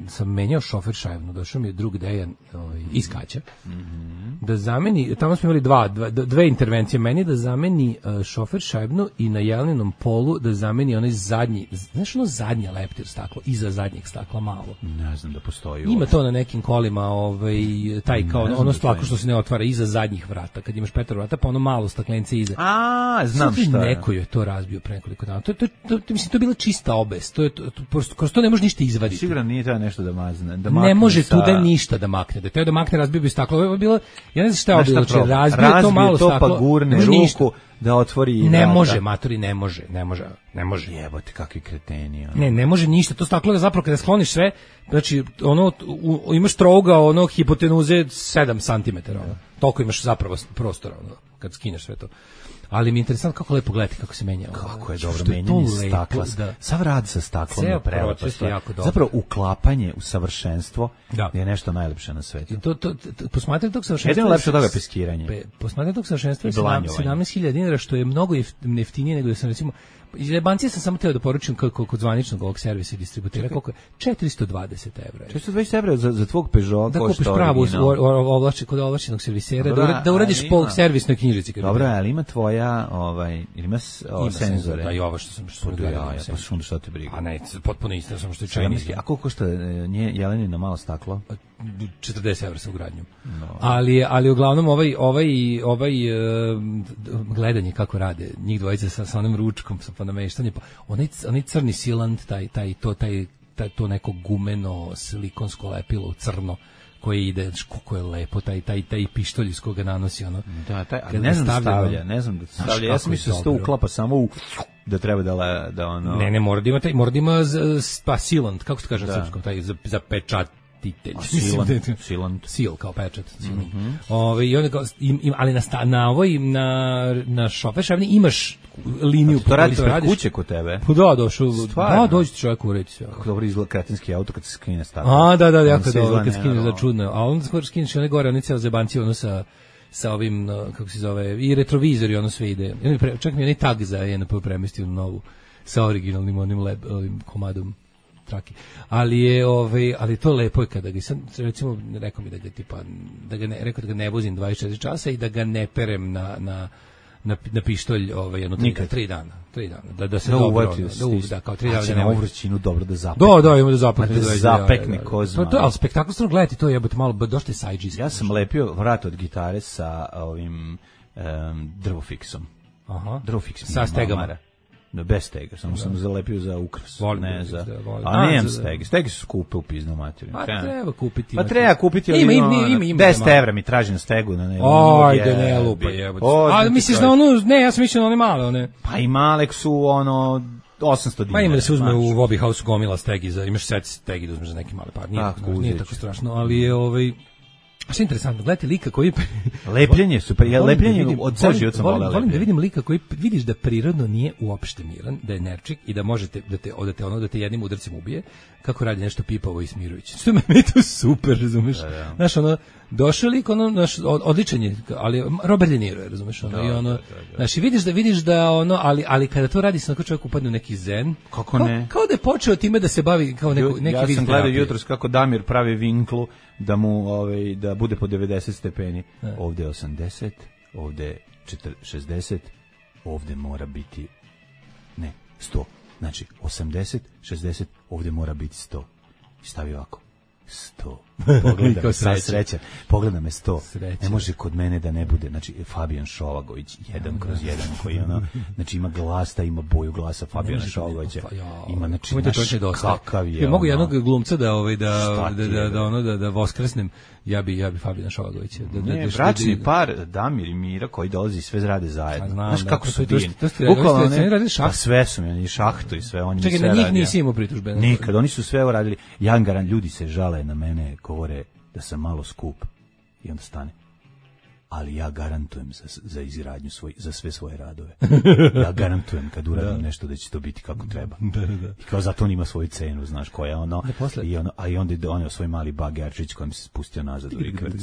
Speaker 9: sam menjao šofer šajbnu, došao mi je drug Dejan, ovaj iz Kaća. Mm -hmm. Da zameni, tamo smo imali dva, dva dve intervencije, meni da zameni uh, šofer šajbnu i na jeleninom polu da zameni onaj zadnji, znaš ono zadnje leptir staklo, iza zadnjeg stakla malo.
Speaker 8: Ne znam da postoji.
Speaker 9: Ima ovo. To na nekim kolima, ovaj taj kao ono staklo što se ne otvara iza zadnjih vrata, kad imaš petoro vrata, pa ono malo staklence iza.
Speaker 8: A, znam
Speaker 9: Sada
Speaker 8: šta.
Speaker 9: Neko je to razbio pre nekoliko dana. To to, to, to mislim to je bila čista obes. To je to, to prosto kroz to ne može ništa izvaditi.
Speaker 8: Sigurno nije treba nešto da mazne, da makne.
Speaker 9: Ne može
Speaker 8: sa...
Speaker 9: tu da ništa da makne. Da teo da makne razbio bi staklo. Ovo je bilo, ja ne znam šta je bilo, znači razbio,
Speaker 8: razbio
Speaker 9: to malo
Speaker 8: to,
Speaker 9: staklo.
Speaker 8: Pa gurne ruku ništa. Da otvori i
Speaker 9: ne
Speaker 8: vrata.
Speaker 9: Može, matori, ne može, ne može, ne može.
Speaker 8: Jebote, kakvi kreteni. Ono.
Speaker 9: Ne, ne može ništa. To staklo da zapravo kada skloniš sve, znači ono u, u, imaš trouga ono hipotenuze sedam centimetara. Ono. Toliko imaš zapravo prostora ono, kad skineš sve to. Ali mi je interesantno kako lepo gledati kako se menja.
Speaker 8: Kako je
Speaker 9: Što
Speaker 8: dobro
Speaker 9: to
Speaker 8: menjanje
Speaker 9: lepo,
Speaker 8: stakla.
Speaker 9: da.
Speaker 8: Sav rad sa staklom
Speaker 9: Ceo
Speaker 8: je prelepa
Speaker 9: proces je
Speaker 8: stvar.
Speaker 9: jako dobar.
Speaker 8: Zapravo uklapanje u savršenstvo
Speaker 9: Da.
Speaker 8: je nešto najlepše na svetu.
Speaker 9: I to, to, to, posmatranje tog savršenstva...
Speaker 8: Jedino lepše od toga je peskiranje.
Speaker 9: Pe, posmatranje tog savršenstva je
Speaker 8: I blanjovanje.
Speaker 9: sedamnaest hiljada dinara, što je mnogo jef- jeftinije nego da sam recimo... Iz Jebancije sam samo teo da poručim kako kod zvaničnog ovog servisa i distributera, koliko je četiristo dvadeset evra.
Speaker 8: četiristo dvadeset evra za, za tvog Peugeot
Speaker 9: Da
Speaker 8: košta
Speaker 9: kupiš pravu
Speaker 8: original.
Speaker 9: ovlaš, kod ovlašćenog servisera, da,
Speaker 8: Dobro,
Speaker 9: ura- da uradiš
Speaker 8: ali
Speaker 9: po
Speaker 8: ima-
Speaker 9: servisnoj knjižici. kad
Speaker 8: Dobro,
Speaker 9: bi-
Speaker 8: ali ima tvoja, ovaj, ili ima, s- o,
Speaker 9: Ima
Speaker 8: senzore.
Speaker 9: senzor, da, i ovo što sam- što sam
Speaker 8: Pa
Speaker 9: gledao,
Speaker 8: ja, ja,
Speaker 9: senzor.
Speaker 8: pa što šta te briga.
Speaker 9: A ne, potpuno isto, samo što je
Speaker 8: sedamnaest
Speaker 9: Chinese.
Speaker 8: A koliko košta e, nje Jelenina malo staklo?
Speaker 9: četrdeset evra sa ugradnjom. Ali ali uglavnom ovaj ovaj ovaj e, gledanje kako rade njih dvojica sa sa onim ručkom sa nameštanje pa onaj onaj crni silant taj taj to taj, taj to neko gumeno silikonsko lepilo u crno koje ide, kako je lepo taj taj taj pištolj iz koga nanosi ono.
Speaker 8: Da, taj, ali
Speaker 9: Kad
Speaker 8: ne
Speaker 9: ga
Speaker 8: znam da
Speaker 9: stavlja,
Speaker 8: stavlja, ne znam da
Speaker 9: Znaš
Speaker 8: stavlja. Ja
Speaker 9: kako
Speaker 8: sam
Speaker 9: je
Speaker 8: mislio da se to
Speaker 9: dobro.
Speaker 8: uklapa samo u da treba da le, da ono.
Speaker 9: Ne, ne, mora da ima taj, mora da ima z- z- pa silant, kako se kaže na
Speaker 8: Da.
Speaker 9: srpskom, taj za, za pečat titelj.
Speaker 8: A
Speaker 9: Mislim
Speaker 8: silant,
Speaker 9: da je to-
Speaker 8: silant.
Speaker 9: Seal kao pečat. Mm Ove, i onda kao, im, im, ali na, sta, na ovoj, na, na šofer šavni imaš liniju.
Speaker 8: To radiš
Speaker 9: po kojoj
Speaker 8: pred kuće kod tebe.
Speaker 9: Pa da, došao.
Speaker 8: Stvarno?
Speaker 9: Da, dođi ti čovjek ureći sve.
Speaker 8: Kako dobro izgleda kretenski auto kad se skine staklo.
Speaker 9: A, da, da,
Speaker 8: On
Speaker 9: jako
Speaker 8: se
Speaker 9: dobro,
Speaker 8: izgleda
Speaker 9: kad skineš za
Speaker 8: nenormalno.
Speaker 9: čudno. A onda skoro skineš one gore, one cijelo zebanci, ono sa sa ovim, no, kako se zove, i retrovizor i ono sve ide. I onda pre- čak mi je onaj tag za N P premestio novu sa originalnim onim leb, ovim komadom traki. Ali je ovaj ali to lepo je kada ga sad recimo rekao mi da ga tipa da ga ne rekao da ga ne vozim dvadeset četiri časa i da ga ne perem na na na, na pištolj ovaj jedno tri,
Speaker 8: Nikad.
Speaker 9: tri dana, tri dana. Da da se
Speaker 8: Da
Speaker 9: dobro,
Speaker 8: uvati,
Speaker 9: ono, da, uv- da kao tri
Speaker 8: A
Speaker 9: dana
Speaker 8: će
Speaker 9: da ne
Speaker 8: na
Speaker 9: vozim.
Speaker 8: uvrćinu dobro da zapekne.
Speaker 9: Da, da, ima da zapekne.
Speaker 8: Ma da
Speaker 9: da,
Speaker 8: zapekne
Speaker 9: da, da.
Speaker 8: ko
Speaker 9: To,
Speaker 8: zmaj.
Speaker 9: to, ali spektakl stvarno gledati, to je jebote malo, došli sajđis.
Speaker 8: Ja sam lepio vrat od gitare sa ovim um, drvofiksom.
Speaker 9: Aha.
Speaker 8: Drvofiks mi
Speaker 9: Sa
Speaker 8: je
Speaker 9: stegama.
Speaker 8: mamara. Da, bez stega, samo sam zalepio za ukras.
Speaker 9: Volim
Speaker 8: ne
Speaker 9: drvofiks,
Speaker 8: za.
Speaker 9: da, volim.
Speaker 8: A
Speaker 9: A,
Speaker 8: nemam
Speaker 9: za-
Speaker 8: stege. Stege su skupe u piznu materiju.
Speaker 9: Pa treba kupiti.
Speaker 8: Pa treba kupiti
Speaker 9: Ima, ima,
Speaker 8: ono,
Speaker 9: ima, ima.
Speaker 8: deset evra mi traži na stegu. Na ne,
Speaker 9: Ajde, ne lupa jebote. A misliš na
Speaker 8: ono...
Speaker 9: onu, ne, ja sam mislio na one male, one.
Speaker 8: Pa i malek su ono osamsto dinara.
Speaker 9: Pa ima da se uzme
Speaker 8: znaš.
Speaker 9: u Bobby House gomila stegi za, imaš set stegi da uzmeš za neki mali par. Nije,
Speaker 8: Tako,
Speaker 9: tako, nije
Speaker 8: uzet
Speaker 9: tako
Speaker 8: ću.
Speaker 9: strašno, ali je ovaj a što je interesantno, gledajte lika koji
Speaker 8: Lepljenje super, ja
Speaker 9: Volim da
Speaker 8: lepljenje
Speaker 9: vidim-
Speaker 8: od ceo
Speaker 9: volim-
Speaker 8: život sam
Speaker 9: volim,
Speaker 8: voleo
Speaker 9: volim da
Speaker 8: lepljenje.
Speaker 9: vidim lika koji vidiš da prirodno nije uopšte miran, da je nerčik i da možete da te da te ono da te jednim udarcem ubije, kako radi nešto pipavo i smirujuće. Što meni je to super, razumeš?
Speaker 8: Da, da.
Speaker 9: Znaš, ono došao lik, ono naš odličan je, ali Robert De Niro je, razumeš, ono
Speaker 8: Da,
Speaker 9: i ono,
Speaker 8: da, da, da.
Speaker 9: znaš, i vidiš da vidiš da ono, ali ali kada to radi se onako čovjek upadne u neki zen.
Speaker 8: Kako
Speaker 9: kao,
Speaker 8: ne?
Speaker 9: Kao da je počeo time da se bavi kao neko
Speaker 8: Ju-
Speaker 9: neki
Speaker 8: ja
Speaker 9: vid
Speaker 8: sam gledao
Speaker 9: terapije.
Speaker 8: jutros kako Damir pravi vinklu da mu ovaj da bude po devedeset stepeni. Ovde je osamdeset, ovde je četrdeset, šezdeset, ovde mora biti ne, sto. Znači osamdeset, šezdeset, ovde mora biti sto. I stavi ovako. sto. Pogleda
Speaker 9: Kao
Speaker 8: me, sad
Speaker 9: srećan.
Speaker 8: srećan. Pogleda me sto.
Speaker 9: Srećan.
Speaker 8: Ne može kod mene da ne bude. Znači, Fabijan Šovagović, jedan kroz jedan, koji ono, znači ima glas, da ima boju glasa Fabijana
Speaker 9: može
Speaker 8: Šovagovića.
Speaker 9: to- ja,
Speaker 8: Ima, znači,
Speaker 9: Kako mi to
Speaker 8: naš,
Speaker 9: čovječe dosta.
Speaker 8: kakav je.
Speaker 9: Ja mogu
Speaker 8: ono,
Speaker 9: jednog glumca da ovaj da
Speaker 8: Šta
Speaker 9: da
Speaker 8: ti
Speaker 9: da,
Speaker 8: je,
Speaker 9: da ono da da voskresnem. Ja bi ja bi Fabijana Šovagovića. Da da
Speaker 8: Ne,
Speaker 9: da-
Speaker 8: bračni
Speaker 9: da-
Speaker 8: par Damir i Mira koji dolazi sve rade zajedno.
Speaker 9: A znam,
Speaker 8: Znaš
Speaker 9: da,
Speaker 8: kako
Speaker 9: to-
Speaker 8: su
Speaker 9: to- to-
Speaker 8: divni.
Speaker 9: to ste- to ste-
Speaker 8: Bukvalno
Speaker 9: to ste
Speaker 8: ne-
Speaker 9: radili šahtu?
Speaker 8: Pa sve su mi, i šahtu i sve, oni mi
Speaker 9: Čekaj,
Speaker 8: sve
Speaker 9: na njih
Speaker 8: rade.
Speaker 9: nisi imao pritužbe.
Speaker 8: Nikad, oni su sve uradili. Ja garan, ljudi se žale na mene, govore da sam malo skup i onda stane. Ali ja garantujem za, za izgradnju svoj, za sve svoje radove. Ja garantujem kad uradim nešto da će to biti kako treba.
Speaker 9: Da, da, da.
Speaker 8: I kao zato on ima svoju cenu, znaš, koja je ono,
Speaker 9: Da, posle-
Speaker 8: i ono, a i onda je donio svoj mali bagerčić kojim se spustio nazad u rikverc.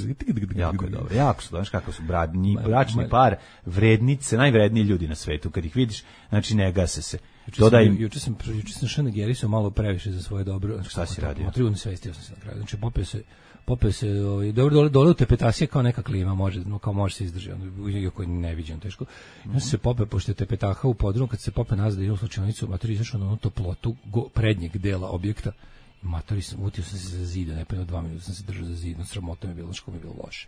Speaker 8: Jako je dobro, jako su, znaš kako su bradni, bračni par, vrednice, najvredniji ljudi na svetu, kad ih vidiš, znači ne gase se.
Speaker 9: Juče
Speaker 8: Dodaj
Speaker 9: sam,
Speaker 8: im,
Speaker 9: juče sam, juče sam šanagerisao malo previše za svoje dobro.
Speaker 8: Šta si radio?
Speaker 9: Trudno se vestio sam se na kraju. Znači, popio se, popio se, ovaj, dobro, dole, dole u tepetasije kao neka klima, može, no, kao može se izdrži, ono, iako je neviđeno teško. Ja sam se popio, pošto je tepetaha u podrumu, kad se popio nazad da idem u slučajnicu, mater izašao na onu toplotu go, prednjeg dela objekta, i mater sam, utio sam se za zida, ne pa dva minuta sam se držao za zid, no sramota mi je bilo, što mi je bilo loše.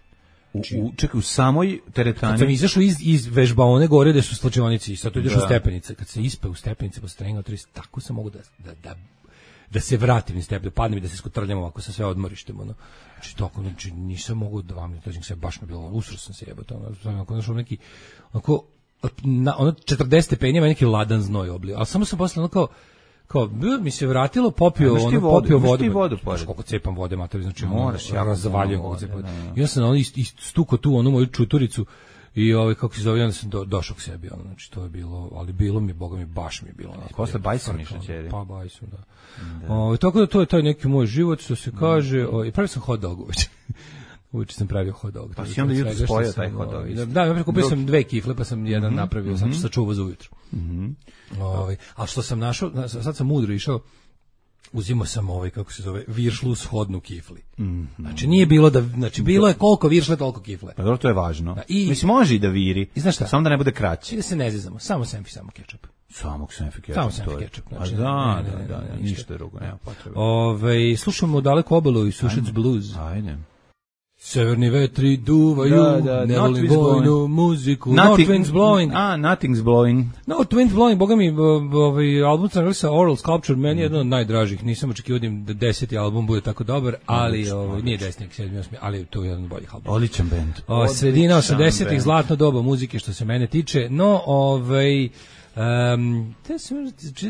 Speaker 8: u, u, čekaj, u samoj
Speaker 9: Kad sam
Speaker 8: teretani,
Speaker 9: izašao iz, iz vežbaone gore gde su slačionice i sad tu ideš
Speaker 8: Da.
Speaker 9: u stepenice, kad se ispe u stepenice po strenga, tako sam mogu da, da, da, da se vratim iz stepen, da padnem i da se skotrljam ovako sa sve odmorištem, ono. Znači, tako, znači, nisam mogu da vam ne dođem se, baš mi je bilo, usro sam se jebati, ono, ono, ono, ono, neki, onako, na, ono, četrdeset stepeni, ima neki ladan znoj oblio, ali samo sam posle, ono, kao, kao, b- mi se vratilo, popio,
Speaker 8: Imaš ti
Speaker 9: ono,
Speaker 8: vodu,
Speaker 9: popio
Speaker 8: imaš
Speaker 9: vodu,
Speaker 8: ti vodu
Speaker 9: Znaš
Speaker 8: pored.
Speaker 9: koliko cepam vode, mater, znači,
Speaker 8: Moraš
Speaker 9: ono,
Speaker 8: jako
Speaker 9: razvaljujem
Speaker 8: puno
Speaker 9: kako
Speaker 8: vode,
Speaker 9: cepam.
Speaker 8: da, da.
Speaker 9: I ja sam ono ist, ist, stuko tu onu moju čuturicu I ovaj kako se zove, onda sam do, došao k sebi, ono, znači to je bilo, ali bilo mi, boga mi, baš mi je bilo onako.
Speaker 8: Posle Bajsom išla ćeri.
Speaker 9: Pa Bajsom, da. da. O, tako da to je taj neki moj život, što se kaže, o, i pravio sam hot dog uveče. Uveče sam pravio hot dog.
Speaker 8: Pa si onda jutro spojio taj hot dog.
Speaker 9: Da, da, ja kupio sam dve kifle, pa sam jedan mm-hmm. napravio, mm-hmm. sam sačuvao za ujutro.
Speaker 8: Mm-hmm.
Speaker 9: Ovaj, a što sam našao, sad sam mudro išao, uzimao sam ovaj, kako se zove, viršlu shodnu kifli. Mm-hmm. Znači nije bilo da, znači bilo je koliko viršle, toliko kifle.
Speaker 8: Pa dobro, to je važno.
Speaker 9: Da, i,
Speaker 8: mislim, može i da viri,
Speaker 9: i znaš šta?
Speaker 8: Samo da ne bude kraće.
Speaker 9: I da se ne zezamo, samo senfi, samo kečap.
Speaker 8: Samo senfi kečap.
Speaker 9: Samo senfi kečap.
Speaker 8: Znači, a da, ne, ne, ne, da, da, ništa drugo, nema potrebe.
Speaker 9: Ove, slušamo Daleku obalu i Sušec blues.
Speaker 8: Ajde.
Speaker 9: Severni vetri duvaju,
Speaker 8: da, da,
Speaker 9: ne volim vojnu muziku,
Speaker 8: nothing,
Speaker 9: no twins blowing.
Speaker 8: A, nothing's blowing.
Speaker 9: No twins blowing, boga mi, ovaj album sam sa Oral Sculpture, meni je jedan od najdražih, nisam očekivao da deseti album bude tako dobar, ali ovaj, nije deseti, sedmi, osmi, ali to je jedan od boljih albuma.
Speaker 8: Odličan bend.
Speaker 9: O, sredina osamdesetih, zlatno doba muzike što se mene tiče, no, ovaj... Um, te sam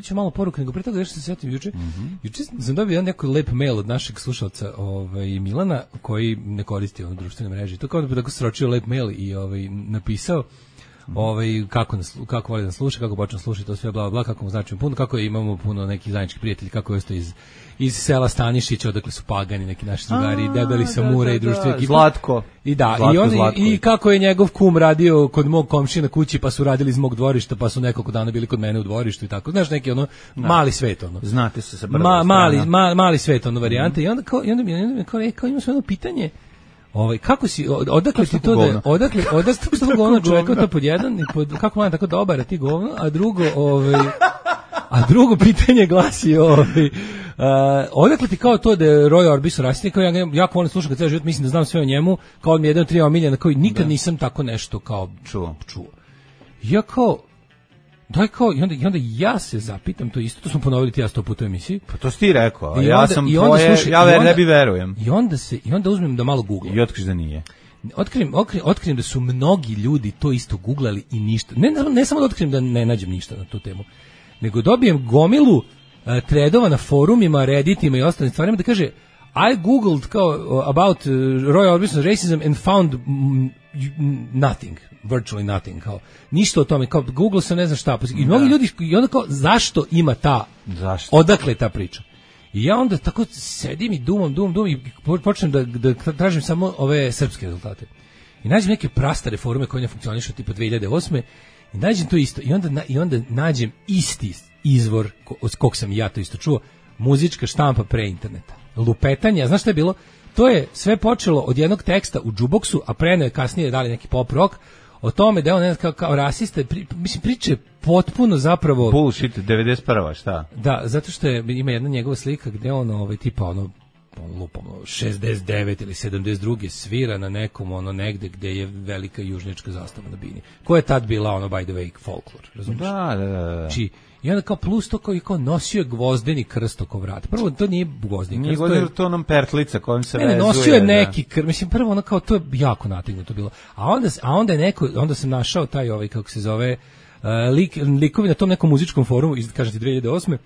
Speaker 9: ću malo poruku, nego pre toga još se sjetim juče. Mm-hmm. Juče sam dobio neko lep mail od našeg slušalca ovaj, Milana, koji ne koristi ono društvene mreže. To kao da bi tako sročio lep mail i ovaj, napisao mm-hmm. ovaj, kako, nas, kako voli da sluša, kako počne slušati, to sve bla, bla, kako mu značimo puno, kako imamo puno nekih zajedničkih prijatelji, kako je to iz iz sela Stanišića, odakle su pagani neki naši drugari, debeli samura i društvo ekipa.
Speaker 8: Zlatko.
Speaker 9: I da,
Speaker 8: Zlatko,
Speaker 9: i, on,
Speaker 8: Zlatko.
Speaker 9: i kako je njegov kum radio kod mog komšina kući, pa su radili iz mog dvorišta, pa su nekoliko dana bili kod mene u dvorištu i tako. Znaš, neki ono, da. Mali svet, ono.
Speaker 8: Znate se sa
Speaker 9: Ma, mali, ma, mali svet, ono, varijante. Mm. I onda kao, i onda mi, onda mi kao, e, kao imam sve jedno pitanje, ovaj, kako si, odakle ti to da, odakle, odakle tog ono čovjeka to pod jedan, i pod, kako man tako dobar, a ti govno, a drugo, ovaj, a drugo pitanje glasi, ovaj, Uh, odakle ti kao to da je Roy Orbison rasitnik, kao ja jako volim slušati kad ceo život, mislim da znam sve o njemu, kao on mi je jedan od tri omiljena, kao nikad da. Nisam tako nešto kao
Speaker 8: čuo.
Speaker 9: čuo. Ja kao, daj kao, i onda, i onda ja se zapitam to isto, to smo ponovili ti ja sto puta u emisiji.
Speaker 8: Pa to si ti rekao, a
Speaker 9: I
Speaker 8: ja
Speaker 9: onda,
Speaker 8: sam
Speaker 9: i onda,
Speaker 8: tvoje,
Speaker 9: slušaj,
Speaker 8: ja ver,
Speaker 9: onda,
Speaker 8: ne bi verujem.
Speaker 9: I onda, se, I onda uzmem da malo googlam.
Speaker 8: I otkriš da nije.
Speaker 9: Otkrijem, otkrijem, otkrijem da su mnogi ljudi to isto googlali i ništa. Ne, ne samo da otkrijem da ne nađem ništa na tu temu, nego dobijem gomilu tredova na forumima, redditima i ostalim stvarima da kaže I googled kao about uh, Roy Orbison racism and found mm, nothing, virtually nothing, kao ništa o tome, kao Google sam ne znam šta, i mnogi ljudi, i onda kao zašto ima ta,
Speaker 8: zašto?
Speaker 9: Odakle je ta priča? I ja onda tako sedim i dumam, dumam, dumam i počnem da, da tražim samo ove srpske rezultate. I nađem neke prastare forume koje ne funkcionišu tipa dve hiljade osme i nađem to isto, i onda, i onda nađem isti izvor od kog sam ja to isto čuo, muzička štampa pre interneta. Lupetanje, znaš šta je bilo? To je sve počelo od jednog teksta u džuboksu, a pre je kasnije dali neki pop rock, o tome da je on ne, kao, kao rasista, pri, mislim, priče potpuno zapravo...
Speaker 8: Bullshit, devedeset prva, šta?
Speaker 9: Da, zato što je, ima jedna njegova slika gde on, ovaj, tipa, ono, lupom, šezdeset devet ili sedamdeset dva svira na nekom, ono, negde gde je velika južnjačka zastava na bini. Koja je tad bila, ono, by the way, folklor, razumiješ?
Speaker 8: Da, da, da.
Speaker 9: Či, i onda kao plus to kao, kao nosio je gvozdeni krst oko vrata. Prvo, to nije gvozdeni krst.
Speaker 8: Nije gvozdeni, to onom pertlica kojom se
Speaker 9: ne,
Speaker 8: vezuje.
Speaker 9: Ne, nosio je neki krst. Mislim, prvo ono kao, to je jako nategnuto bilo. A onda, a onda je neko, onda sam našao taj, ovaj, kako se zove, uh, lik, likovi na tom nekom muzičkom forumu, iz, kažem ti, dve hiljade osme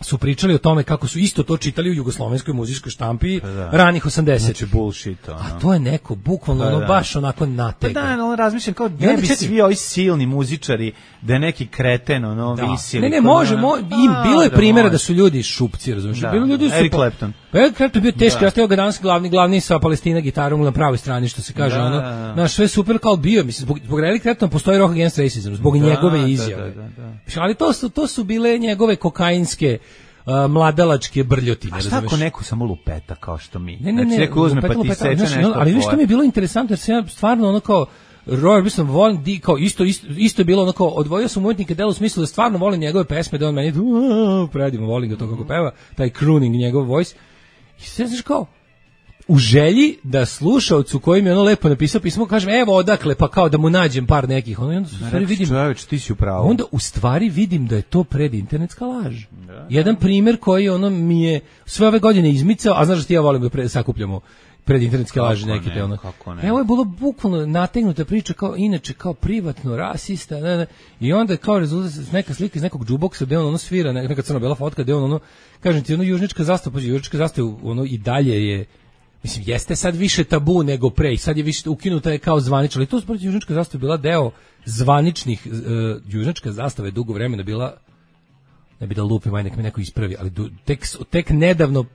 Speaker 9: su pričali o tome kako su isto to čitali u jugoslovenskoj muzičkoj štampi da. Ranih osamdesetih.
Speaker 8: Znači bullshit, ono.
Speaker 9: A to je neko, bukvalno, ono,
Speaker 8: da.
Speaker 9: baš onako nategno.
Speaker 8: Pa da, ono, razmišljam kao, ne bi svi ovi silni muzičari, da je neki kreten, ono, da. Visili.
Speaker 9: Ne, ne, može, mo, im, bilo je primjera da su ljudi šupci, razumiješ?
Speaker 8: Da.
Speaker 9: Bilo ljudi su...
Speaker 8: Eric Clapton.
Speaker 9: Pa Eric Clapton bio teški, ja steo ga danas glavni, glavni sa Palestina gitarom na pravoj strani, što se kaže, da. Ono, naš sve super kao bio, mislim, zbog, zbog Eric Clapton postoji Rock Against Racism, zbog da, njegove izjave. Da, da, da, da. Ali to su, to su bile njegove kokainske, Uh, mladalačke brljotine.
Speaker 8: A šta ako neko samo lupeta kao što mi?
Speaker 9: Ne, ne, ne,
Speaker 8: znači neko uzme lupeta, pa ti seče
Speaker 9: znači,
Speaker 8: nešto.
Speaker 9: Ali što mi je bilo interesantno, jer se ja stvarno ono kao Roy Orbison volim, di, kao isto, isto, isto je bilo ono kao, odvojio sam umetnike delo u smislu da stvarno volim njegove pesme, da on meni predivno volim ga to kako peva, taj crooning, njegov voice. I sve znaš kao, u želji da slušaocu koji mi je ono lepo napisao pismo, kažem, evo odakle, pa kao da mu nađem par nekih, ono, i onda u stvari vidim,
Speaker 8: čovječ, ti si u pravu.
Speaker 9: Onda u stvari vidim da je to predinternetska laž. Da. Jedan primjer koji ono mi je sve ove godine izmicao, a znaš da ti ja volim da pre, sakupljamo predinternetske laži neke, te ono. Evo je bilo bukvalno nategnuta priča kao, inače, kao privatno, rasista, ne, ne, i onda kao rezultat neka slika iz nekog džuboksa gde on ono svira, neka crno-bela fotka gde on ono, kažem ti, ono južnička zastava, pa južnička zastava, ono i dalje je. mislim, jeste sad više tabu nego pre, sad je više ukinuta je kao zvanično, ali to sporta južnička zastava bila deo zvaničnih, uh, južnička zastava je dugo vremena bila, ne bi da lupim, aj nek me neko ispravi, ali du, tek, tek nedavno,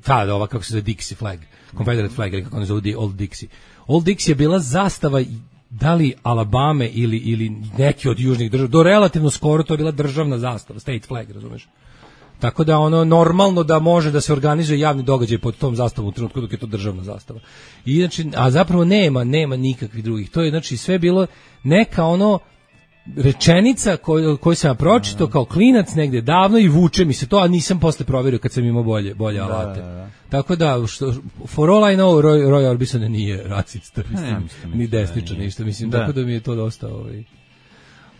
Speaker 9: ta, ova, kako se zove, Dixie flag, Confederate flag, ili kako ono zove, Old Dixie. Old Dixie je bila zastava, da li Alabame ili, ili neki od južnih država, do relativno skoro to je bila državna zastava, state flag, razumeš? Tako da ono normalno da može da se organizuje javni događaj pod tom zastavom u trenutku dok je to državna zastava. I znači, a zapravo nema, nema nikakvih drugih. To je znači sve bilo neka ono rečenica koju, koju sam ja pročitao kao klinac negde davno i vuče mi se to, a nisam posle proverio kad sam imao bolje, bolje alate. Da, da, da. Tako da, što, for all I know, Roy, Roy Orbison nije racista, mislim, ne, mislim, ni desničan, da, ništa, mislim, da. Tako da mi je to dosta... Ovaj,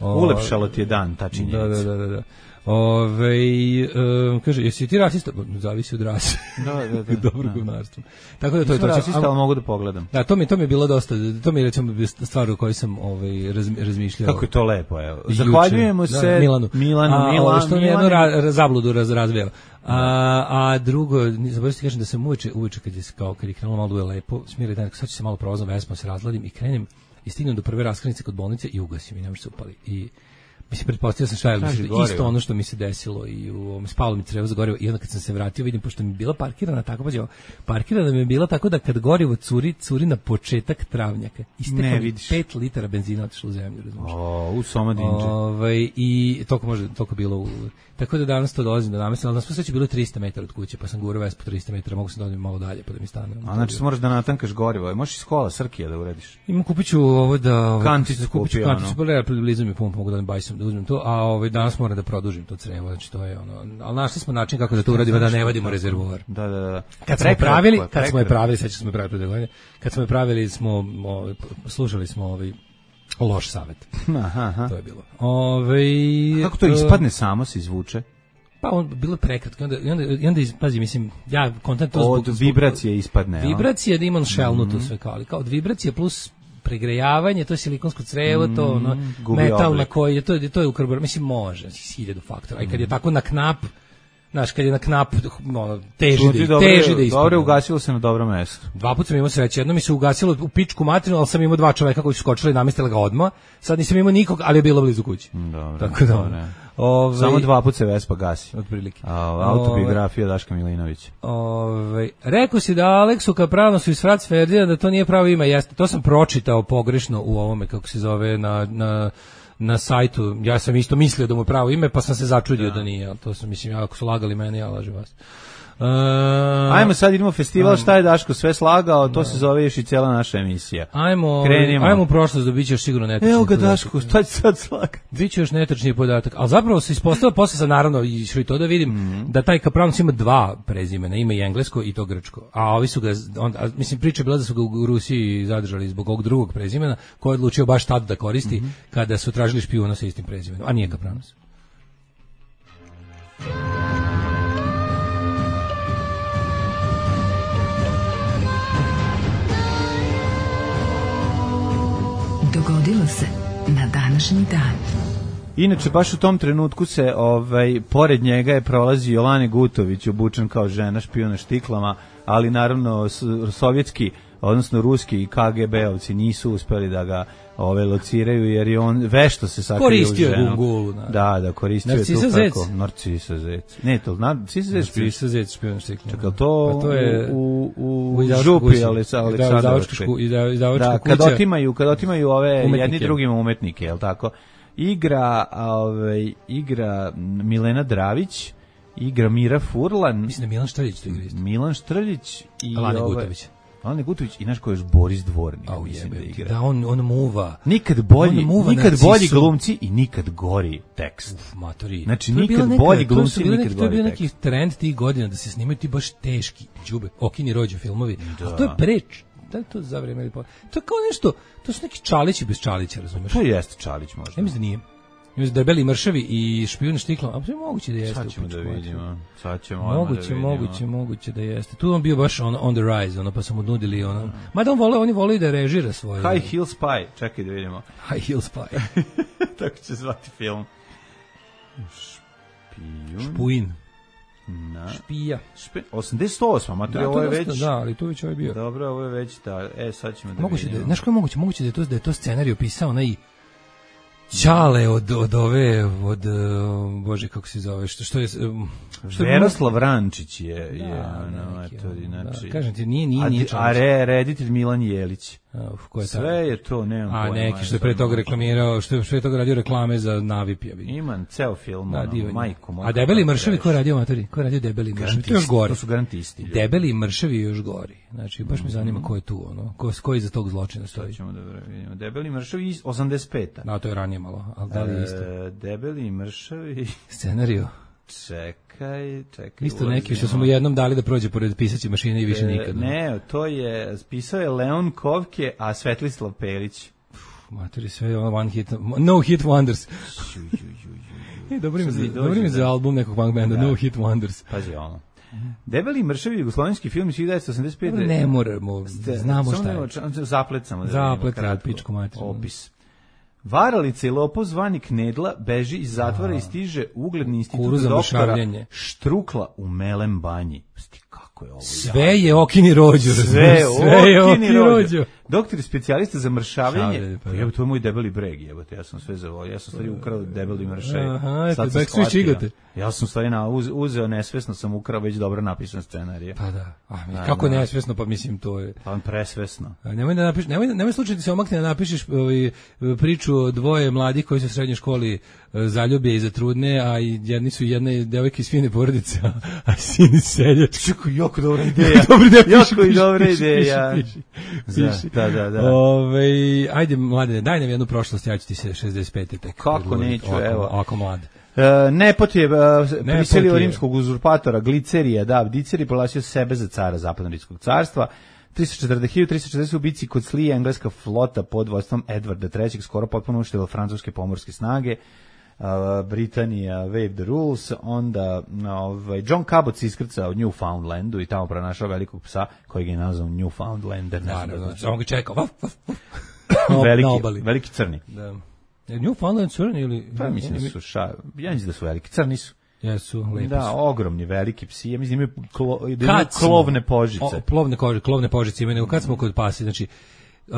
Speaker 9: o,
Speaker 8: ulepšalo ti je dan, ta činjenica.
Speaker 9: Da, da, da, da. da. Ove, um, kaže, jesi ti rasista? Zavisi od rase.
Speaker 8: Da, da, da.
Speaker 9: Dobro
Speaker 8: da.
Speaker 9: govnarstvo. Tako da to
Speaker 8: Nisam
Speaker 9: je to.
Speaker 8: rasista, ali mogu da pogledam.
Speaker 9: Da, to mi, to mi je bilo dosta, to mi je recimo stvar u kojoj sam ovaj, raz, razmišljao.
Speaker 8: Kako je to lepo, evo. Zahvaljujemo
Speaker 9: juče,
Speaker 8: se
Speaker 9: da, Milanu.
Speaker 8: Milanu,
Speaker 9: a,
Speaker 8: Milan,
Speaker 9: što mi jednu ra, zabludu raz, razveo. A, a drugo, zaboravim ti kažem da sam uveče, uveče kad je, kao, kad je krenulo malo je lepo, smiri dan, sad ću se malo provozom Vespom, se razladim i krenem i stignem do prve raskrnice kod bolnice i ugasim i ne može se upali. I mislim, pretpostavio sam šta je, isto ono što mi se desilo i u ovom spalo mi crevo za gorivo i onda kad sam se vratio vidim, pošto mi je bila parkirana tako, pađe, parkirana mi je bila tako da kad gorivo curi, curi na početak travnjaka. Istekao mi pet litara benzina otišlo u zemlju, razumiješ?
Speaker 8: O, u Somadinđe.
Speaker 9: Ovaj, i toliko može, toliko bilo u... Tako da danas to dolazim do namesta, ali nas posveći bilo trista metara od kuće, pa sam gurao Vespu trista metara, mogu se dođem malo dalje, pa da mi stane.
Speaker 8: A znači se moraš da natankaš gorivo, možeš iz kola Srkija da uradiš?
Speaker 9: Imam, kupit ću ovo da...
Speaker 8: Kanticu
Speaker 9: kupit ću kanticu, pa da blizu mi pump, mogu da bajsam, da uzmem to, a ovaj, danas moram da produžim to crevo, znači to je ono, ali našli smo način kako da to uradimo, da ne vadimo rezervoar.
Speaker 8: Da, da, da.
Speaker 9: Kad smo je pravili, kad smo je pravili, sad smo je pravili pre godine, kad smo je pravili, smo, ovaj, slušali smo ovaj, loš savet.
Speaker 8: Aha, aha.
Speaker 9: To je bilo. Ovaj,
Speaker 8: kako to ispadne, samo se izvuče?
Speaker 9: Pa on bilo prekratko, onda i onda i onda pazi, mislim, ja kontent to
Speaker 8: zbog, od vibracije ispadne.
Speaker 9: Vibracije da imam šelnu to sve kao, ali kao od vibracije plus pregrejavanje, to je silikonsko crevo, to ono metal na koji je to je to je u karburar, mislim može, hiljadu faktora. A kad je tako na knap, znaš, kad je na knap, ono, teži da, dobro, teži da ispadne.
Speaker 8: Dobro, ugasilo se na dobro mesto.
Speaker 9: Dva puta sam imao sreće, jedno mi se ugasilo u pičku materinu, ali sam imao dva čoveka koji su skočili i namestili ga odmah. Sad nisam imao nikog, ali je bilo blizu kući.
Speaker 8: Dobro,
Speaker 9: tako da, ne.
Speaker 8: Ove, samo dva puta se Vespa gasi.
Speaker 9: Otprilike.
Speaker 8: Autobiografija Daška Milinovića.
Speaker 9: Ove, rekao si da Aleksu Kapravno su iz Frac Ferdinand, da to nije pravo ime, jeste. To sam pročitao pogrešno u ovome, kako se zove, na... na na sajtu, ja sam isto mislio da mu je pravo ime, pa sam se začudio da, da nije, ali to sam, mislim, ja, ako su lagali mene, ja lažem vas. Uh,
Speaker 8: ajmo sad, idemo festival, šta je Daško sve slagao, to da. Se zove još i cijela naša emisija.
Speaker 9: Ajmo, ajmo u prošlost, da biće još sigurno netačni
Speaker 8: Evo ga
Speaker 9: podatak.
Speaker 8: Daško, šta će sad slagati?
Speaker 9: Biće još netačni podatak, ali zapravo se ispostavilo, posle sam naravno išli to da vidim, mm-hmm. da taj Kapravnac ima dva prezimena, ima i englesko i to grčko, a ovi su ga, on, a, mislim, priča je bila da su ga u Rusiji zadržali zbog ovog drugog prezimena, koji je odlučio baš tad da koristi, mm-hmm. kada su tražili špijuna sa istim prezimenom, a nije Kapravnac.
Speaker 6: Dogodilo se na današnji dan.
Speaker 8: Inače, baš u tom trenutku se, ovaj, pored njega je prolazio Jolane Gutović, obučen kao žena, špijuna štiklama, ali naravno sovjetski, odnosno ruski K G B-ovci nisu uspeli da ga ove lociraju, jer je on vešto se sakrio u ženu.
Speaker 9: Koristio je gulu.
Speaker 8: Da, da, koristio je tu kako. Narcisa Zec. Ne, to, Narcisa Zec.
Speaker 9: Narcisa Zec, špijuna štiklama.
Speaker 8: Čekaj, to,
Speaker 9: pa to je
Speaker 8: u, u, u župi Aleksandrovačke. Da, kad otimaju, kad otimaju ove umetnike. Jedni drugima umetnike, je li tako? Igra, ove, igra Milena Dravić, igra Mira Furlan.
Speaker 9: Mislim da Milan Štrljić to igra isto.
Speaker 8: Milan Štrljić i
Speaker 9: Alane Gutović.
Speaker 8: Alane Gutović i naš ko je još Boris Dvornik,
Speaker 9: oh,
Speaker 8: mislim
Speaker 9: jebe,
Speaker 8: da igra.
Speaker 9: Da, on, on muva.
Speaker 8: Nikad bolji,
Speaker 9: muva
Speaker 8: nikad bolji glumci i nikad gori tekst.
Speaker 9: Uf, matori.
Speaker 8: Znači, nikad neka, bolji glumci, nikad neki, gori tekst. To je bio neki trend tih godina da se snimaju ti baš teški đube, okini rođe filmovi. Da. A to je preč. Da je to za vreme ili po... To je kao nešto, to su neki Čalići bez Čalića, razumeš? To jeste Čalić možda.
Speaker 9: Ja mislim da nije. Mislim da Debeli mršavi i špijun štiklom, a moguće da jeste.
Speaker 8: Sad ćemo da vidimo. Sad ćemo
Speaker 9: moguće,
Speaker 8: da vidimo.
Speaker 9: Moguće, moguće da jeste. Tu on bio baš on, on the rise, ono, pa su mu nudili ono. Mm. Mada on vole, oni vole da režira svoje.
Speaker 8: High Heel Spy, čekaj da vidimo.
Speaker 9: High Heel Spy.
Speaker 8: Tako će zvati film. Špijun.
Speaker 9: Špuin.
Speaker 8: Na.
Speaker 9: Špija.
Speaker 8: Špe, osamdeset osma, mater,
Speaker 9: Da,
Speaker 8: ovo je
Speaker 9: to dosta,
Speaker 8: već...
Speaker 9: da, ali tu već ovo je bio.
Speaker 8: Dobro, ovo je već, da, e, sad ćemo da
Speaker 9: Moguće da,
Speaker 8: vidimo.
Speaker 9: znaš kako je moguće? Moguće da je to, da je to scenarij pisao onaj Ćale od, od ove, od, uh, bože, kako se zove, što, što je... Um, što je
Speaker 8: Veroslav Rančić je,
Speaker 9: Da,
Speaker 8: je ono,
Speaker 9: neki,
Speaker 8: eto,
Speaker 9: ono,
Speaker 8: znači...
Speaker 9: da, kažem ti, nije, nije,
Speaker 8: a,
Speaker 9: nije
Speaker 8: di-
Speaker 9: Čalić.
Speaker 8: a re, reditelj Milan Jelić.
Speaker 9: Uf, ko je taj?
Speaker 8: Sve je to, nemam
Speaker 9: A
Speaker 8: pojma.
Speaker 9: neki što je pre toga reklamirao, što je pre toga radio reklame za Navip, ja vidim.
Speaker 8: Imam ceo film,
Speaker 9: Da,
Speaker 8: ono,
Speaker 9: divan je.
Speaker 8: majko moja.
Speaker 9: A Debeli
Speaker 8: kako
Speaker 9: mršavi,
Speaker 8: greš.
Speaker 9: ko je radio amatori? Ko je radio Debeli mršavi? To je još
Speaker 8: Garantisti,
Speaker 9: gore.
Speaker 8: to su garantisti. ljudi.
Speaker 9: Debeli mršavi je još gori. Znači, baš me zanima ko je tu, ono, ko, ko iza tog zločina stoji.
Speaker 8: Sad ćemo da vidimo. Debeli mršavi iz osamdeset peta.
Speaker 9: No, to je ranije malo, ali da li je isto?
Speaker 8: E, debeli mršavi...
Speaker 9: Scenariju.
Speaker 8: Čekaj, čekaj.
Speaker 9: Isto neki što
Speaker 8: ulazimo.
Speaker 9: smo mu jednom dali da prođe pored pisaće mašine i više
Speaker 8: E,
Speaker 9: nikad.
Speaker 8: Ne, to je, pisao je Leon Kovke, a Svetlislav Pelić.
Speaker 9: Matori, sve je ono one hit, no hit wonders. E, dobro ime za,
Speaker 8: Sad mi dođe,
Speaker 9: dobro ime za
Speaker 8: da.
Speaker 9: album nekog punk benda,
Speaker 8: Da.
Speaker 9: no hit wonders.
Speaker 8: Pazi ono. Debeli mršavi jugoslovenski film iz hiljadu devetsto osamdeset pete.
Speaker 9: Dobro, ne moramo, znamo šta je.
Speaker 8: Zaplet samo da
Speaker 9: Zaplet,
Speaker 8: vidimo kratko.
Speaker 9: pičku materinu.
Speaker 8: Opis. Varalica i lopov zvani Knedla beži iz zatvora i stiže u ugledni institut
Speaker 9: Kuru za
Speaker 8: doktora
Speaker 9: mršavljenje.
Speaker 8: Štrukla u Melem banji. Sti, kako je ovo?
Speaker 9: Sve je okini rođo.
Speaker 8: Sve,
Speaker 9: sve je okini rođo.
Speaker 8: rođo. Doktor je specijalista za mršavljenje.
Speaker 9: Šavljenje, pa
Speaker 8: Pa
Speaker 9: da.
Speaker 8: jebo, to je moj debeli breg, jebote. Ja sam sve zavolio. Ja sam stvari ukrao debeli mršav.
Speaker 9: Aha, eto,
Speaker 8: Sad sam
Speaker 9: back switch
Speaker 8: shvatio.
Speaker 9: igote.
Speaker 8: Ja sam stvari na, uz, uzeo nesvesno, sam ukrao već dobro napisan scenarij.
Speaker 9: Pa da. A, mi,
Speaker 8: Da,
Speaker 9: kako
Speaker 8: da.
Speaker 9: nesvesno, pa mislim to je.
Speaker 8: Pa presvesno.
Speaker 9: A nemoj da napiš, nemoj, nemoj slučajno ti se omakne da napišeš ovaj, priču o dvoje mladih koji se u srednjoj školi e, zaljube i zatrudne, a i jedni su jedne devojke iz fine porodice, a, a sin seljač.
Speaker 8: Čeko, jako dobra ideja.
Speaker 9: Dobra ideja, piši,
Speaker 8: Jako i
Speaker 9: piši,
Speaker 8: dobra
Speaker 9: piši,
Speaker 8: ideja.
Speaker 9: piši, piši,
Speaker 8: Da,
Speaker 9: piši.
Speaker 8: da, da, da.
Speaker 9: Ove, ajde, mladene, daj nam jednu prošlost, ja ću ti se šezdeset pete tek.
Speaker 8: Kako
Speaker 9: predgovoriti,
Speaker 8: neću,
Speaker 9: ovako,
Speaker 8: evo.
Speaker 9: Ovako mlad.
Speaker 8: E, Nepot je e, prisilio
Speaker 9: je.
Speaker 8: rimskog uzurpatora Glicerija, da, Diceri proglasio sebe za cara zapadno-rimskog carstva. tristo četrdeset hiljada tristo četrdeset u bici kod Slije engleska flota pod vodstvom Edvarda trećeg skoro potpuno uništila francuske pomorske snage. Uh, Britanija wave the rules, onda ovaj, John Cabot se iskrcao u Newfoundlandu i tamo pronašao velikog psa kojeg je nazvao Newfoundlander. Ne znam da
Speaker 9: Naravno,
Speaker 8: znači.
Speaker 9: samo ga čekao. Vaf, vaf, vaf. Na
Speaker 8: veliki,
Speaker 9: obali.
Speaker 8: veliki crni.
Speaker 9: Da. Je Newfoundland crni ili...
Speaker 8: Pa mislim da su ša, ja mislim da su veliki, crni su.
Speaker 9: Jesu, lepi
Speaker 8: Da,
Speaker 9: su.
Speaker 8: ogromni, veliki psi. Ja mislim da imaju, klo, da imaju
Speaker 9: Kad smo-
Speaker 8: klovne požice.
Speaker 9: O, plovne kože, klovne požice imaju, nego kad smo kod pasi, znači Uh,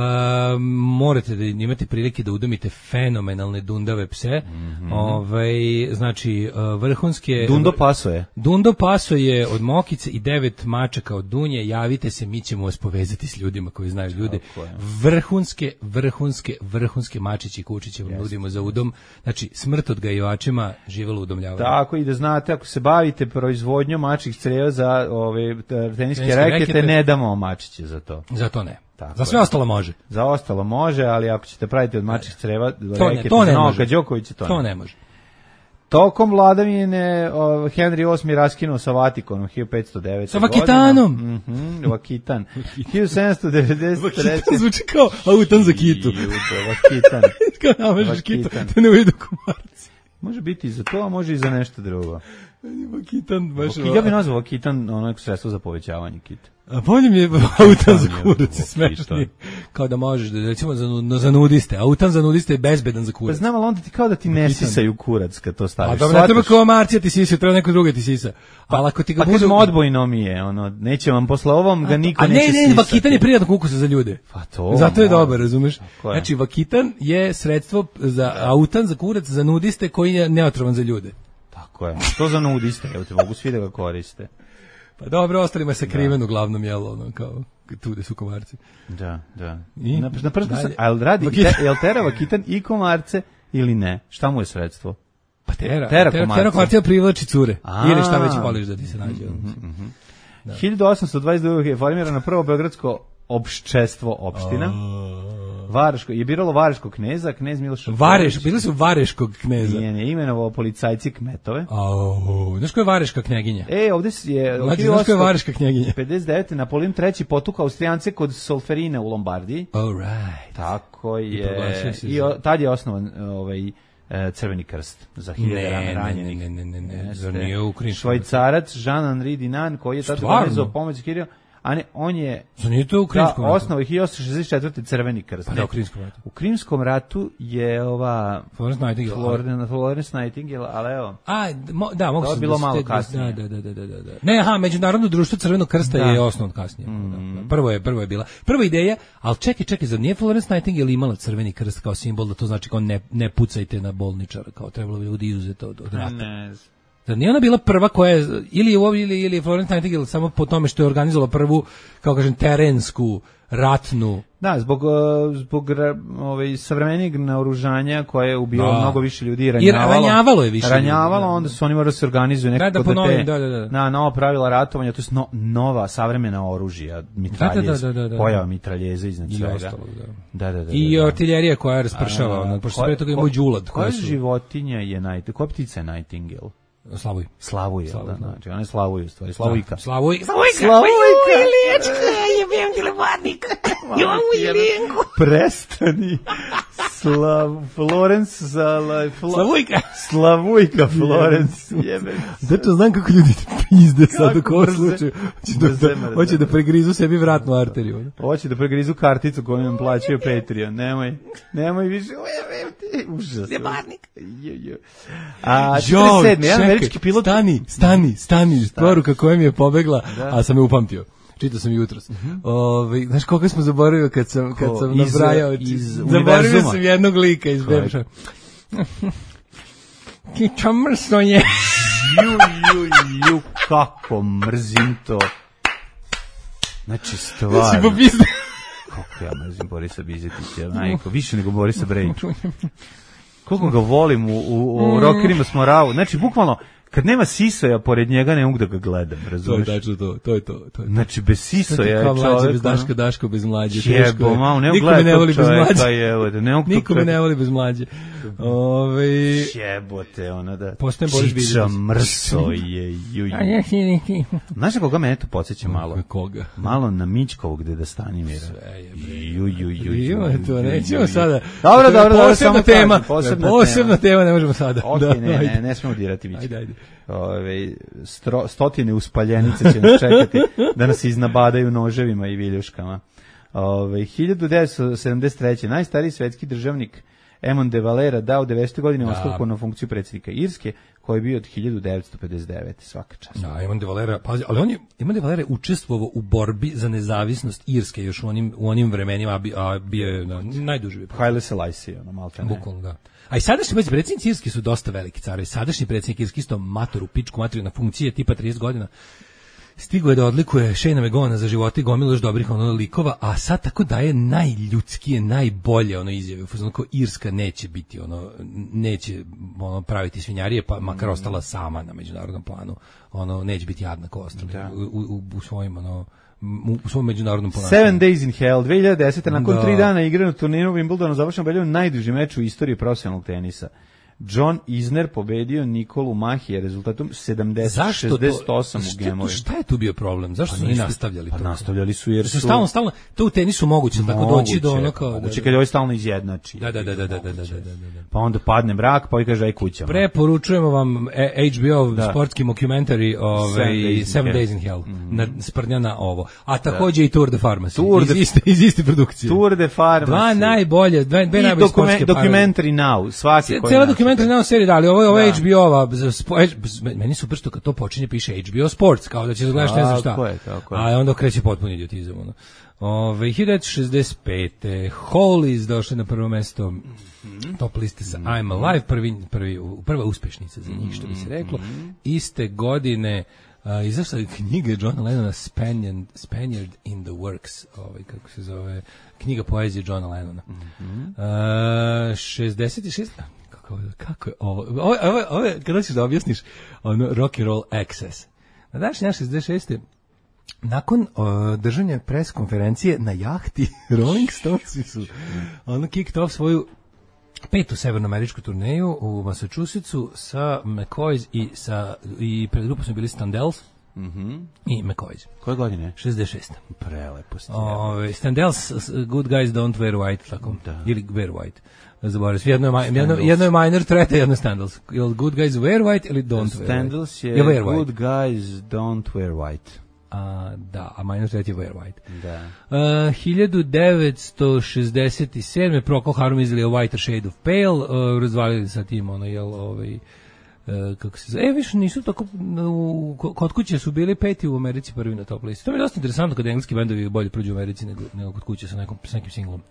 Speaker 9: morate da imate prilike da udomite fenomenalne dundave pse. Mm-hmm. Ovaj, znači uh, vrhunske
Speaker 8: Dundo Paso je.
Speaker 9: Dundo Paso je od Mokice i devet mačaka od Dunje. Javite se, mi ćemo vas povezati s ljudima koji znaju ljude. Vrhunske, vrhunske, vrhunske mačići i kučiće vam nudimo za udom. Znači, smrt odgajivačima, živelo udomljavanje.
Speaker 8: Tako i da znate, ako se bavite proizvodnjom mačih creva za ove teniske
Speaker 9: Teniske
Speaker 8: rekete,
Speaker 9: rekete,
Speaker 8: ne damo mačiće za to.
Speaker 9: Za to ne.
Speaker 8: Tako
Speaker 9: Za sve
Speaker 8: je.
Speaker 9: ostalo može.
Speaker 8: Za ostalo može, ali ako ćete praviti od mačih creva do
Speaker 9: To ne,
Speaker 8: rekete
Speaker 9: to ne
Speaker 8: za
Speaker 9: može.
Speaker 8: Novaka Đokovića, to,
Speaker 9: To
Speaker 8: ne.
Speaker 9: ne može.
Speaker 8: Tokom vladavine o, Henry osmi raskinuo sa Vatikanom hiljadu petsto devete.
Speaker 9: Sa Vakitanom?
Speaker 8: godine. Mhm, Vakitan. hiljadu sedamsto devedeset treće.
Speaker 9: Zvuči kao autan za kitu.
Speaker 8: Jube, Vakitan.
Speaker 9: Kao namažeš kitu,
Speaker 8: Vakitan.
Speaker 9: da ne ujdu komarci.
Speaker 8: Može biti i za to, a može i za nešto drugo.
Speaker 9: Vakitan, baš...
Speaker 8: Vaki- Ja bih nazvao Vakitan ono sredstvo za povećavanje kita.
Speaker 9: A bolje mi je autan za
Speaker 8: je
Speaker 9: kurac,
Speaker 8: Vakitan.
Speaker 9: smešni. Kao da možeš, da, recimo za, nu- za nudiste. Autan za nudiste je bezbedan za
Speaker 8: Pa
Speaker 9: kurac.
Speaker 8: znam, ali onda ti kao da ti ne sisaju kurac kad to
Speaker 9: A
Speaker 8: staviš.
Speaker 9: dobro, ne treba
Speaker 8: Shvataš?
Speaker 9: kao Marcija ti sisa, treba neko drugi ti sisa. Ali ako ti ga
Speaker 8: Pa
Speaker 9: budu...
Speaker 8: kažem, odbojno mi je, ono, neće vam posle ovom ga niko
Speaker 9: A ne,
Speaker 8: neće
Speaker 9: ne,
Speaker 8: sisati.
Speaker 9: vakitan je prijatno ukusa za ljude.
Speaker 8: Pa to.
Speaker 9: Zato je
Speaker 8: malo.
Speaker 9: dobar, razumeš?
Speaker 8: Tako je.
Speaker 9: Znači, vakitan je sredstvo za autan za kurac, za nudiste koji je neotrovan za ljude.
Speaker 8: Tako je. To za nudiste, evo te mogu svi da ga koriste.
Speaker 9: Pa dobro, ostalima se kriven uglavnom, jel, ono, kao tude su komarci.
Speaker 8: Da, da.
Speaker 9: I?
Speaker 8: Na, na prstu sam,
Speaker 9: Dalje.
Speaker 8: a jel radi,
Speaker 9: Vakitan.
Speaker 8: te, jel tera Vakitan i komarce ili ne? Šta mu je sredstvo?
Speaker 9: Pa tera,
Speaker 8: Tera
Speaker 9: tera,
Speaker 8: komarce.
Speaker 9: tera komarcija privlači cure.
Speaker 8: A.
Speaker 9: Ili šta već voliš da ti se nađe.
Speaker 8: hiljadu osamsto dvadeset druge je formirano prvo beogradsko opščestvo opština. Vareško, je biralo Vareškog kneza, knez Miloš
Speaker 9: Vareš, bili su Vareškog kneza.
Speaker 8: Nije, nije imenovao policajci kmetove.
Speaker 9: Au, znaš ko je Vareška knjeginja?
Speaker 8: E, ovde je
Speaker 9: Mlađe, znaš ko je Vareška knjeginja?
Speaker 8: pedeset devete Napoleon treći potukao Austrijance kod Solferina u Lombardiji.
Speaker 9: All right.
Speaker 8: Tako
Speaker 9: I proglasio
Speaker 8: je.
Speaker 9: se
Speaker 8: I
Speaker 9: za-
Speaker 8: o, tad je osnovan ovaj e, Crveni krst za hiljade
Speaker 9: Ne,
Speaker 8: rana
Speaker 9: ne,
Speaker 8: ranjenih.
Speaker 9: ne, ne, ne, ne,
Speaker 8: Jeste.
Speaker 9: zar nije Ukrajinski?
Speaker 8: Švajcarac Jean-Henri Dinan koji je tad
Speaker 9: Stvarno?
Speaker 8: organizovao pomoć Kiriju, a ne, on je
Speaker 9: Zar nije to u Krimskom
Speaker 8: da,
Speaker 9: ratu?
Speaker 8: osnovu hiljadu osamsto šezdeset četvrte Crveni krst.
Speaker 9: Pa da, u Krimskom ratu.
Speaker 8: U Krimskom ratu je ova
Speaker 9: Florence Nightingale.
Speaker 8: Florence, Florence Nightingale, ali evo.
Speaker 9: A, mo, da, mogu
Speaker 8: To je
Speaker 9: sam
Speaker 8: bilo
Speaker 9: da
Speaker 8: malo
Speaker 9: ste-
Speaker 8: kasnije.
Speaker 9: Da, da, da, da, da, da. Ne, aha, Međunarodno društvo Crvenog krsta
Speaker 8: Da.
Speaker 9: je osnovno kasnije.
Speaker 8: Mm.
Speaker 9: Da, da. Prvo je, prvo je bila. Prva ideja, ali čekaj, čekaj, zar nije Florence Nightingale imala Crveni krst kao simbol, da to znači kao ne, ne pucajte na bolničara, kao trebalo bi ljudi izuzeti od, od rata.
Speaker 8: Ne znam.
Speaker 9: Zar nije ona bila prva koja je, ili je u- ili, ili je Florence Nightingale samo po tome što je organizovala prvu, kao kažem, terensku, ratnu.
Speaker 8: Da, zbog, uh, zbog ra- ovaj, savremenijeg naoružanja koje je ubilo
Speaker 9: Da.
Speaker 8: mnogo više ljudi i
Speaker 9: I
Speaker 8: ranjavalo.
Speaker 9: ranjavalo je više ljudi,
Speaker 8: Ranjavalo,
Speaker 9: da.
Speaker 8: onda su oni morali da se organizuju nekako
Speaker 9: Da, da,
Speaker 8: da,
Speaker 9: po novim,
Speaker 8: te,
Speaker 9: da, da, da.
Speaker 8: na nova pravila ratovanja, to je no, nova savremena oružja, mitraljez,
Speaker 9: Da, da, da, da, da.
Speaker 8: pojava mitraljeza iznad
Speaker 9: I
Speaker 8: svega.
Speaker 9: ostalog, da.
Speaker 8: Da, da, da. da,
Speaker 9: I
Speaker 8: da.
Speaker 9: artiljerija koja raspršava,
Speaker 8: A,
Speaker 9: ono, pošto
Speaker 8: ko-
Speaker 9: pre toga
Speaker 8: ko-
Speaker 9: imao đulad.
Speaker 8: Koja
Speaker 9: koja su-
Speaker 8: životinja je Nightingale? Koja ptica je Nightingale?
Speaker 9: Slavuj.
Speaker 8: Slavuj, jel da,
Speaker 9: Slavuj, da.
Speaker 8: znači, ona je Slavuj u stvari, Slavujka.
Speaker 9: Slavuj.
Speaker 8: Slavujka!
Speaker 5: Jebem telefonnik. Imam Ilijenku.
Speaker 8: Prestani. Slav, Florence, Sala, Fla,
Speaker 9: Slavujka.
Speaker 8: Slavujka, Florence, jebe.
Speaker 9: Zato znam kako ljudi pizde sad u
Speaker 8: Kako
Speaker 9: kojem
Speaker 8: mrze.
Speaker 9: slučaju. Hoće da,
Speaker 8: Mrze,
Speaker 9: da,
Speaker 8: mrze,
Speaker 9: hoće da
Speaker 8: mrze.
Speaker 9: pregrizu sebi vratnu arteriju.
Speaker 8: Hoće da pregrizu karticu koju nam plaćaju Patreon. Nemoj, nemoj više. Ujebem ti. Užasno.
Speaker 5: Jebarnik.
Speaker 8: Jo, jo. A,
Speaker 9: Joj,
Speaker 8: četrdeset sedmi, jedan
Speaker 9: čekaj,
Speaker 8: američki pilot.
Speaker 9: Stani, stani, stani, poruka koja mi je pobegla,
Speaker 8: Da.
Speaker 9: a sam je upamtio. Čitao sam jutros. Ovaj, znaš koga smo zaboravili kad sam, kad
Speaker 8: Ko?
Speaker 9: sam
Speaker 8: Iz-
Speaker 9: nabrajao?
Speaker 8: iz
Speaker 9: Zaboravio
Speaker 8: univerzuma?
Speaker 9: sam jednog lika iz
Speaker 8: Kojeg?
Speaker 9: Bemša. Kiča mrsno je.
Speaker 8: Ju, ju, ju, kako mrzim to. Znači,
Speaker 9: Si
Speaker 8: stvarno.
Speaker 9: popizde.
Speaker 8: Kako ja mrzim Borisa Bizetića, majko, više nego Borisa Brejića. Koliko ga volim u, u, u Rockerima smo ravu. Znači, bukvalno, kad nema sisoja pored njega, ne mogu da ga gledam,
Speaker 9: To je
Speaker 8: razumeš?
Speaker 9: tačno to, to je to. to, je to.
Speaker 8: Znači, bez sisoja je
Speaker 9: Kao mlađe
Speaker 8: čovjek.
Speaker 9: bez Daška, Daško bez mlađe. teško
Speaker 8: Jebo,
Speaker 9: je.
Speaker 8: malo, ne
Speaker 9: Niko me
Speaker 8: gledaj
Speaker 9: ne
Speaker 8: tog
Speaker 9: voli bez
Speaker 8: čovjeka,
Speaker 9: mlađe.
Speaker 8: evo, da ne mogu tog
Speaker 9: Niko me
Speaker 8: čovjeka.
Speaker 9: ne voli bez mlađe. Ove,
Speaker 8: Jebote, ona da.
Speaker 9: Postajem Boris
Speaker 8: Čiča
Speaker 9: Bizetić.
Speaker 8: mrso je, ju, ju. Znaš na koga me to podsjeća malo?
Speaker 9: Koga?
Speaker 8: Malo na Mićkovog deda Stanimira. Ju, ju, ju, ju.
Speaker 9: Ima to,
Speaker 8: ju,
Speaker 9: nećemo
Speaker 8: ju,
Speaker 9: sada.
Speaker 8: Dobro,
Speaker 9: To je
Speaker 8: dobro, dobro,
Speaker 9: posebna
Speaker 8: samo
Speaker 9: tema.
Speaker 8: kažem, posebna
Speaker 9: Posebna
Speaker 8: tema.
Speaker 9: tema, ne možemo sada.
Speaker 8: Ok,
Speaker 9: Da,
Speaker 8: ne,
Speaker 9: ajde.
Speaker 8: ne, ne smemo dirati Mićka.
Speaker 9: Ajde, ajde.
Speaker 8: Ove, stro, stotine uspaljenice će nas čekati da nas iznabadaju noževima i viljuškama. Ove, hiljadu devetsto sedamdeset treće. najstariji svetski državnik Emon de Valera dao devedesete godine ostavku na funkciju predsjednika Irske, koji je bio od hiljadu devetsto pedeset devete. Svaka čast.
Speaker 9: Da, Eamon de Valera, pazi, ali on je, Eamon de Valera je učestvovao u borbi za nezavisnost Irske još u onim, u onim vremenima, a, bi, a bio je na, najduže bio.
Speaker 8: Haile Selassie, ono, malte ne.
Speaker 9: Bukvalno, da. A i sadašnji pazi, predsjednici Irske su dosta veliki carovi. Sadašnji predsjednik Irske isto mator u pičku materiju na funkcije tipa trideset godina. Stigo je da odlikuje Shane McGowana za živote i gomilu još dobrih ono likova, a sad tako daje najljudskije, najbolje ono izjave. Ono kao Irska neće biti ono, neće ono praviti svinjarije, pa makar ostala sama na međunarodnom planu. Ono, neće biti jadna ko ostali
Speaker 8: Da.
Speaker 9: u, u, u svojim ono, u, u svom međunarodnom ponašanju.
Speaker 8: Seven Days in Hell, dve hiljade desete. nakon
Speaker 9: Da.
Speaker 8: tri dana igre na turniru Wimbledonu završeno belju najduži meč u istoriji profesionalnog tenisa. John Isner pobedio Nikolu Mahije rezultatom sedamdeset
Speaker 9: Zašto
Speaker 8: šezdeset
Speaker 9: to?
Speaker 8: osam u
Speaker 9: Šta,
Speaker 8: gemovima.
Speaker 9: šta je tu bio problem? Zašto su oni
Speaker 8: nisu-
Speaker 9: nastavljali
Speaker 8: pa
Speaker 9: to?
Speaker 8: nastavljali su jer
Speaker 9: su
Speaker 8: su-
Speaker 9: stalno stalno to u tenisu moguće tako doći do ono kao
Speaker 8: moguće
Speaker 9: da,
Speaker 8: kad je ovaj stalno izjednači.
Speaker 9: da, da, da, da, da, da, da, da, da.
Speaker 8: Pa onda padne mrak, pa i kaže aj kućama.
Speaker 9: Preporučujemo vam e, H B O
Speaker 8: Da.
Speaker 9: sportski mockumentary ovaj
Speaker 8: Seven Days in
Speaker 9: Seven
Speaker 8: Hell.
Speaker 9: Days in Hell. Na sprnja na ovo. A takođe i Tour de Pharmacy.
Speaker 8: Tour
Speaker 9: iz
Speaker 8: de-
Speaker 9: iste iz iste produkcije.
Speaker 8: Tour de Pharmacy.
Speaker 9: Dva najbolje, dva, dve
Speaker 8: I
Speaker 9: najbolje
Speaker 8: dokumen,
Speaker 9: sportske
Speaker 8: documentary now, svaki koji
Speaker 9: Cela
Speaker 8: nastupi.
Speaker 9: dokumentarna serija, da, ali ovo je ovo
Speaker 8: Da.
Speaker 9: H B O-ova, za spo- meni super što kad to počinje piše H B O Sports, kao da će da gledaš ne znam šta.
Speaker 8: Tako je, tako je.
Speaker 9: A onda kreće potpuni idiotizam. Ono. Ove, hiljadu devetsto šezdeset pete. Hollies došli na prvo mesto top liste sa I'm Alive, prvi, prvi, prva uspešnica za njih, što bi se reklo. Iste godine uh, izašla je knjiga Johna Lennona Spaniard, Spaniard in the Works, ovaj, kako se zove, knjiga poezije Johna Lennona. Uh, šezdeset šest Kako, kako je ovo? Ovo, ovo, ovo je, kada ćeš da objasniš, ono, rock and roll access. Na današnji dan šezdeset šeste nakon uh, držanja pres konferencije na jahti, Rolling Stonesi su ono kicked off svoju petu severnoameričku turneju u Massachusettsu sa McCoys i sa i pred grupom su bili Standells i McCoys.
Speaker 8: Koje godine?
Speaker 9: šezdeset šeste
Speaker 8: Prelepo ste.
Speaker 9: Ove, Standells, s- Good Guys Don't Wear White, tako,
Speaker 8: Da.
Speaker 9: ili Wear White. Zaboravim se, jedno je, ma- jedno, jedno je minor threat, a jedno je Standells. Ili Good Guys Wear White ili Don't Wear White.
Speaker 8: Standells je
Speaker 9: Wear White.
Speaker 8: Good Guys Don't Wear White.
Speaker 9: a da, a minus devet je Where White.
Speaker 8: Da.
Speaker 9: Uh, hiljadu devetsto šezdeset sedme Procol Harum izdali A Whiter Shade of Pale, uh, razvalili sa tim, ono, jel, ovaj, uh, kako se zove, e, više nisu tako, u, kod kuće su bili peti u Americi, prvi na top listi. To mi je dosta interesantno kada engleski bendovi bolje prođu u Americi nego, nego kod kuće sa, nekom, sa nekim singlom.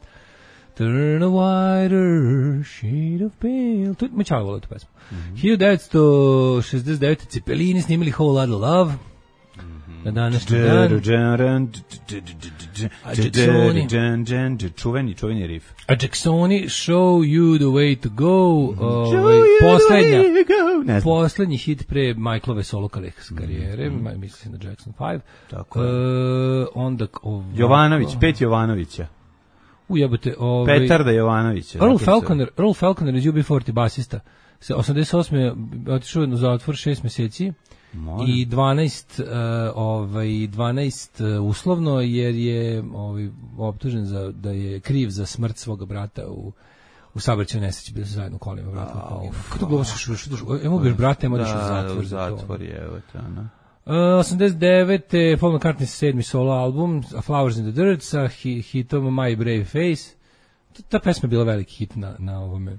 Speaker 9: Turn a whiter shade of pale. To mi čao volio tu pesmu. Mm-hmm. hiljadu devetsto šezdeset devete Cepelini snimili Whole Lotta Love. Na današnji dan. A Jacksoni.
Speaker 8: Čuveni, čuveni riff.
Speaker 9: A Jacksoni Show You the Way to Go. Ovaj, poslednja, poslednji hit pre Michaelove solo karijere. Mm-hmm. Mislim na Jackson pet.
Speaker 8: Tako je.
Speaker 9: Uh, onda, ovako,
Speaker 8: Jovanović, pet Jovanovića.
Speaker 9: Ujebote, ovaj
Speaker 8: Petarda Jovanovića.
Speaker 9: Earl Falconer, Earl Falconer iz U B četrdeset basista. Se osamdeset osme otišao na zatvor šest meseci. Molim. I dvanaest uh, ovaj dvanaest uh, uslovno jer je ovaj optužen za da je kriv za smrt svog brata u u saobraćajnoj nesreći, bili su zajedno u kolima, brata. Kako to govoriš, emo biš brate, emo ideš u zatvor.
Speaker 8: U zatvor je, evo te, ona.
Speaker 9: Uh, osamdeset devete Paul McCartney sedmi solo album A Flowers in the Dirt sa hi, hitom My Brave Face. Ta, ta pesma je bila veliki hit na, na ovome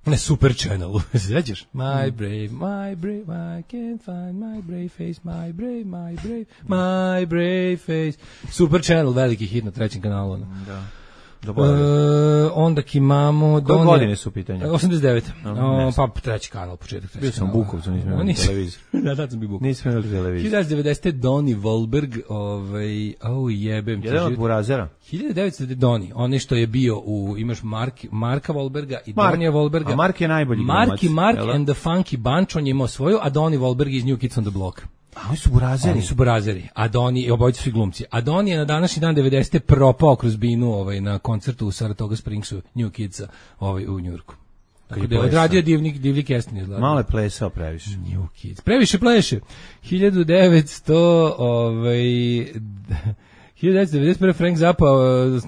Speaker 9: na Super Channelu. Se sjećaš? My brave, my brave, I can't find my brave face, my brave, my brave, my brave face. Super Channel, veliki hit na trećem kanalu.
Speaker 8: Da.
Speaker 9: Uh, onda imamo...
Speaker 8: Koje godine su u pitanju?
Speaker 9: osamdeset devete O, pa treći kanal, početak treći
Speaker 8: Bio sam u Bukovcu, nisam imali televizor.
Speaker 9: Da, da sam bio u Bukovcu.
Speaker 8: Nisam imali televizor.
Speaker 9: hiljadu devetsto devedesete Donnie Wahlberg, ovaj, au jebem ti.
Speaker 8: Jedan od burazera.
Speaker 9: hiljadu devetsto Donnie, onaj što je bio u, imaš Mark, Marka Wahlberga i Mark, Donnie Wahlberga.
Speaker 8: A Mark je najbolji glumac.
Speaker 9: Mark i Mark and the Funky Bunch, on je imao svoju, a Donnie Wahlberg iz New Kids on the Block.
Speaker 8: A oni su burazeri.
Speaker 9: Oni su burazeri. A Donnie, obojica su i glumci. A Donnie je na današnji dan devedesete propao kroz binu ovaj, na koncertu u Saratoga Springsu New Kidsa ovaj, u Njurku. Tako da je odradio divnik, divni casting izgleda.
Speaker 8: Malo je plesao previše.
Speaker 9: New Kids. Previše pleše. hiljadu devetsto ovaj, hiljadu devetsto devedeset prve Frank Zappa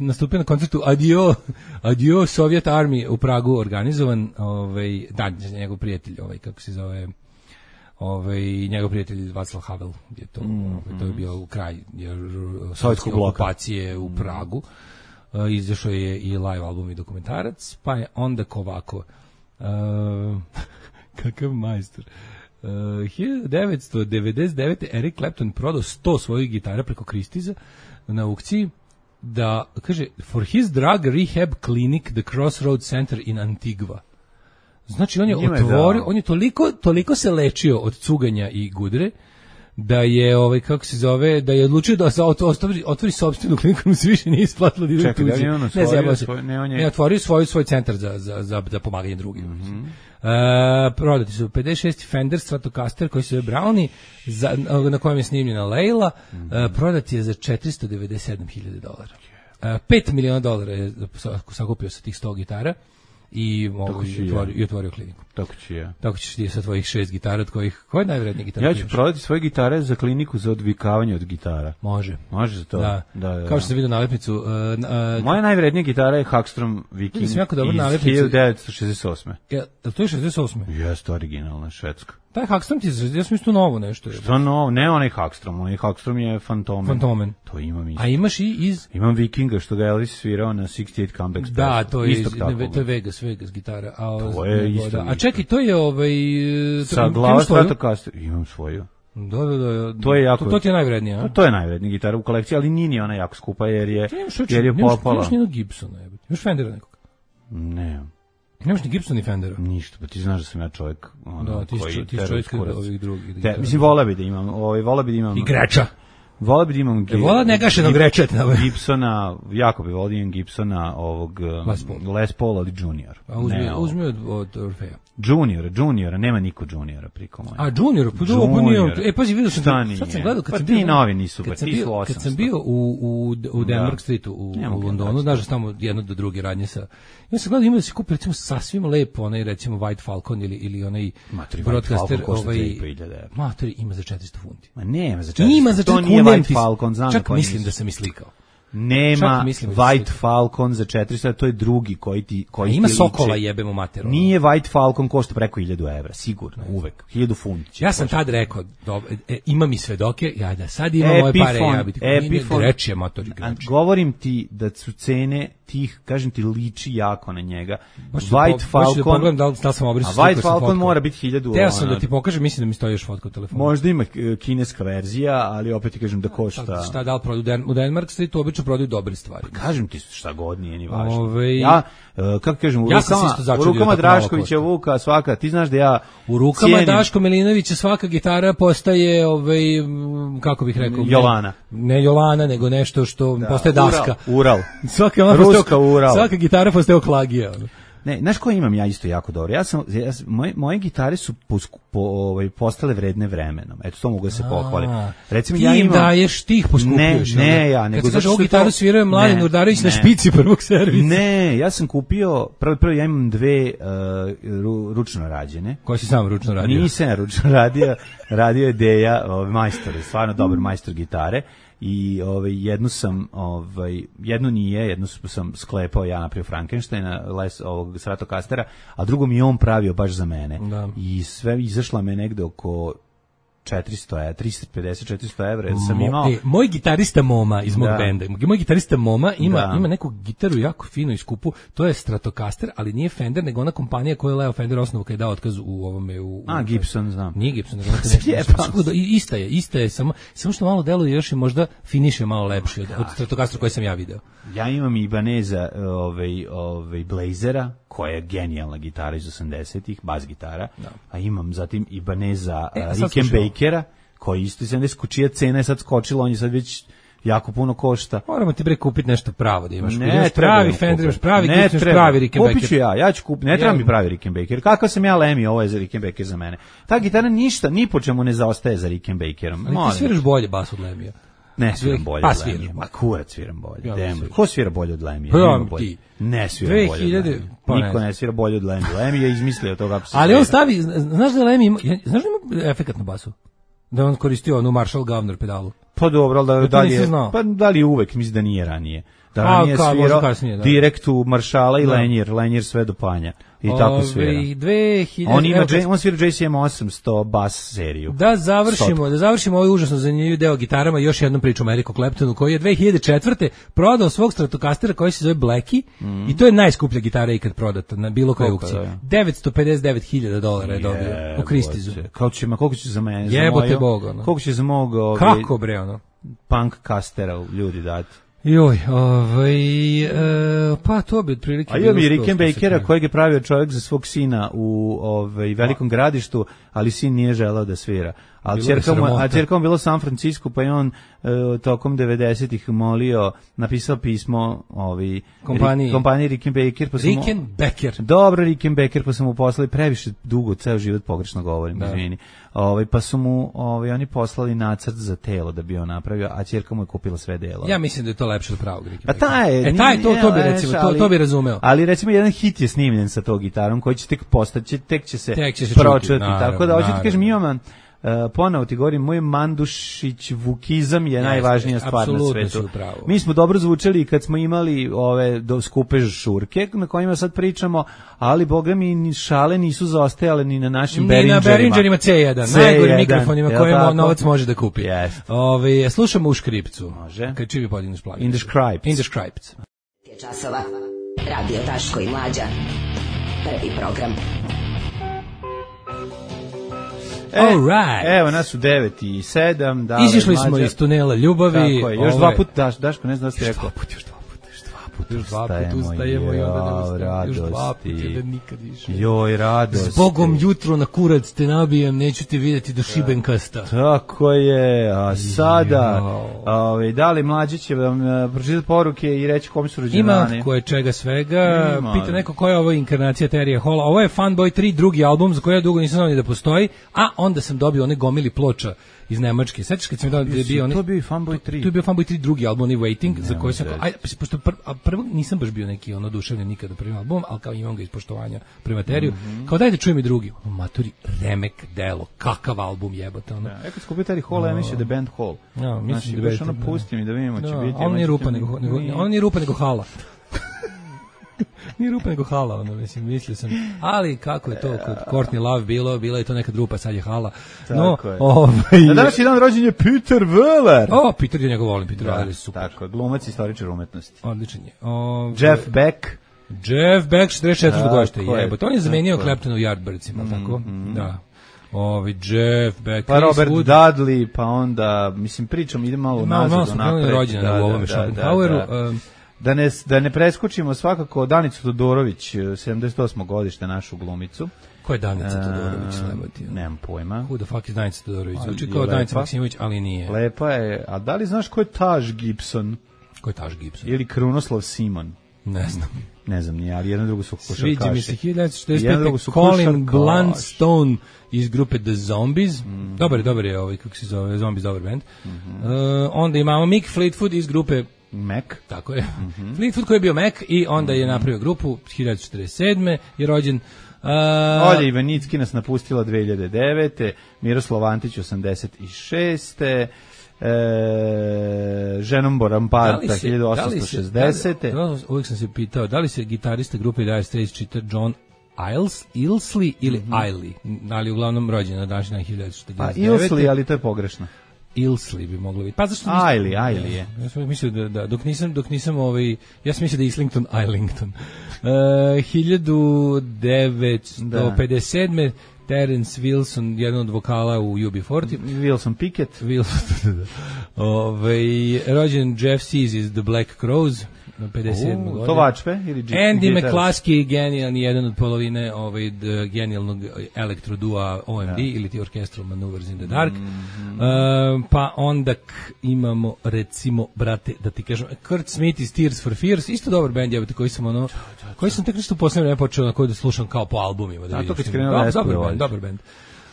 Speaker 9: nastupio na koncertu Adio, Adio Soviet Army u Pragu organizovan. Ovaj, da, njegov prijatelj, ovaj, kako se zove... Ovaj njegov prijatelj Václav Havel je to, mm, ovaj, to je bio u kraj sovjetske okupacije u Pragu. Uh, izašao je i live album i dokumentarac, pa je onda ovako uh, kakav majstor. Uh, hiljadu devetsto devedeset devete Eric Clapton prodao sto svojih gitara preko Christie's na aukciji, da kaže for his drug rehab clinic the Crossroads Center in Antigua. Znači on je Njime otvorio, da. on je toliko toliko se lečio od cuganja i gudre da je ovaj kako se zove, da je odlučio da otvori otvori sopstvenu kliniku, mu se više nije isplatilo da ide tuđi. Ne znam, svoj, ne on je ne otvorio svoj svoj centar za za za za pomaganje drugima. Mm-hmm. Uh, prodati su pedeset šesti Fender Stratocaster koji se zove Brownie, za, na kojem je snimljena Leila, mm-hmm. uh, prodati je za četiristo devedeset sedam hiljada dolara. Uh, pet miliona dolara je sakupio sa tih sto gitara. I, mogu, i, otvorio, i otvorio kliniku.
Speaker 8: Tako ću ja.
Speaker 9: Tako ćeš ti sa tvojih šest gitara, od kojih, koja je najvrednija gitara?
Speaker 8: Ja ću prodati svoje gitare za kliniku za odvikavanje od gitara.
Speaker 9: Može.
Speaker 8: Može za to?
Speaker 9: Da.
Speaker 8: Da, da, da.
Speaker 9: Kao što sam vidio nalepnicu. Uh, uh,
Speaker 8: Moja najvrednija gitara je Hackstrom Viking iz hiljadu devetsto šezdeset osme
Speaker 9: Ja, to je šezdeset osme
Speaker 8: Jeste, originalna švedska.
Speaker 9: Taj Hackstrom ti je, ja sam isto novo nešto.
Speaker 8: Što novo? Ne onaj Hackstrom, onaj Hackstrom je Fantomen.
Speaker 9: Fantomen.
Speaker 8: To imam isto.
Speaker 9: A imaš i iz...
Speaker 8: Imam Vikinga što ga Elvis svirao na šezdeset osam Comeback Special.
Speaker 9: Da, to je, iz, ne, to je Vegas, Vegas gitara. A,
Speaker 8: to je isto.
Speaker 9: Da. A čekaj, to je ovaj...
Speaker 8: Sa glava Stratocaster. Imam svoju.
Speaker 9: Da, da, da.
Speaker 8: To je jako.
Speaker 9: To, to ti je najvrednija, a?
Speaker 8: To je najvrednija gitara u kolekciji, ali nije ni ona jako skupa jer je jer je popala.
Speaker 9: Nemaš ni Gibsona, jebote. Imaš Fendera nekog?
Speaker 8: Ne.
Speaker 9: Nemaš ni Gibsona ni Fendera?
Speaker 8: Ništa, pa ti znaš da sam ja čovjek ono,
Speaker 9: da, ti
Speaker 8: koji
Speaker 9: ti čovjek ovih drugih.
Speaker 8: Te, mislim, vola bi da imam, ovaj, vola bi da imam...
Speaker 9: Igrača.
Speaker 8: Vola bi da imam...
Speaker 9: E, vola negašenog grečeta.
Speaker 8: Gibsona, jako bi vola da imam Gibsona, ovog... Les Paul. Les Paul, ali Junior.
Speaker 9: A uzmi, ne, uzmi od, od Orfeja.
Speaker 8: Junior, Juniora, nema niko Juniora priko moja.
Speaker 9: A Junior, pa dobro, pa nije. E, pazi, vidio sam, sad sam gledao, kad
Speaker 8: pa
Speaker 9: sam bio...
Speaker 8: Pa ti novi nisu, pa ti su osamsto.
Speaker 9: Kad sam bio u, u, u Denmark Streetu, u, u Londonu, znaš da tamo jedno do druge radnje sa... Ja sam gledao, ima da se kupi, recimo, sasvim lepo, onaj, recimo, White Falcon ili, ili onaj broadcaster, ovaj... Matori, ima za četiristo funti.
Speaker 8: Ma nema za četiristo.
Speaker 9: Ima za četiristo,
Speaker 8: to nije White Falcon, znam
Speaker 9: čak mislim da sam i slikao.
Speaker 8: Nema White Falcon za četiristo, to je drugi koji ti koji
Speaker 9: ima
Speaker 8: ti
Speaker 9: Sokola
Speaker 8: liči.
Speaker 9: jebemo materu.
Speaker 8: Nije White Falcon košta preko hiljadu evra, sigurno, uvek. hiljadu funti.
Speaker 9: Ja sam tad rekao, do, e, ima mi svedoke, ja da sad imam moje pare, ja biti
Speaker 8: Epiphone,
Speaker 9: reči je motor igrač.
Speaker 8: Govorim ti da su cene tih, kažem ti, liči jako na njega.
Speaker 9: Baš
Speaker 8: White
Speaker 9: po,
Speaker 8: Falcon,
Speaker 9: da pogledam da li, da li sam obrisao.
Speaker 8: A White Falcon mora biti hiljadu.
Speaker 9: Teo sam da ti pokažem, mislim da mi stoji još fotka u telefonu.
Speaker 8: Možda ima kineska verzija, ali opet ti kažem da košta.
Speaker 9: Šta, šta da li prodaju u Denmark Streetu, obično prodaju dobre stvari.
Speaker 8: Pa kažem ti šta god nije ni važno.
Speaker 9: Ove...
Speaker 8: Ja, uh, kako kažem, u
Speaker 9: ja
Speaker 8: rukama, u rukama Draškovića Vuka svaka, ti znaš da ja
Speaker 9: u rukama cijenim... Daško Milinovića svaka gitara postaje, ovaj, kako bih rekao,
Speaker 8: Jolana.
Speaker 9: Ne, ne Jolana, nego nešto što da, postaje daska.
Speaker 8: Ural. Ural.
Speaker 9: Svaka ona
Speaker 8: Ruska Ural.
Speaker 9: Svaka gitara postaje oklagija.
Speaker 8: Ne, znaš koje imam ja isto jako dobro? Ja sam, ja, moje, moje gitare su po, po, ovaj, postale vredne vremenom. Eto, to mogu da se pohvalim. Recimo,
Speaker 9: ti
Speaker 8: ja
Speaker 9: im
Speaker 8: imam...
Speaker 9: daješ, ti ih poskupljuješ.
Speaker 8: Ne, ne, ja. Nego
Speaker 9: kad se kaže, ovu gitaru to... svirao je Mladen Urdarević na špici prvog servisa.
Speaker 8: Ne, ja sam kupio, prvo, prvo ja imam dve uh, ručno rađene.
Speaker 9: Koje si sam ručno radio?
Speaker 8: Nisam ručno radio, radio je Deja, ovaj, majstor, stvarno dobar majstor gitare. I ovaj jednu sam ovaj jednu nije, jednu sam sklepao ja napravio Frankensteina les ovog Stratocastera, a drugo mi je on pravio baš za mene.
Speaker 9: Da.
Speaker 8: I sve izašla me negde oko četiristo, tristo pedeset četiristo evra, jer sam imao...
Speaker 9: E, moj gitarista Moma iz mog
Speaker 8: da.
Speaker 9: benda, moj gitarista Moma ima,
Speaker 8: da.
Speaker 9: ima neku gitaru jako finu i skupu, to je Stratocaster, ali nije Fender, nego ona kompanija koja je Leo Fender osnovu kada je dao otkaz u ovome... U,
Speaker 8: A,
Speaker 9: u,
Speaker 8: Gibson, znam.
Speaker 9: Nije Gibson, nego nešto. Ista je, ista je, samo, samo što malo deluje još i možda finiš je malo lepši od, od Stratocastera koji sam ja video.
Speaker 8: Ja imam Ibaneza ovaj, ovaj Blazera, koja je genijalna gitara iz osamdesetih, bas gitara, da. A imam zatim Ibaneza e, Rickenbackera, koji isto iz sedamdesetih, čija cena je sad skočila, on je sad već jako puno košta.
Speaker 9: Moramo ti bre kupiti nešto pravo da imaš.
Speaker 8: Ne,
Speaker 9: imaš pravi Fender, imaš pravi
Speaker 8: ne
Speaker 9: Gibson, pravi Rickenbacker.
Speaker 8: Kupit ću ja, ja ću kupiti, ne treba ja. mi pravi Rickenbacker. Kakav sam ja Lemmy, ovo je za Rickenbacker za mene. Ta gitara ništa, ni po čemu ne zaostaje za Rickembackerom.
Speaker 9: Ali ti sviraš bolje bas od Lemmija.
Speaker 8: Ne sviram bolje
Speaker 9: pa,
Speaker 8: od Lemmija. Ma kurac sviram bolje. Ja, Demo. Ko svira bolje od Lemmija?
Speaker 9: Pa, ja, ti.
Speaker 8: Ne svira bolje od Lemmija.
Speaker 9: Pa
Speaker 8: niko ne svira bolje od Lemmija. Lemmy je izmislio to kako se
Speaker 9: ali svira. On stavi, znaš da Lemmy ima, znaš da ima efekat na basu? Da on koristio onu Marshall Governor pedalu.
Speaker 8: Pa dobro, ali da, da li je, pa da li je uvek, mislim da nije ranije. Da
Speaker 9: A,
Speaker 8: ranije
Speaker 9: ka,
Speaker 8: svirao
Speaker 9: kasnije, da.
Speaker 8: direkt u Maršala i
Speaker 9: da.
Speaker 8: Lenjer, Lenjer sve do panja. I Ove, tako svira.
Speaker 9: dve hiljade
Speaker 8: On ima J, on svira J C M osamsto bas seriju.
Speaker 9: Da završimo, Stop. da završimo ovaj užasno zanimljiv deo gitarama, još jednom priču o Ericu Claptonu, koji je dve hiljade četvrte prodao svog Stratocastera koji se zove Blackie, mm. i to je najskuplja gitara ikad prodata na bilo kojoj aukciji. devetsto pedeset devet hiljada dolara je dobio u Kristizu.
Speaker 8: Kako će, ma koliko će za mene?
Speaker 9: Jebote za Bog, ono.
Speaker 8: Koliko će za mog... Ovaj,
Speaker 9: kako bre, ono?
Speaker 8: Punk castera ljudi dati.
Speaker 9: Joj, ovaj, e, pa to bi otprilike...
Speaker 8: A imam i Rickenbackera kojeg je pravio čovjek za svog sina u ovaj, Velikom Gradištu, ali sin nije želeo da svira. A ćerka mu bilo u San Francisco, pa je on e, tokom devedesetih molio, napisao pismo ovaj,
Speaker 9: kompaniji,
Speaker 8: kompaniji Rickenbacker. Pa
Speaker 9: Rickenbacker.
Speaker 8: Dobro, Rickenbacker, pa su mu poslali previše dugo, ceo život pogrešno govorim, da. izvini. Ovaj, pa su mu ovaj, oni poslali nacrt za telo da bi on napravio, a ćerka mu je kupila sve delo.
Speaker 9: Ja mislim da je to lepše od pravog
Speaker 8: A
Speaker 9: Rickenbackera.
Speaker 8: taj je,
Speaker 9: e, taj, to, to bi recimo, to, to bi razumeo.
Speaker 8: Ali recimo jedan hit je snimljen sa tog gitarom koji će tek postati, tek će se,
Speaker 9: tek će se
Speaker 8: pročuti.
Speaker 9: Čuti, naravno,
Speaker 8: tako da hoću ti kažem, imam Uh, ponovo ti govorim, moj Mandušić Vukizam je yes, najvažnija stvar na svetu. Mi smo dobro zvučali kad smo imali ove do skupe žurke na kojima sad pričamo, ali boga mi ni šale nisu zaostajale ni na našim ni Behringerima.
Speaker 9: Ni na Behringerima C jedan, najgorim mikrofonima kojima novac može da kupi.
Speaker 8: Yes.
Speaker 9: Ove, slušamo u škripcu.
Speaker 8: Može.
Speaker 9: Kad čivi podigneš plaću.
Speaker 8: In the Scripts.
Speaker 9: In the Scripts.
Speaker 6: Časova. Radio Daško i Mlađa. Prvi program.
Speaker 8: E,
Speaker 9: right.
Speaker 8: Evo nas u devet i sedam.
Speaker 9: Izišli smo iz tunela ljubavi.
Speaker 8: Tako je, još ove... dva puta, Daš, Daško, ne znam da ste rekao.
Speaker 9: Još dva puta, još dva puta, još dva puta, još dva puta ustajemo i onda ne ustajemo. Još dva puta, da nikad više.
Speaker 8: Joj, radosti.
Speaker 9: Zbogom jutro na kurac te nabijem, neću te vidjeti do Šibenkasta.
Speaker 8: Tako je, a sada, ove, da li mlađi će vam uh, pročitati poruke i reći kom su rođendani?
Speaker 9: Ima koje čega svega. Ima. Pita neko koja je ovo inkarnacija Terija Hola. Ovo je Funboy tri, drugi album za koji ja dugo nisam znao ni da postoji, a onda sam dobio one gomili ploča iz Nemačke. Sećaš kad sam dao da je bio onaj...
Speaker 8: To bio i Funboy tri.
Speaker 9: To je bio Funboy tri drugi album, onaj Waiting,
Speaker 8: Ne,
Speaker 9: za koji sam...
Speaker 8: ne,
Speaker 9: Aj, pošto pr, a prvo nisam baš bio neki ono oduševljen nikada prvim albumom, ali kao imam ga iz poštovanja prema materiju. Mm-hmm. Kao daj da čujem i drugi. O, maturi, remek delo, kakav album jebote. Ono.
Speaker 8: Ja, kad skupio taj Hall, ja mislio da je band Hall.
Speaker 9: Ja, mislim
Speaker 8: znači,
Speaker 9: da
Speaker 8: baš
Speaker 9: je
Speaker 8: ono
Speaker 9: da.
Speaker 8: pusti mi da vidimo, će
Speaker 9: Da,
Speaker 8: biti...
Speaker 9: on nije rupa, nego, nego,
Speaker 8: nije.
Speaker 9: on nije rupa, nego hala. Nije rupa, nego hala, ono, mislim, mislio sam. Ali kako je to kod Courtney Love bilo, bila je to nekad rupa, sad je hala. No,
Speaker 8: Tako je.
Speaker 9: ovaj...
Speaker 8: Na današnji dan rođen je Peter Weller.
Speaker 9: O, Peter, ja njega volim, Peter
Speaker 8: Da,
Speaker 9: Weller je super.
Speaker 8: tako, glumac i istoričar umetnosti.
Speaker 9: Odličan je. Ovaj,
Speaker 8: Jeff Beck.
Speaker 9: Jeff Beck, četrdeset četvrte
Speaker 8: Tako
Speaker 9: godište,
Speaker 8: je,
Speaker 9: jebote. On je zamenio
Speaker 8: tako je.
Speaker 9: Claptona u Yardbirdsima, tako? Da. Ovi Jeff Beck,
Speaker 8: Pa
Speaker 9: Chris
Speaker 8: Robert
Speaker 9: Wood.
Speaker 8: Dudley, pa onda, mislim, pričam, ide malo
Speaker 9: Malo, malo
Speaker 8: nazad,
Speaker 9: smo krenuli
Speaker 8: napred.
Speaker 9: rođena u ovome Schopenhaueru. um,
Speaker 8: Da ne, da ne preskočimo svakako Danicu Todorović, sedamdeset osmo godište, našu glumicu.
Speaker 9: Ko je Danica
Speaker 8: E,
Speaker 9: Todorović, lebati?
Speaker 8: Nemam pojma.
Speaker 9: Who the fuck is Danica Todorović? Zvuči
Speaker 8: Je
Speaker 9: kao Danica
Speaker 8: lepa.
Speaker 9: Maksimović, ali nije.
Speaker 8: Lepa je, a da li znaš ko je Taj Gibson?
Speaker 9: Ko je Taj Gibson?
Speaker 8: Ili Krunoslav Simon?
Speaker 9: Ne znam.
Speaker 8: Ne znam, nije, ali jedno drugo su košarkaši.
Speaker 9: Sviđa mi se hiljadu devetsto četrdeset
Speaker 8: Jedno
Speaker 9: pete.
Speaker 8: drugo su
Speaker 9: Colin
Speaker 8: košarkaši.
Speaker 9: Blunstone iz grupe The Zombies.
Speaker 8: Mm.
Speaker 9: Dobar je, dobar je ovaj, kako se zove, Zombies, dobar band. Mm-hmm. Uh, onda imamo Mick Fleetwood iz grupe
Speaker 8: Mac.
Speaker 9: Tako je. Mm-hmm. Fleetwood koji je bio Mac i onda je napravio grupu hiljadu četrdeset sedme je rođen. Uh,
Speaker 8: Olja Ivanicki nas napustila dve hiljade devete. Miroslav Antić osamdeset šeste. E, Ženom Boramparta hiljadu osamsto šezdesete.
Speaker 9: Da li se, uvijek sam se pitao, da li se gitarista grupe Dire Straits čita John Iles, Ilsley ili mm-hmm. Iley, ali uglavnom rođen na današnji dan hiljadu četrdeset devete.
Speaker 8: Pa Ilsley, ali to je pogrešno.
Speaker 9: Ilsley bi moglo biti. Pa zašto
Speaker 8: Ailey, Ailey je.
Speaker 9: Ja sam mislio da, da dok nisam dok nisam ovaj ja sam mislio da je Islington Islington. Uh, hiljadu devetsto pedeset sedme Terence Wilson, jedan od vokala u U B četrdeset.
Speaker 8: Wilson Pickett.
Speaker 9: Wilson, ovaj rođen Jeff Sees iz The Black Crowes. pedeset sedme
Speaker 8: Uh,
Speaker 9: godine.
Speaker 8: to vačpe ili dži,
Speaker 9: Andy
Speaker 8: gitarac?
Speaker 9: McCluskey, genijalni, jedan od polovine ovaj, d, genijalnog elektrodua O M D, ja. ili ti Orchestral Maneuvers in the Dark. Mm-hmm. Uh, pa onda k, imamo, recimo, brate, da ti kažem, Kurt Smith iz Tears for Fears, isto dobar band, jebate, koji sam ono, koji sam tek nešto u posljednje vreme počeo na koji da slušam kao po albumima. Da
Speaker 8: A to kad
Speaker 9: vidim,
Speaker 8: krenuo
Speaker 9: dobar,
Speaker 8: Vesper,
Speaker 9: dobar band,
Speaker 8: voliš.
Speaker 9: dobar band.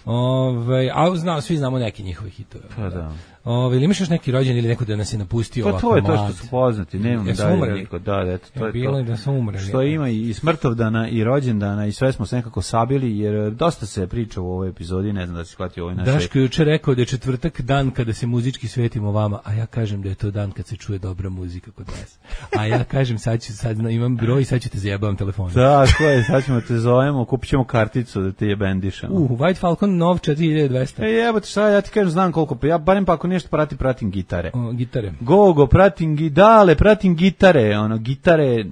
Speaker 9: Ove, a znamo, svi znamo neki njihovi hitove.
Speaker 8: Pa da.
Speaker 9: Ove, ili imaš još neki rođen ili neko da nas je napustio
Speaker 8: Pa
Speaker 9: ovako
Speaker 8: to je to
Speaker 9: mlad?
Speaker 8: što su poznati, nemam
Speaker 9: Jesu
Speaker 8: dalje
Speaker 9: umreli?
Speaker 8: niko. Da, eto, to
Speaker 9: Ja,
Speaker 8: je
Speaker 9: bilo
Speaker 8: to.
Speaker 9: je da su umreli.
Speaker 8: Što ima i smrtovdana i rođendana i sve smo se nekako sabili, jer dosta se priča u ovoj epizodi, ne znam da si shvatio ovoj našoj...
Speaker 9: Daško je juče rekao da je četvrtak dan kada se muzički svetimo vama, a ja kažem da je to dan kad se čuje dobra muzika kod nas. A ja kažem sad ću, sad imam broj i sad ću te zajebavam telefonom.
Speaker 8: Da, ko je, sad ćemo te zovemo, kupit ćemo karticu da te je bendišamo.
Speaker 9: Uh, White Falcon nov četiri hiljade dvesta.
Speaker 8: E jebote, šta ja ti kažem, znam koliko, pa ja barem pa ako nešto pratim, pratim gitare.
Speaker 9: O, gitare.
Speaker 8: Gogo, pratim gidale, pratim gitare, ono, gitare,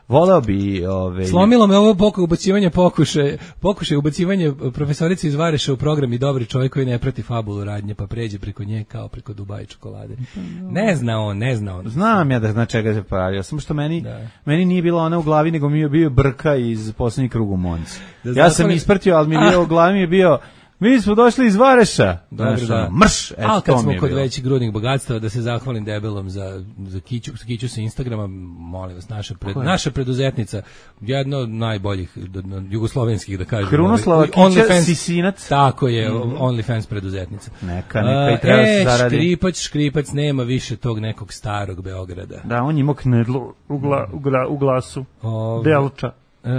Speaker 8: volao bi, ove...
Speaker 9: Slomilo me ovo pokušaj ubacivanja pokušaj, pokušaj ubacivanja profesorice iz Vareša u program i dobri čovjek koji ne prati fabulu radnje, pa pređe preko nje kao preko Dubai čokolade. Ne zna on, ne zna on.
Speaker 8: Znam ja da zna čega se pravio, samo što meni,
Speaker 9: Da.
Speaker 8: meni nije bila ona u glavi, nego mi je bio Brka iz Poslednjeg kruga u Monci.
Speaker 9: Da
Speaker 8: Ja sam
Speaker 9: zatvori-
Speaker 8: isprtio, ali mi je bio u glavi, mi je bio, mi smo došli iz Vareša.
Speaker 9: Dobro,
Speaker 8: Znaš,
Speaker 9: da.
Speaker 8: ono, mrš, eto,
Speaker 9: Ali kad
Speaker 8: to
Speaker 9: smo
Speaker 8: mi je
Speaker 9: kod
Speaker 8: bilo.
Speaker 9: većih grudnih bogatstava, da se zahvalim debelom za, za kiću, kiću sa Instagrama, molim vas, naša, pred, naša preduzetnica, jedna od najboljih d- d- jugoslovenskih, da kažem.
Speaker 8: Krunoslava
Speaker 9: ovaj,
Speaker 8: Kića
Speaker 9: OnlyFans-
Speaker 8: Sisinac.
Speaker 9: Tako je, mm-hmm. OnlyFans preduzetnica.
Speaker 8: Neka, neka i treba
Speaker 9: A,
Speaker 8: da se
Speaker 9: e,
Speaker 8: zaradi.
Speaker 9: škripac, škripac, nema više tog nekog starog Beograda.
Speaker 8: Da, on je imao knedlu u, gla, u, gra, u glasu.
Speaker 9: Ove,
Speaker 8: Delča.
Speaker 9: E,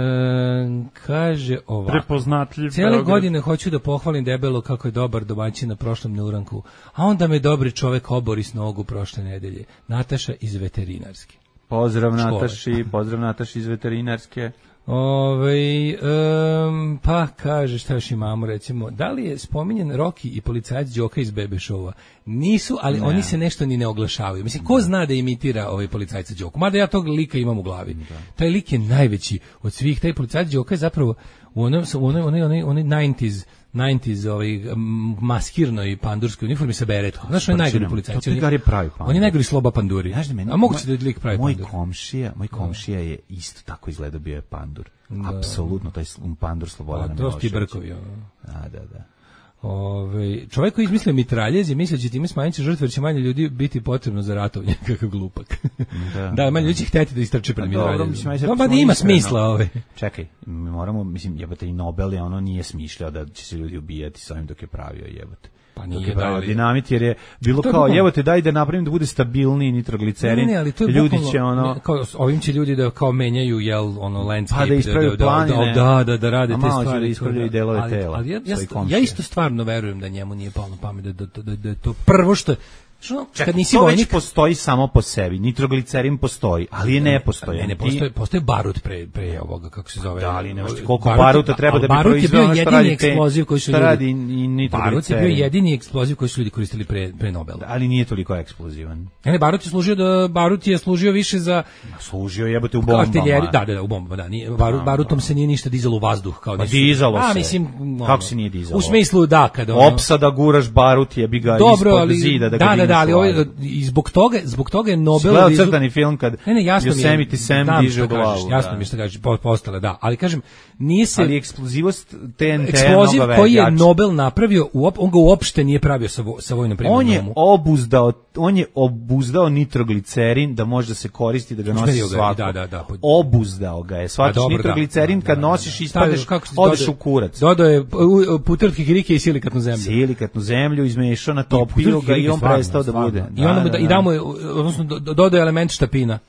Speaker 9: kaže ovako.
Speaker 8: Prepoznatljiv
Speaker 9: Cijele
Speaker 8: Beograd.
Speaker 9: godine hoću da pohvalim debelo kako je dobar domaćin na prošlom neuranku, a onda me dobri čovek obori s nogu prošle nedelje. Nataša iz veterinarske.
Speaker 8: Pozdrav
Speaker 9: Škole.
Speaker 8: Nataši, pozdrav Nataši iz veterinarske.
Speaker 9: Ove, um, pa kaže šta još imamo, recimo, da li je spominjen Rocky i policajac Đoka iz Bebe Showa? Nisu, ali
Speaker 8: Ne.
Speaker 9: oni se nešto ni ne oglašavaju. Mislim, ko zna da imitira ovaj policajca Đoku? Mada ja tog lika imam u glavi. Taj lik je najveći od svih. Taj policajac Đoka je zapravo u onoj, u onoj, onoj, onoj, onoj devedesetih devedesetih ovaj, m, maskirnoj pandurskoj uniformi sa beretkom. Znaš, on je najgori policajac.
Speaker 8: To
Speaker 9: On je-
Speaker 8: Tigar je pravi pandur.
Speaker 9: On je najgori Sloba Panduri.
Speaker 8: Znaš da meni,
Speaker 9: A moguće da je lik pravi
Speaker 8: moj
Speaker 9: pandur.
Speaker 8: komšija, moj komšija je isto tako izgleda, bio je pandur. Apsolutno, taj sl- pandur Slobodana
Speaker 9: A, to su ti
Speaker 8: Miloševića.
Speaker 9: brkovi, ono.
Speaker 8: Da, da, da.
Speaker 9: Ove, čovjek koji izmislio mitraljez je mislio da će time smanjiti žrtve, jer će manje ljudi biti potrebno za ratovanje, kakav glupak.
Speaker 8: Da,
Speaker 9: Da, manje ljudi će hteti da istrče pred
Speaker 8: Pa dobro,
Speaker 9: mitraljezom.
Speaker 8: mislim, ajde,
Speaker 9: No,
Speaker 8: sad
Speaker 9: pa
Speaker 8: smo
Speaker 9: da ima
Speaker 8: iskreno.
Speaker 9: smisla ove.
Speaker 8: Čekaj, mi moramo, mislim, jebate, i Nobel je ono nije smišljao da će se ljudi ubijati sa ovim dok je pravio, jebate.
Speaker 9: Pa
Speaker 8: Dok
Speaker 9: nije
Speaker 8: je pravio
Speaker 9: dali.
Speaker 8: dinamit, jer je bilo
Speaker 9: To je
Speaker 8: kao,
Speaker 9: bukvalno-
Speaker 8: evo te daj da napravim da bude stabilniji nitroglicerin,
Speaker 9: Ne, ne, ali to je
Speaker 8: ljudi
Speaker 9: bukvalno-
Speaker 8: će ono...
Speaker 9: ne, kao, ovim će ljudi da kao menjaju, jel, ono, landscape,
Speaker 8: Pa da ispravljaju
Speaker 9: da, da,
Speaker 8: planine.
Speaker 9: da, da, da rade
Speaker 8: A
Speaker 9: te
Speaker 8: malo će
Speaker 9: stvari.
Speaker 8: da ispravljaju i delove
Speaker 9: ali,
Speaker 8: tela,
Speaker 9: Ali ja, ja,
Speaker 8: svoji
Speaker 9: st-
Speaker 8: komšije.
Speaker 9: ja isto stvarno verujem da njemu nije palo na pamet da, da, da, da, da je to prvo što... Što,
Speaker 8: Čekaj,
Speaker 9: kad nisi
Speaker 8: to već
Speaker 9: vojnik...
Speaker 8: postoji samo po sebi. Nitroglicerin postoji, ali je nepostojan.
Speaker 9: Ne, ne,
Speaker 8: Ti-
Speaker 9: postoje, postoje barut pre, pre ovoga, kako se zove.
Speaker 8: Da, ali nemaš ti koliko
Speaker 9: Barut-
Speaker 8: baruta treba
Speaker 9: ali
Speaker 8: da bi
Speaker 9: barut je
Speaker 8: proizveo
Speaker 9: bio
Speaker 8: ono što
Speaker 9: jedini
Speaker 8: radi te-
Speaker 9: eksploziv koji su
Speaker 8: što
Speaker 9: ljudi...
Speaker 8: radi i nitroglicerin.
Speaker 9: Barut je bio jedini eksploziv koji su ljudi koristili pre, pre Nobela.
Speaker 8: Ali nije toliko eksplozivan.
Speaker 9: Ne, ne, barut je služio da barut je služio više za
Speaker 8: Služio jebote u bombama.
Speaker 9: artiljeriju. Da, da, da, u bombama, da. Nije, barut, barutom se nije ništa dizalo u vazduh kao
Speaker 8: Pa
Speaker 9: nisu-
Speaker 8: dizalo
Speaker 9: A,
Speaker 8: se.
Speaker 9: mislim, ono,
Speaker 8: Kako se nije dizalo?
Speaker 9: U smislu da, kada ono,
Speaker 8: Opsada guraš barut jebi ga
Speaker 9: dobro,
Speaker 8: ispod
Speaker 9: ali
Speaker 8: zida da ga
Speaker 9: da, da,
Speaker 8: digneš
Speaker 9: da, ali
Speaker 8: u
Speaker 9: ovaj,
Speaker 8: vazduh.
Speaker 9: i zbog toga, zbog toga je
Speaker 8: Si
Speaker 9: Nobel
Speaker 8: gledao
Speaker 9: izum-
Speaker 8: crtani film kad
Speaker 9: Ne, ne, jasno mi je.
Speaker 8: Yosemite Sam
Speaker 9: znam
Speaker 8: diže
Speaker 9: šta
Speaker 8: u glavu.
Speaker 9: kažeš, jasno
Speaker 8: da.
Speaker 9: mi je šta kažeš, po- postale, da. Ali kažem, nije se
Speaker 8: Ali eksplozivost T N T
Speaker 9: eksploziv
Speaker 8: mnogo
Speaker 9: koji je
Speaker 8: jači.
Speaker 9: Nobel napravio, uop, on ga uopšte nije pravio sa, vo, sa vojnom primjenom.
Speaker 8: On je obuzdao, on je obuzdao nitroglicerin da može da se koristi, da ga nosi
Speaker 9: Usmerio ga je,
Speaker 8: svako.
Speaker 9: da, da, da.
Speaker 8: Obuzdao ga je. Svaki
Speaker 9: dobro,
Speaker 8: nitroglicerin
Speaker 9: da,
Speaker 8: kad
Speaker 9: da, da,
Speaker 8: nosiš
Speaker 9: da.
Speaker 8: ispadneš,
Speaker 9: Stavio, kako se
Speaker 8: odeš
Speaker 9: dodaje-
Speaker 8: u kurac.
Speaker 9: Dodao je u- u- puter od kikirike i silikatnu zemlju.
Speaker 8: Silikatnu zemlju izmešao, natopio ga i on
Speaker 9: Stvarno,
Speaker 8: prestao da
Speaker 9: stvarno.
Speaker 8: bude.
Speaker 9: I onda mu da, i da mu je, odnosno do- do- dodao je element štapina.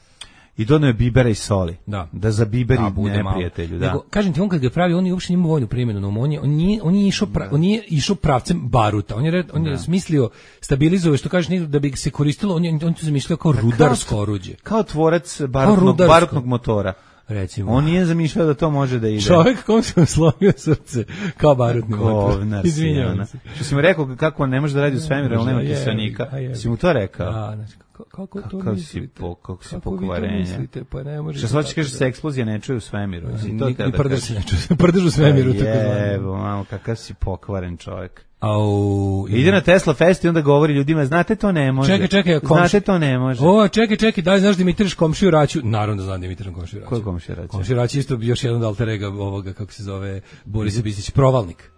Speaker 8: I doneo je bibera i soli.
Speaker 9: Da.
Speaker 8: Da za biberi
Speaker 9: Da, bude malo.
Speaker 8: neprijatelju, da.
Speaker 9: Nego, kažem ti, on kad ga pravi, on je uopšte nimao vojnu primjenu, no, on je, on nije, on je išao, pra, on nije išao pravcem baruta, on je, red- on je smislio, stabilizovao, što kaže, da bi se koristilo, on je, on je to zamišljao kao rudarsko oruđe.
Speaker 8: Kao tvorac barutnog,
Speaker 9: rudarsko.
Speaker 8: barutnog motora.
Speaker 9: Recimo.
Speaker 8: On nije zamišljao da to može da ide.
Speaker 9: Čovjek kom se slomio srce, kao barutni motor.
Speaker 8: Govnar si,
Speaker 9: Izvinjavam
Speaker 8: ona.
Speaker 9: se.
Speaker 8: Što si mu rekao kako ne može da radi u svemiru, ali nema
Speaker 9: Je,
Speaker 8: kiselnika.
Speaker 9: a je.
Speaker 8: Si mu to rekao?
Speaker 9: Da, znači, kako, kako to
Speaker 8: Kakav si
Speaker 9: mislite?
Speaker 8: po- kako si
Speaker 9: Kako vi to
Speaker 8: pokvarenja.
Speaker 9: mislite? Pa ne može.
Speaker 8: Što se hoće kaže se eksplozija ne čuje u svemiru. Si to
Speaker 9: Ni,
Speaker 8: teo
Speaker 9: ni
Speaker 8: da
Speaker 9: prdež
Speaker 8: kažeš?
Speaker 9: se ne čuje, prdež u svemiru, tako zvano.
Speaker 8: Jebo, mamo, kakav si pokvaren čovjek.
Speaker 9: Au,
Speaker 8: Ide na Tesla Fest i onda govori ljudima, znate to ne može.
Speaker 9: Čekaj, čekaj, komši-
Speaker 8: Znate to ne može.
Speaker 9: O, čekaj, čekaj, da li znaš da imitiraš komšiju Raću? Naravno da znam da imitiraš komšiju Raću.
Speaker 8: Ko je komšija Raća?
Speaker 9: Komšija Raću je isto još jedan od alter ega ovoga, kako se zove, Borisa Bistić, provalnik.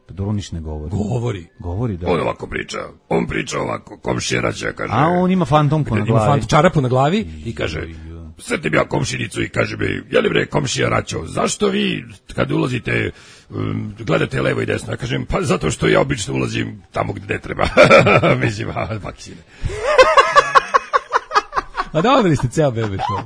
Speaker 8: Pa dobro, niš ne govori.
Speaker 9: Govori.
Speaker 8: Govori, da.
Speaker 7: On ovako priča, on priča ovako, komšija Raća kaže,
Speaker 8: A on ima fantomku na
Speaker 9: Ima
Speaker 8: glavi.
Speaker 9: fant čarapu na glavi i kaže,
Speaker 7: sretim ja komšinicu i kaže mi, je li bre komšija Raćo, zašto vi kad ulazite, um, gledate levo i desno? Ja kažem, pa zato što ja obično ulazim tamo gde ne treba. Mislim, a, vaksine.
Speaker 9: a dobili ste ceo bebe tvoj.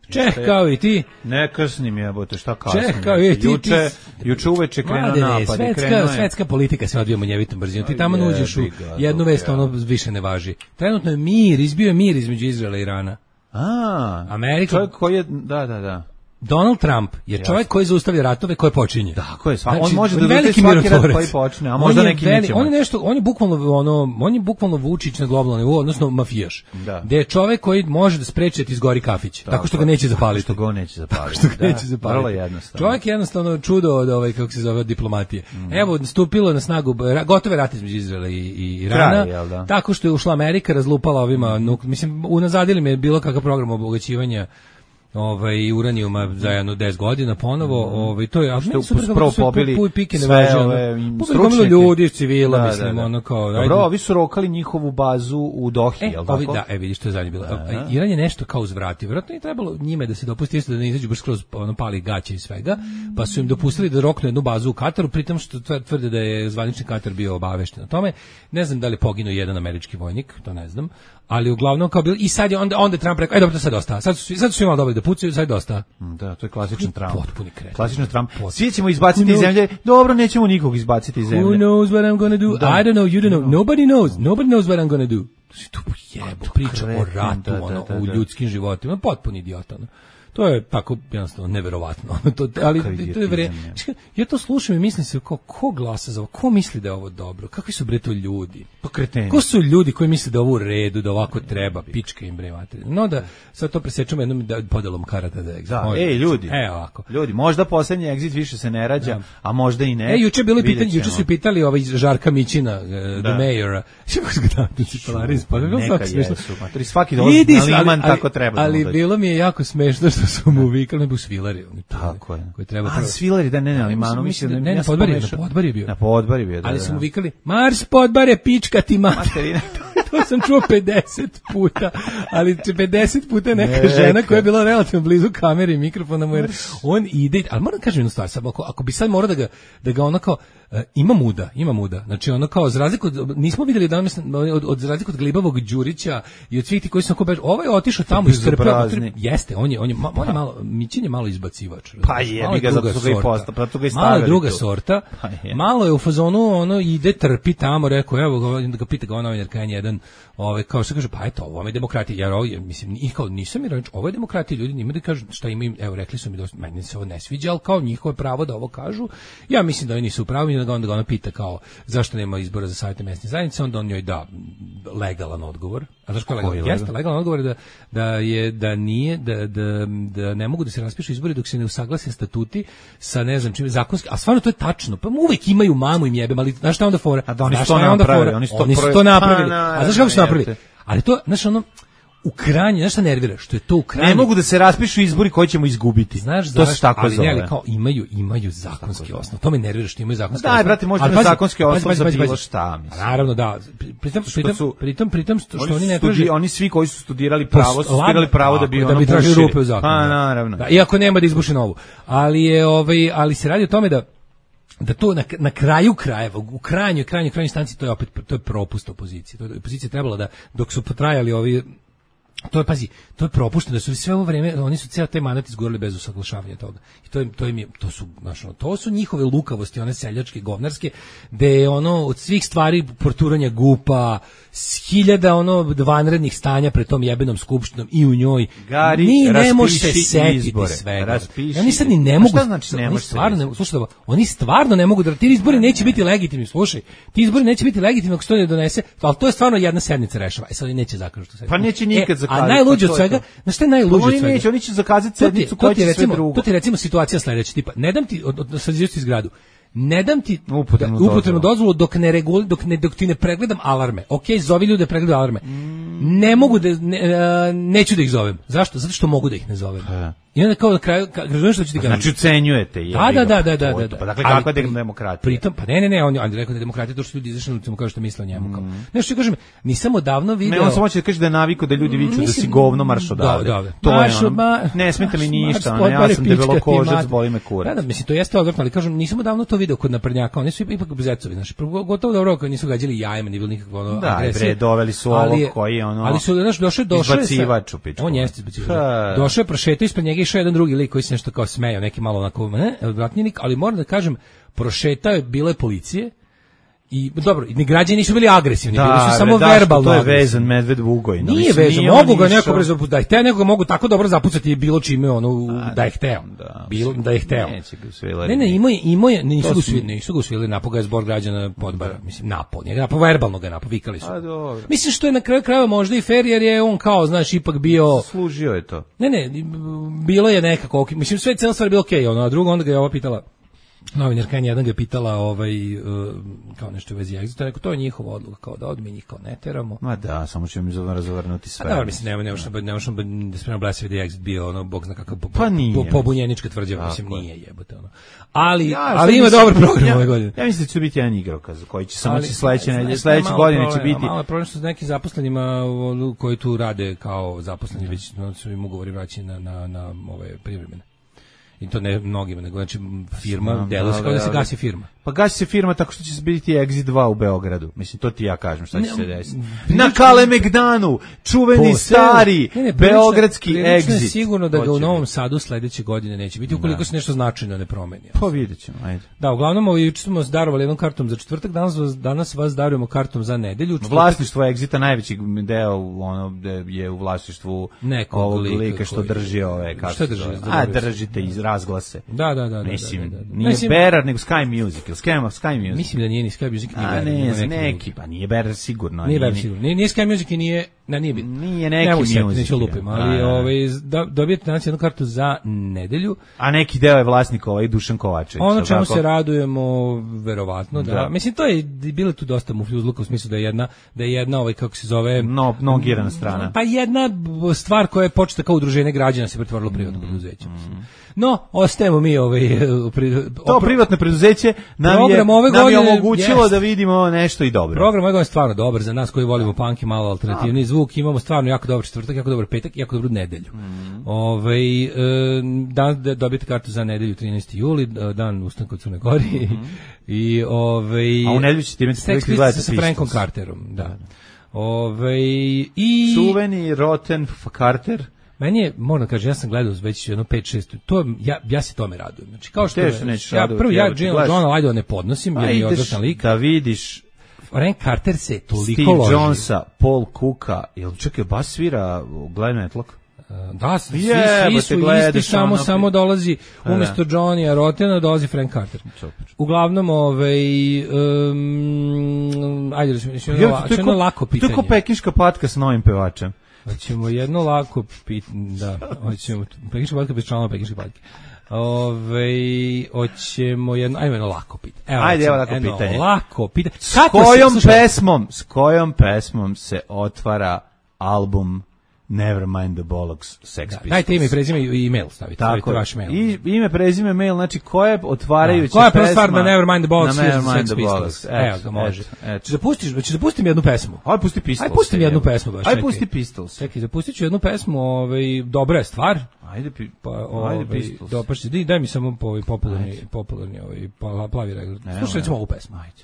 Speaker 9: Čeh, kao i ti.
Speaker 8: Ne kasnim jebote, šta kasnim?
Speaker 9: Čeh, kao i ti. ti-
Speaker 8: Juče, juče uveče krenuo
Speaker 9: Mladene,
Speaker 8: napad i
Speaker 9: svetska,
Speaker 8: krenuo je.
Speaker 9: svetska politika se odvija munjevitom brzinom. Ti
Speaker 8: Aj,
Speaker 9: tamo uđeš u
Speaker 8: jebi ga,
Speaker 9: jednu
Speaker 8: dok
Speaker 9: vest,
Speaker 8: ja.
Speaker 9: ono više ne važi. Trenutno je mir, izbio je mir između Izraela i Irana.
Speaker 8: A,
Speaker 9: Amerika-
Speaker 8: čovjek koji je, da, da, da.
Speaker 9: Donald Trump je čovjek koji zaustavlja ratove koje počinje.
Speaker 8: Tako je, sva,
Speaker 9: Znači,
Speaker 8: on može da
Speaker 9: veliki
Speaker 8: veliki svaki rat
Speaker 9: mirotvorac.
Speaker 8: koji počne, a
Speaker 9: On
Speaker 8: možda
Speaker 9: je
Speaker 8: neki
Speaker 9: veli-
Speaker 8: neće
Speaker 9: On je
Speaker 8: moći.
Speaker 9: nešto, on je bukvalno ono, on je bukvalno Vučić na globalnom nivou, odnosno mafijaš.
Speaker 8: Da.
Speaker 9: Gde je čovjek koji može da spreči da ti izgori kafić, tako, što ga neće zapaliti.
Speaker 8: Što ga on neće zapaliti.
Speaker 9: Što ga
Speaker 8: Da,
Speaker 9: neće zapaliti.
Speaker 8: Vrlo jednostavno.
Speaker 9: Čovjek je jednostavno čudo od ovaj kako se zove od diplomatije. Evo stupilo na snagu ra- gotove rat između Izraela i, i Irana.
Speaker 8: Kraj, jel da?
Speaker 9: Tako što je ušla Amerika, razlupala ovima, nuk- mislim unazadili me bilo kakav program obogaćivanja ovaj uranijuma za jedno deset godina ponovo, ovaj to je a
Speaker 8: Što
Speaker 9: meni super
Speaker 8: prvo
Speaker 9: kako sve
Speaker 8: pobili
Speaker 9: pu- pike ne
Speaker 8: sve
Speaker 9: važe, ono.
Speaker 8: ove
Speaker 9: Pobili
Speaker 8: stručnjake.
Speaker 9: gomilu ljudi, civila,
Speaker 8: Da,
Speaker 9: mislim,
Speaker 8: da, da.
Speaker 9: ono kao,
Speaker 8: Dobro,
Speaker 9: ajde.
Speaker 8: ovi su rokali njihovu bazu u Dohi,
Speaker 9: E,
Speaker 8: jel tako?
Speaker 9: ovi, da, e, vidiš, to je zadnje bilo. A, Iran je nešto kao uzvratio. Vjerojatno je trebalo njime da se dopusti isto da ne izađu baš skroz ono, pali gaće i svega, pa su im dopustili da roknu jednu bazu u Kataru, pritom što tv- tvrde da je zvanični Katar bio obavešten o tome. Ne znam da li je poginuo jedan američki vojnik, to ne znam, ali uglavnom kao bilo, i sad je onda, onda je Trump rekao, aj dobro, to sad dosta, sad su, svi- sad su svi malo dobili da pucaju, sad je dosta.
Speaker 8: Da, to je klasičan Trump.
Speaker 9: Potpuni kreten.
Speaker 8: Klasičan Trump.
Speaker 9: Potpuni.
Speaker 8: Svi ćemo izbaciti
Speaker 9: Who
Speaker 8: iz
Speaker 9: knows?
Speaker 8: zemlje. Dobro, nećemo nikog izbaciti iz
Speaker 9: Who
Speaker 8: zemlje.
Speaker 9: knows what I'm gonna do?
Speaker 8: Da.
Speaker 9: I don't know, you don't know, nobody knows, nobody knows what I'm gonna do. Tu jebo, priča o
Speaker 8: kreten,
Speaker 9: ratu,
Speaker 8: da, da,
Speaker 9: ono,
Speaker 8: da,
Speaker 9: u
Speaker 8: da.
Speaker 9: ljudskim životima, potpuno idiota, ono. To je tako jednostavno neverovatno. to, ali
Speaker 8: Kakav
Speaker 9: to je
Speaker 8: idiotizam
Speaker 9: vre...
Speaker 8: je.
Speaker 9: Ja to slušam i mislim se kao ko glasa za ovo, ko misli da je ovo dobro, kakvi su bre to ljudi?
Speaker 8: Pa kreteni.
Speaker 9: Ko su ljudi koji misle da je ovo u redu, da ovako treba, pička im bre materina. No da sad to presečemo jednom da podelom karata da exit.
Speaker 8: Da,
Speaker 9: Može.
Speaker 8: ej, ljudi.
Speaker 9: E ovako.
Speaker 8: Ljudi, možda poslednji exit više se ne rađa,
Speaker 9: Da.
Speaker 8: a možda i ne.
Speaker 9: E, juče je bilo i
Speaker 8: Vidjet
Speaker 9: pitanje, juče
Speaker 8: ćemo.
Speaker 9: su i pitali ovaj Žarka Mićina, uh, the
Speaker 8: Da.
Speaker 9: mayor. Kako su ga tamo cipelari ispali? Bilo
Speaker 8: Neka
Speaker 9: svako smešno.
Speaker 8: jesu. Matori, svaki dolazi
Speaker 9: Idi,
Speaker 8: na
Speaker 9: ali-
Speaker 8: liman,
Speaker 9: ali-
Speaker 8: tako treba. da
Speaker 9: Ali
Speaker 8: mu dođe.
Speaker 9: bilo mi je jako smešno što su mu vikali, ne bu svilari. Oni to,
Speaker 8: Tako je.
Speaker 9: Koji treba
Speaker 8: A,
Speaker 9: prvo-
Speaker 8: svilari, da, ne, ne, ali manu,
Speaker 9: Mislim
Speaker 8: mislim,
Speaker 9: da- ne,
Speaker 8: ja
Speaker 9: na
Speaker 8: sam
Speaker 9: Podbarju,
Speaker 8: pomešao-
Speaker 9: na Podbarju je bio.
Speaker 8: Na Podbarju je bio, da,
Speaker 9: Ali
Speaker 8: da,
Speaker 9: su mu
Speaker 8: da.
Speaker 9: vikali, Mars podbare, pička ti mater.
Speaker 8: Materina.
Speaker 9: To sam čuo pedeset puta, ali pedeset puta je neka
Speaker 8: Neka.
Speaker 9: žena koja je bila relativno blizu kamere i mikrofona mu, jer on ide, ali moram kažem jednu stvar, sad, ako, ako bi sad morao da ga, da ga onako, Uh, ima muda, ima muda. Znači ono kao za razliku od, nismo vidjeli da od, od za razliku od glibavog Đurića i od svih tih koji su kao ovaj je otišao tamo i strpeo. Jeste, on je on je, ma, on je malo Mićin je malo izbacivač.
Speaker 8: Pa je, mi ga zato ga i posta, pa to ga i stavili.
Speaker 9: Malo druga tu. Sorta. Je. Malo je u fazonu ono ide trpi tamo, rekao evo ga, da ga pita ga novinarka jedan, ovaj kao što kaže pa eto, ovo je demokratija. Ja ovo je, mislim i kao nisam ironič, ovo je demokratija, ljudi njima da kažu šta imaju, evo rekli su mi da meni se ovo ne sviđa, al kao njihovo pravo da ovo kažu. Ja mislim da oni nisu u pravu. Da ga onda ga ona pita kao zašto nema izbora za savjete mesne zajednice, onda on njoj da legalan odgovor. A znaš kako legalan? Jeste legalan odgovor da, da je da nije da, da, da ne mogu da se raspišu izbori dok se ne usaglase statuti sa ne znam čime zakonski. A stvarno to je tačno. Pa uvek imaju mamu im jebem, ali znaš šta onda fora?
Speaker 8: A da oni su to napravili, oni su to,
Speaker 9: oni su to napravili. A znaš kako su napravili? Ali to, znaš ono u krajnje, znaš šta nervira? Što je to u krajnje...
Speaker 8: Ne mogu da se raspišu izbori koji ćemo izgubiti.
Speaker 9: Znaš,
Speaker 8: to se tako
Speaker 9: ali
Speaker 8: zove.
Speaker 9: Ali kao imaju, imaju zakonski osnov. To me nervira što imaju zakonski osnov.
Speaker 8: Daj, brate, možda imaju zakonski osnov za bilo šta, mislim.
Speaker 9: Naravno, da. Pritom, pritom,
Speaker 8: su,
Speaker 9: pritom, pritom što oni, oni ne
Speaker 8: traže...
Speaker 9: traže...
Speaker 8: Oni svi koji su studirali pravo, su studirali pravo da bi
Speaker 9: da
Speaker 8: ono
Speaker 9: bi tražili rupe u zakonu.
Speaker 8: Pa, naravno.
Speaker 9: Da, iako nema da izbuši novu. Ali, je, ovaj, ali se radi o tome da da to na, na kraju krajeva, u krajnjoj, krajnjoj, krajnjoj instanci to je opet to je propust opozicije. To je opozicija trebala da dok su potrajali ovi to je pazi, to je propušteno da su sve ovo vreme oni su ceo taj mandat izgurali bez usaglašavanja toga. I to im to im je, to su znači to su njihove lukavosti, one seljačke, govnarske, da je ono od svih stvari porturanja gupa, hiljada ono vanrednih stanja pred tom jebenom skupštinom i u njoj.
Speaker 8: Gari,
Speaker 9: ni ne može se setiti svega. Oni sad ni ne mogu.
Speaker 8: Šta znači ne može?
Speaker 9: Stvarno ne, slušaj, oni stvarno ne mogu da ti izbori neće biti legitimni, slušaj. Ti izbori neće biti legitimni ako se to ne donese, al to je stvarno jedna sednica rešava. E sad oni neće zakazati što se.
Speaker 8: Pa neće nikad zakazati.
Speaker 9: A najluđe od svega, na šta je najluđe od svega?
Speaker 8: Oni neće, oni će zakazati sednicu koja će sve drugo.
Speaker 9: To ti recimo situacija sledeća, tipa, ne dam ti od, od sazivati zgradu. Ne dam ti upotrebnu dozvolu. dozvolu dok ne regul, dok ne dok ti ne pregledam alarme. Okej, zovi ljude pregledaju alarme. Mm. Ne mogu da ne, neću da ih zovem. Zašto? Zato što mogu da ih ne zovem. Ha. I onda kao na kraju, razumiješ što ću ti kažem?
Speaker 8: Znači ucenjujete.
Speaker 9: Da, da, da, da, da, da, da.
Speaker 8: Pa dakle, kakva je demokratija?
Speaker 9: Pritom, pa ne, ne, ne, on je rekao da je demokratija to što ljudi izašli na ulicu, kao što misle o njemu. Mm. Nešto što kažem, nisam odavno video.
Speaker 8: Ne, on samo hoće da kaže da je navikao da ljudi viču da si govno marš odavde.
Speaker 9: Da, da.
Speaker 8: To je ono, ne smeta mi ništa, ono, ja sam debelokožac, boli me kurac.
Speaker 9: Da, da, mislim, to jeste odvrtno, ali kažem, nisam odavno to video kod naprednjaka, oni su ipak bezecovi, znači, gotovo dobro kad nisu gađali jajima, ni bilo nikakvo ono
Speaker 8: agresije. Da, bre, doveli su ovo koji je ono.
Speaker 9: Ali su znaš, došao, došao je. On jeste izbacivač. Došao je, prošetao ispred njega išao jedan drugi lik koji se nešto kao smejao, neki malo onako, ne, odvratnjenik, ali moram da kažem, prošetao je, bile policije, i dobro, ni građani nisu bili agresivni,
Speaker 8: da,
Speaker 9: bili su
Speaker 8: bre,
Speaker 9: samo
Speaker 8: da,
Speaker 9: verbalno.
Speaker 8: To je vezan medved Vugoj.
Speaker 9: No, nije vezan, mogu ga neko brzo da ih te nekoga mogu tako dobro zapucati bilo čime ono a, da je hteo. Da, bilo da je hteo. Ne, ne, ima ima nisu ga svi, nisu ga usvojili, napoga je zbor građana Podbara, mislim napao, njega napao verbalno ga napao, vikali su. Mislim što je na kraju krajeva možda i fer jer je on kao, znaš, ipak bio
Speaker 8: služio je to.
Speaker 9: Ne, ne, bilo je nekako, mislim sve cela stvar je bilo okej, ono, a drugo onda ga je ova pitala novinarka jedan ga je pitala ovaj, uh, kao nešto u vezi Exita, rekao, to je njihova odluka, kao da odmi njih kao ne teramo.
Speaker 8: Ma da, samo ćemo mi razvrnuti sve.
Speaker 9: A dobro, mislim, nema, nema što da spremno blesavi da je Exit bio, ono, bog zna kakav po,
Speaker 8: pa
Speaker 9: po, pobunjenička tvrđava, mislim, nije jebote, ono. Ali, ja, ali ima dobar program
Speaker 8: ja,
Speaker 9: ove godine.
Speaker 8: Ja mislim da će biti jedan igrokaz, koji će samo će sledeće, sledeće godine će biti.
Speaker 9: Malo je problem što s nekim zaposlenima koji tu rade kao zaposleni, već su im ugovori vraćeni na, na, na ove privremene. I to ne mnogima, nego znači firma, delo se kao da se gasi firma.
Speaker 8: Pa gasi se firma tako što će se biti Exit dva u Beogradu. Mislim, to ti ja kažem šta će se desiti. Na Kalemegdanu, čuveni po, stari ne, ne, beogradski Exit.
Speaker 9: Je sigurno da ga u Novom Sadu sledeće godine neće biti, ukoliko da. se nešto značajno ne promeni.
Speaker 8: Pa vidjet ćemo, ajde.
Speaker 9: Da, uglavnom, ovaj, juče smo darovali jednom kartom za četvrtak, danas vas, danas vas darujemo kartom za nedelju. Četvrtak...
Speaker 8: Vlasništvo Exita, najveći deo ono, je u vlasništvu
Speaker 9: nekog
Speaker 8: ovog
Speaker 9: lika,
Speaker 8: lika što drži ove, kako
Speaker 9: što drži?
Speaker 8: A, držite iz razglase.
Speaker 9: Da, da, da.
Speaker 8: Mislim,
Speaker 9: da, da, da.
Speaker 8: nije mislim, Berar, nego Sky Music. Sky, Sky Music.
Speaker 9: Mislim da nije ni Sky Music, ni
Speaker 8: Berar. A ne, neki, neki, pa nije Berar sigurno.
Speaker 9: Nije Berar sigurno. Nije, nije Sky Music i nije, na, nije bitno.
Speaker 8: Nije neki Music.
Speaker 9: Neću lupim, ali a, ovaj, da, dobijete danas jednu kartu za nedelju.
Speaker 8: A neki deo je vlasnik ovaj Dušan Kovačević.
Speaker 9: Ono čemu tako? Se radujemo, verovatno, da. da. Mislim, to je bilo tu dosta mufljuzluka u smislu da je jedna, da je jedna ovaj, kako se zove...
Speaker 8: No, nogirana strana.
Speaker 9: Pa jedna stvar koja je početa kao udruženje građana se pretvorila u privatno preduzeće. Mm. No, No, ostajemo mi ovaj pri,
Speaker 8: to privatno preduzeće nam
Speaker 9: program
Speaker 8: je
Speaker 9: ove
Speaker 8: nam je
Speaker 9: godine
Speaker 8: omogućilo
Speaker 9: jest.
Speaker 8: da vidimo nešto i dobro.
Speaker 9: Program ove godine je stvarno dobar za nas koji volimo punk i malo alternativni zvuk. Imamo stvarno jako dobar četvrtak, jako dobar petak i jako dobru nedelju. Mm. Ovaj e, dan da dobijete kartu za nedelju trinaesti juli, dan ustanka u Crnoj Gori. Mm. I ovaj
Speaker 8: a u nedelju ćete imati
Speaker 9: Sex Pistols sa Frankom Carterom, da. Ovaj i
Speaker 8: čuveni Rotten Carter.
Speaker 9: Meni je, moram kažem, ja sam gledao već jedno pet šest, to ja ja se tome radujem. Znači kao što
Speaker 8: me,
Speaker 9: ja prvo ja Johna Lydona ne podnosim, jer je odličan lik.
Speaker 8: Da vidiš
Speaker 9: Frank Carter se toliko
Speaker 8: Steve
Speaker 9: loži.
Speaker 8: Jonesa, Paul Cooka, jel čekaj, bas svira u Glenn Matlock?
Speaker 9: Da, svi, yeah, svi su isti, samo, ono, samo dolazi umjesto Johnny Rotena dolazi Frank Carter. Super. Uglavnom, ovaj, um, ajde, da ćemo jedno lako pitanje.
Speaker 8: To je ko pekinška patka s novim pevačem.
Speaker 9: Hoćemo jedno lako pitanje, da, hoćemo, pekinška patka bez članova pekinške patke. Ove, hoćemo jedno, ajmo jedno lako pitanje. Evo,
Speaker 8: ajde, evo lako pitanje.
Speaker 9: Lako pitanje.
Speaker 8: S kojom se, pesmom, s kojom pesmom se otvara album Nevermind the Bollocks Sex Pistols?
Speaker 9: Da, dajte ime, prezime i e-mail stavite.
Speaker 8: Tako
Speaker 9: je. Vaš mail.
Speaker 8: I ime, prezime, mail, znači koje otvarajuće
Speaker 9: pesma. Koja je
Speaker 8: prva
Speaker 9: stvar na Nevermind the Bollocks
Speaker 8: Sex
Speaker 9: Pistols? Evo ga, može. Če zapustiš, če zapustim jednu pesmu.
Speaker 8: Aj, pusti Pistols.
Speaker 9: Aj, pustim jednu pesmu baš.
Speaker 8: Aj, pusti Pistols.
Speaker 9: Čekaj, zapustit ću jednu pesmu, ovaj, dobra je stvar.
Speaker 8: Ajde, pi,
Speaker 9: pa, ovaj, ajde Pistols. Dopašće, daj, daj mi samo ovaj popularni, popularni ovaj, plavi regl. Slušaj, recimo ovu pesmu.
Speaker 8: Ajde.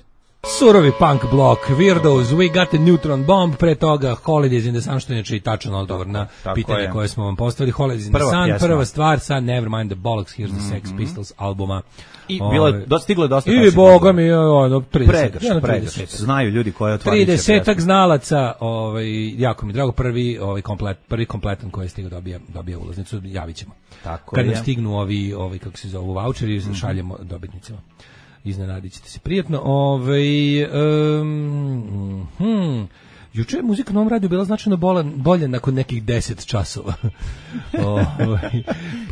Speaker 9: Surovi punk block, Weirdos, We Got a Neutron Bomb, pre toga Holidays in the Sun, što je znači tačan odgovor na pitanje koje smo vam postavili. Holidays in the Sun, pjesma. Prva stvar, sad Nevermind the Bollocks, Here's the Sex mm-hmm. Pistols albuma.
Speaker 8: I bilo je, stiglo je dosta
Speaker 9: i boga mi, ono, trideset.
Speaker 8: Pregrš, pregrš. Znaju ljudi koje otvaraju.
Speaker 9: tridesetak znalaca, ovaj, jako mi drago, prvi, ovaj, komplet, prvi kompletan koji je stigao dobija, dobija ulaznicu, javit ćemo.
Speaker 8: Tako
Speaker 9: kad
Speaker 8: je.
Speaker 9: nam stignu ovi, ovi, kako se zovu, voucheri, mm-hmm. šaljemo dobitnicima. Iznenadit ćete se prijatno. Ove, um, hmm, juče je muzika na ovom radiju bila značajno bolan, bolja nakon nekih deset časova. Ove,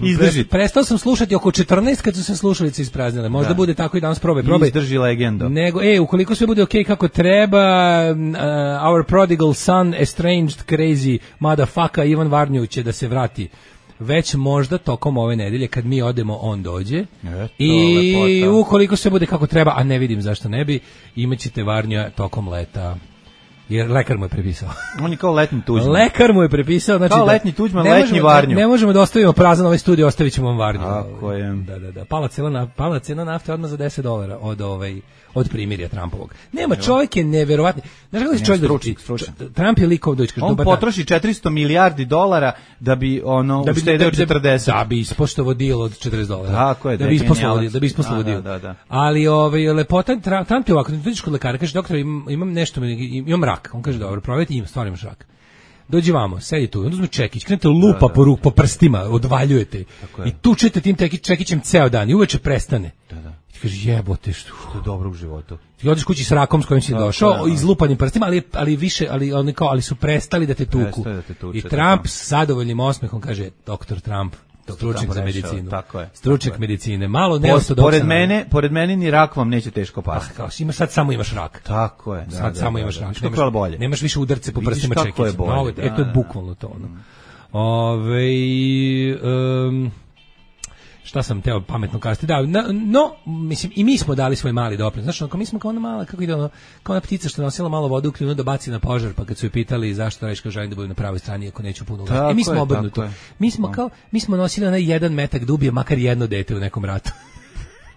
Speaker 8: Izdrži.
Speaker 9: Prestao sam slušati oko četrnaest kad su se slušalice ispraznile. Možda da. Bude tako i danas probaj. probaj.
Speaker 8: Izdrži legendo.
Speaker 9: Nego, e, ukoliko sve bude okej okay kako treba, uh, Our Prodigal Son, Estranged, Crazy, Motherfucker, Ivan Varnju će da se vrati već možda tokom ove nedelje kad mi odemo on dođe
Speaker 8: Eto,
Speaker 9: i
Speaker 8: lepota.
Speaker 9: Ukoliko sve bude kako treba, a ne vidim zašto ne bi, imaćete Varnja tokom leta. Jer lekar mu je prepisao.
Speaker 8: On je kao letnji Tuđman.
Speaker 9: Lekar mu je prepisao, znači
Speaker 8: kao
Speaker 9: da,
Speaker 8: letnji Tuđman, letnji Varnju.
Speaker 9: Ne, ne možemo da ostavimo prazan ovaj studio, ostavit ćemo vam Varnju.
Speaker 8: Tako je.
Speaker 9: Da, da, da. Pala cena, pala cena nafte odmah za deset dolara od ovaj od primirja Trumpovog. Nema, čovjek je neverovatni. Znaš kako se čovjek doruči? Trump je likov doći kaže
Speaker 8: on potroši četiristo milijardi dolara da bi ono da bi uštedeo četrdeset.
Speaker 9: Da bi ispoštovao deal od četrdeset dolara.
Speaker 8: Tako je,
Speaker 9: da bi ispoštovao, da bi ispoštovao deal.
Speaker 8: Da, da.
Speaker 9: Ali ovaj lepota Trump je ovako, dođeš kod lekara, kaže doktor, imam nešto, imam rak. On kaže dobro, provjerite, imam stvarno imaš rak. Dođi vamo, sedi tu, onda uzme čekić, krenete lupa da, da. po ruk, po prstima, odvaljujete i tučete tim čekićem ceo dan i uveče prestane.
Speaker 8: Da, da.
Speaker 9: I ti kaže jebote što
Speaker 8: to je dobro u životu.
Speaker 9: Ti odeš kući s rakom s kojim si da, došao, da, izlupanim prstima, ali ali više, ali oni kao ali su prestali da te tuku.
Speaker 8: Da te tuče,
Speaker 9: I Trump s zadovoljnim osmehom kaže doktor Trump, stručnjak za medicinu.
Speaker 8: Tako je.
Speaker 9: Stručnjak medicine. Malo neortodoksan.
Speaker 8: Pored mene, pored mene ni rak vam neće teško pasti.
Speaker 9: Ah, kao imaš sad samo imaš rak.
Speaker 8: Tako je. Da,
Speaker 9: sad
Speaker 8: da,
Speaker 9: samo
Speaker 8: da,
Speaker 9: imaš
Speaker 8: da,
Speaker 9: rak.
Speaker 8: Da, nemaš, bolje.
Speaker 9: nemaš više udarce po prstima čekića. E to je bukvalno to ono. Mm. Ove, um, šta sam teo pametno kazati, da, na, no, mislim, i mi smo dali svoj mali doprinos, znači, ako mi smo kao ona mala, kako ide ono, kao ona ptica što nosila malo vode u kljunu da baci na požar, pa kad su je pitali zašto reći kao želim da budem na pravoj strani ako neću puno gledati. E, mi smo obrnuto, mi smo kao, mi smo nosili onaj jedan metak da ubije makar jedno dete u nekom ratu.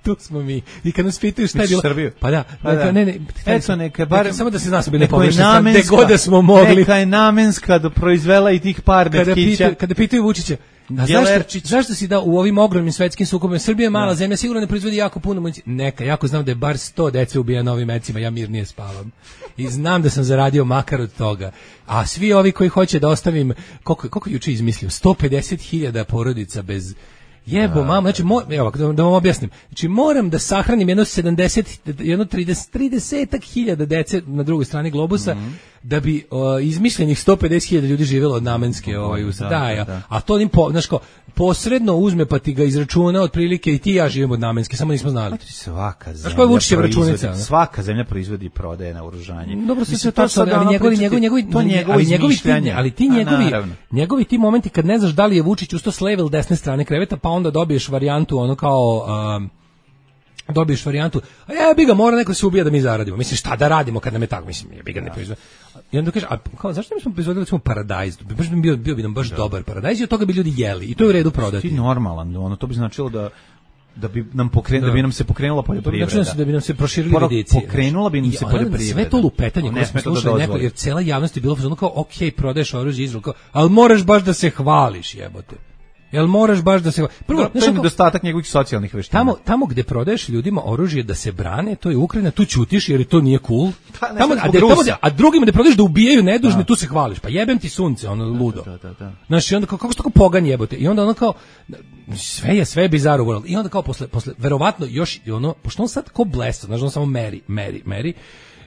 Speaker 9: Tu smo mi. I kad nas pitaju šta je bilo...
Speaker 8: Srbiju.
Speaker 9: Pa da.
Speaker 8: Pa
Speaker 9: neka,
Speaker 8: da.
Speaker 9: Ne, ne,
Speaker 8: Eto, neka, bar,
Speaker 9: neka, samo da se zna su bili pogrešni. Gde god da smo mogli.
Speaker 8: Neka je namenska da proizvela i tih par
Speaker 9: kada
Speaker 8: metkića.
Speaker 9: Pitaju, kada pitaju Vučića, a zašto, zašto si da u ovim ogromnim svetskim sukobima, Srbija je mala da. zemlja, sigurno ne proizvodi jako puno municije. Neka, jako znam da je bar sto dece ubijeno ovim mecima, ja mirnije spavam. I znam da sam zaradio makar od toga. A svi ovi koji hoće da ostavim, koliko, koliko juče izmislio, sto pedeset hiljada porodica bez... Jebo, da, mama, znači, mo, evo, da, da vam objasnim. Znači, moram da sahranim jedno sedamdeset, jedno trideset, tridesetak hiljada dece na drugoj strani globusa, mm-hmm. da bi o, izmišljenih sto pedeset hiljada ljudi živjelo od namenske ovaj, da, da, ja. da. A to im, po, znaš ko, posredno uzme pa ti ga izračuna otprilike i ti i ja živimo od namenske, samo nismo znali.
Speaker 8: Svaka zemlja,
Speaker 9: računica,
Speaker 8: svaka zemlja proizvodi i prodaje na oružanje.
Speaker 9: Dobro, sve to sad, ali njegovi, njegovi, njegovi,
Speaker 8: to njegovo
Speaker 9: izmišljanje. Ali ti njegovi, njegovi ti momenti kad ne znaš da li je Vučić usto s leve ili desne strane kreveta, pa onda dobiješ varijantu ono kao um, dobiješ varijantu, a ja bi ga mora neko se ubija da mi zaradimo. Mislim šta da radimo kad nam je tako, mislim ja bi ga ne proizvodi. I onda kaže, a kao zašto mi smo proizvodili recimo paradajz? Baš bi bio, bio bi nam baš da. dobar paradajz i od toga bi ljudi jeli. I to je u redu prodati.
Speaker 8: Ti normalan, ono to bi značilo da da bi nam pokren, da. da bi nam se pokrenula poljoprivreda.
Speaker 9: Znači da bi nam se proširili vidici.
Speaker 8: Pokrenula bi nam se poljoprivreda.
Speaker 9: Sve to lupetanje koje smo slušali neko, jer cela javnost je bila ono kao, ok, prodaješ oružje Izrael, kao, ali moraš baš da se hvališ, jebote. Jel moraš baš da se... Prvo,
Speaker 8: to je nedostatak njegovih socijalnih veština.
Speaker 9: Tamo, tamo gde prodaješ ljudima oružje da se brane, to je Ukrajina, tu ćutiš jer to nije cool.
Speaker 8: Pa,
Speaker 9: tamo, a, de, tamo, a drugima da prodaješ da ubijaju nedužne, da. tu se hvališ. Pa jebem ti sunce, ono ludo.
Speaker 8: Da, da, da.
Speaker 9: Znaš, i onda kao, kako što tako pogan jebote? I onda ono kao, sve je, sve je bizarro world. I onda kao posle, posle verovatno još, ono, pošto on sad ko blesa, znaš, on samo meri, meri, meri.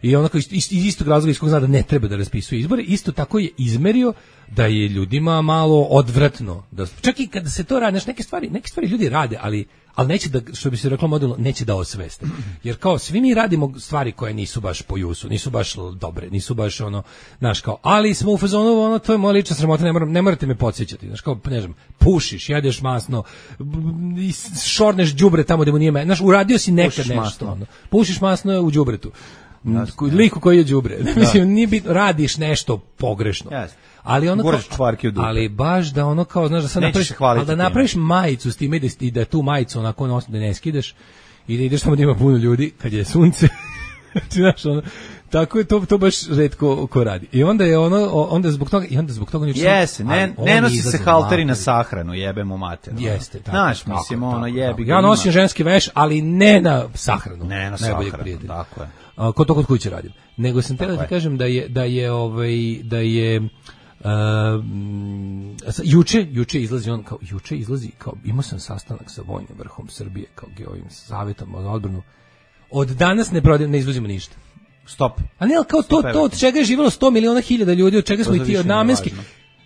Speaker 9: I onako iz, iz istog razloga iz kog zna da ne treba da raspisuje izbore, isto tako je izmerio da je ljudima malo odvratno. Da, čak i kada se to radi, neke stvari, neke stvari ljudi rade, ali, ali neće da, što bi se reklo modelno, neće da osveste. Jer kao svi mi radimo stvari koje nisu baš po jusu, nisu baš dobre, nisu baš ono, znaš kao, ali smo u fazonu, ono, to je moja lična sramota, ne, moram, ne morate me podsjećati, znaš kao, ne znam, pušiš, jedeš masno, šorneš đubre tamo gde mu nije, znaš, uradio si nekad pušiš nešto, masno. Ono, pušiš masno u đubretu. Jasne, liku koji je đubre. Mislim, nije bitno, radiš nešto pogrešno.
Speaker 8: Jasne.
Speaker 9: Ali ono kao, ali baš da ono kao, znaš, da sad napraviš, ali da napraviš majicu s time i da tu majicu onako nos, da ne skidaš i da ideš tamo da ima puno ljudi kad je sunce. Znaš, ono, tako je to to baš retko ko radi. I onda je ono onda zbog toga i onda zbog toga ništa.
Speaker 8: Jeste, ne ne nosi se halteri na sahranu, jebemo mater.
Speaker 9: Jeste, tako.
Speaker 8: Znaš, mislim ono jebi ga.
Speaker 9: Ja nosim ženski veš, ali ne na sahranu.
Speaker 8: Ne na sahranu, tako je.
Speaker 9: A, kod to kod kuće radim. Nego sam teo da ti kažem da je da je ovaj da je uh, juče juče izlazi on kao juče izlazi kao imao sam sastanak sa vojnim vrhom Srbije kao ovim savetom za odbranu. Od danas ne prodajem, ne izvozimo ništa.
Speaker 8: Stop.
Speaker 9: A ne, kao to, to od čega je živjelo sto miliona hiljada ljudi, od čega smo i ti od namenski.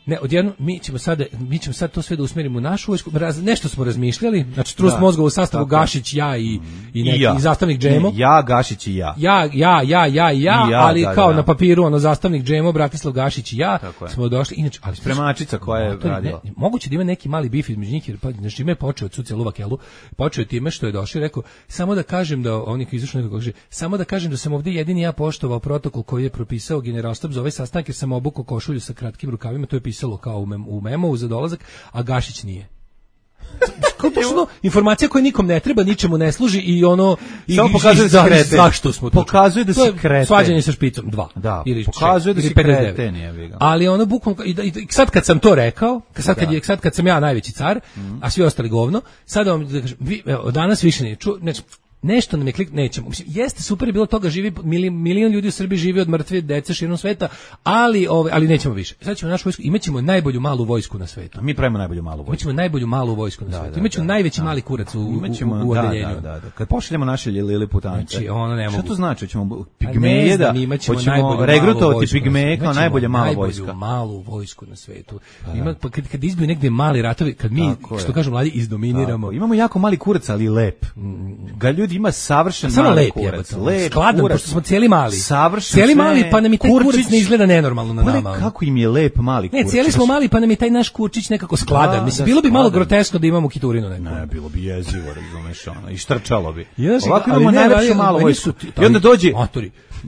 Speaker 9: Ne, odjedno mi ćemo sada mi ćemo sad to sve da usmerimo u našu vojsku. Raz, nešto smo razmišljali, znači trust da, mozga u sastavu tako. Gašić, ja i i neki I ja. zastavnik Džemo.
Speaker 8: Ja, Gašić i ja.
Speaker 9: Ja, ja, ja, ja, ja, I ja ali da, kao da, na papiru ono zastavnik Džemo, Bratislav Gašić i ja smo došli. Inače, ali
Speaker 8: spremačica koja je radila.
Speaker 9: Ne, moguće da ima neki mali bif između njih, jer pa znači ime počeo od Suce Luvakelu, počeo time što je došao i rekao samo da kažem da oni koji izašli nekako kaže samo da kažem da sam ovdje jedini ja poštovao protokol koji je propisao Generalštab za ovaj sastanak jer sam obukao košulju sa kratkim rukavima, to je pisalo kao u mem u memo za dolazak, a Gašić nije. Kao to informacija koja nikom ne treba, ničemu ne služi i ono i
Speaker 8: samo pokazuje da se
Speaker 9: zašto smo to
Speaker 8: pokazuje da se krete
Speaker 9: svađanje sa špicom dva
Speaker 8: da,
Speaker 9: ili
Speaker 8: pokazuje da se krete nije.
Speaker 9: Ali ono bukvalno i, i sad kad sam to rekao, sad kad je sad kad sam ja najveći car, mm. a svi ostali govno, sad vam da kažem, vi, evo, danas više nije ču, ne, nešto nam je klik, nećemo. Mislim, jeste super je bilo toga, živi milion, milion ljudi u Srbiji živi od mrtve dece širom sveta, ali ove, ali nećemo više. Sad ćemo našu vojsku, imaćemo najbolju malu vojsku na svetu.
Speaker 8: Mi pravimo najbolju malu vojsku.
Speaker 9: Imaćemo najbolju malu vojsku na da, svetu. Imaćemo da, najveći da, mali kurac u imaćemo, u, u odeljenju.
Speaker 8: Da, da, da. Kad pošaljemo naše liliputance.
Speaker 9: Znači, ono ne mogu.
Speaker 8: Šta to znači? Hoćemo pigmeje da hoćemo regrutovati pigmeje kao najbolja mala vojska.
Speaker 9: Najbolju malu vojsku na svetu. Ima pa kad kad izbiju negde mali ratovi, kad mi što kažu mladi izdominiramo.
Speaker 8: Imamo jako mali kurac, ali lep. Ga ljudi ima savršen
Speaker 9: samo lep je, skladan, pošto smo cijeli mali.
Speaker 8: Savršen
Speaker 9: cijeli mali, pa nam i taj kurac ne izgleda nenormalno na nama.
Speaker 8: Kako im je lep mali kurac.
Speaker 9: Ne, cijeli smo mali, pa nam je taj naš kurčić nekako skladan. Mislim, bilo bi malo groteskno da imamo kiturinu neku.
Speaker 8: Ne, bilo bi jezivo, razumeš, ono, i štrčalo bi. Ovako imamo najlepšu malu vojsku. I onda dođe...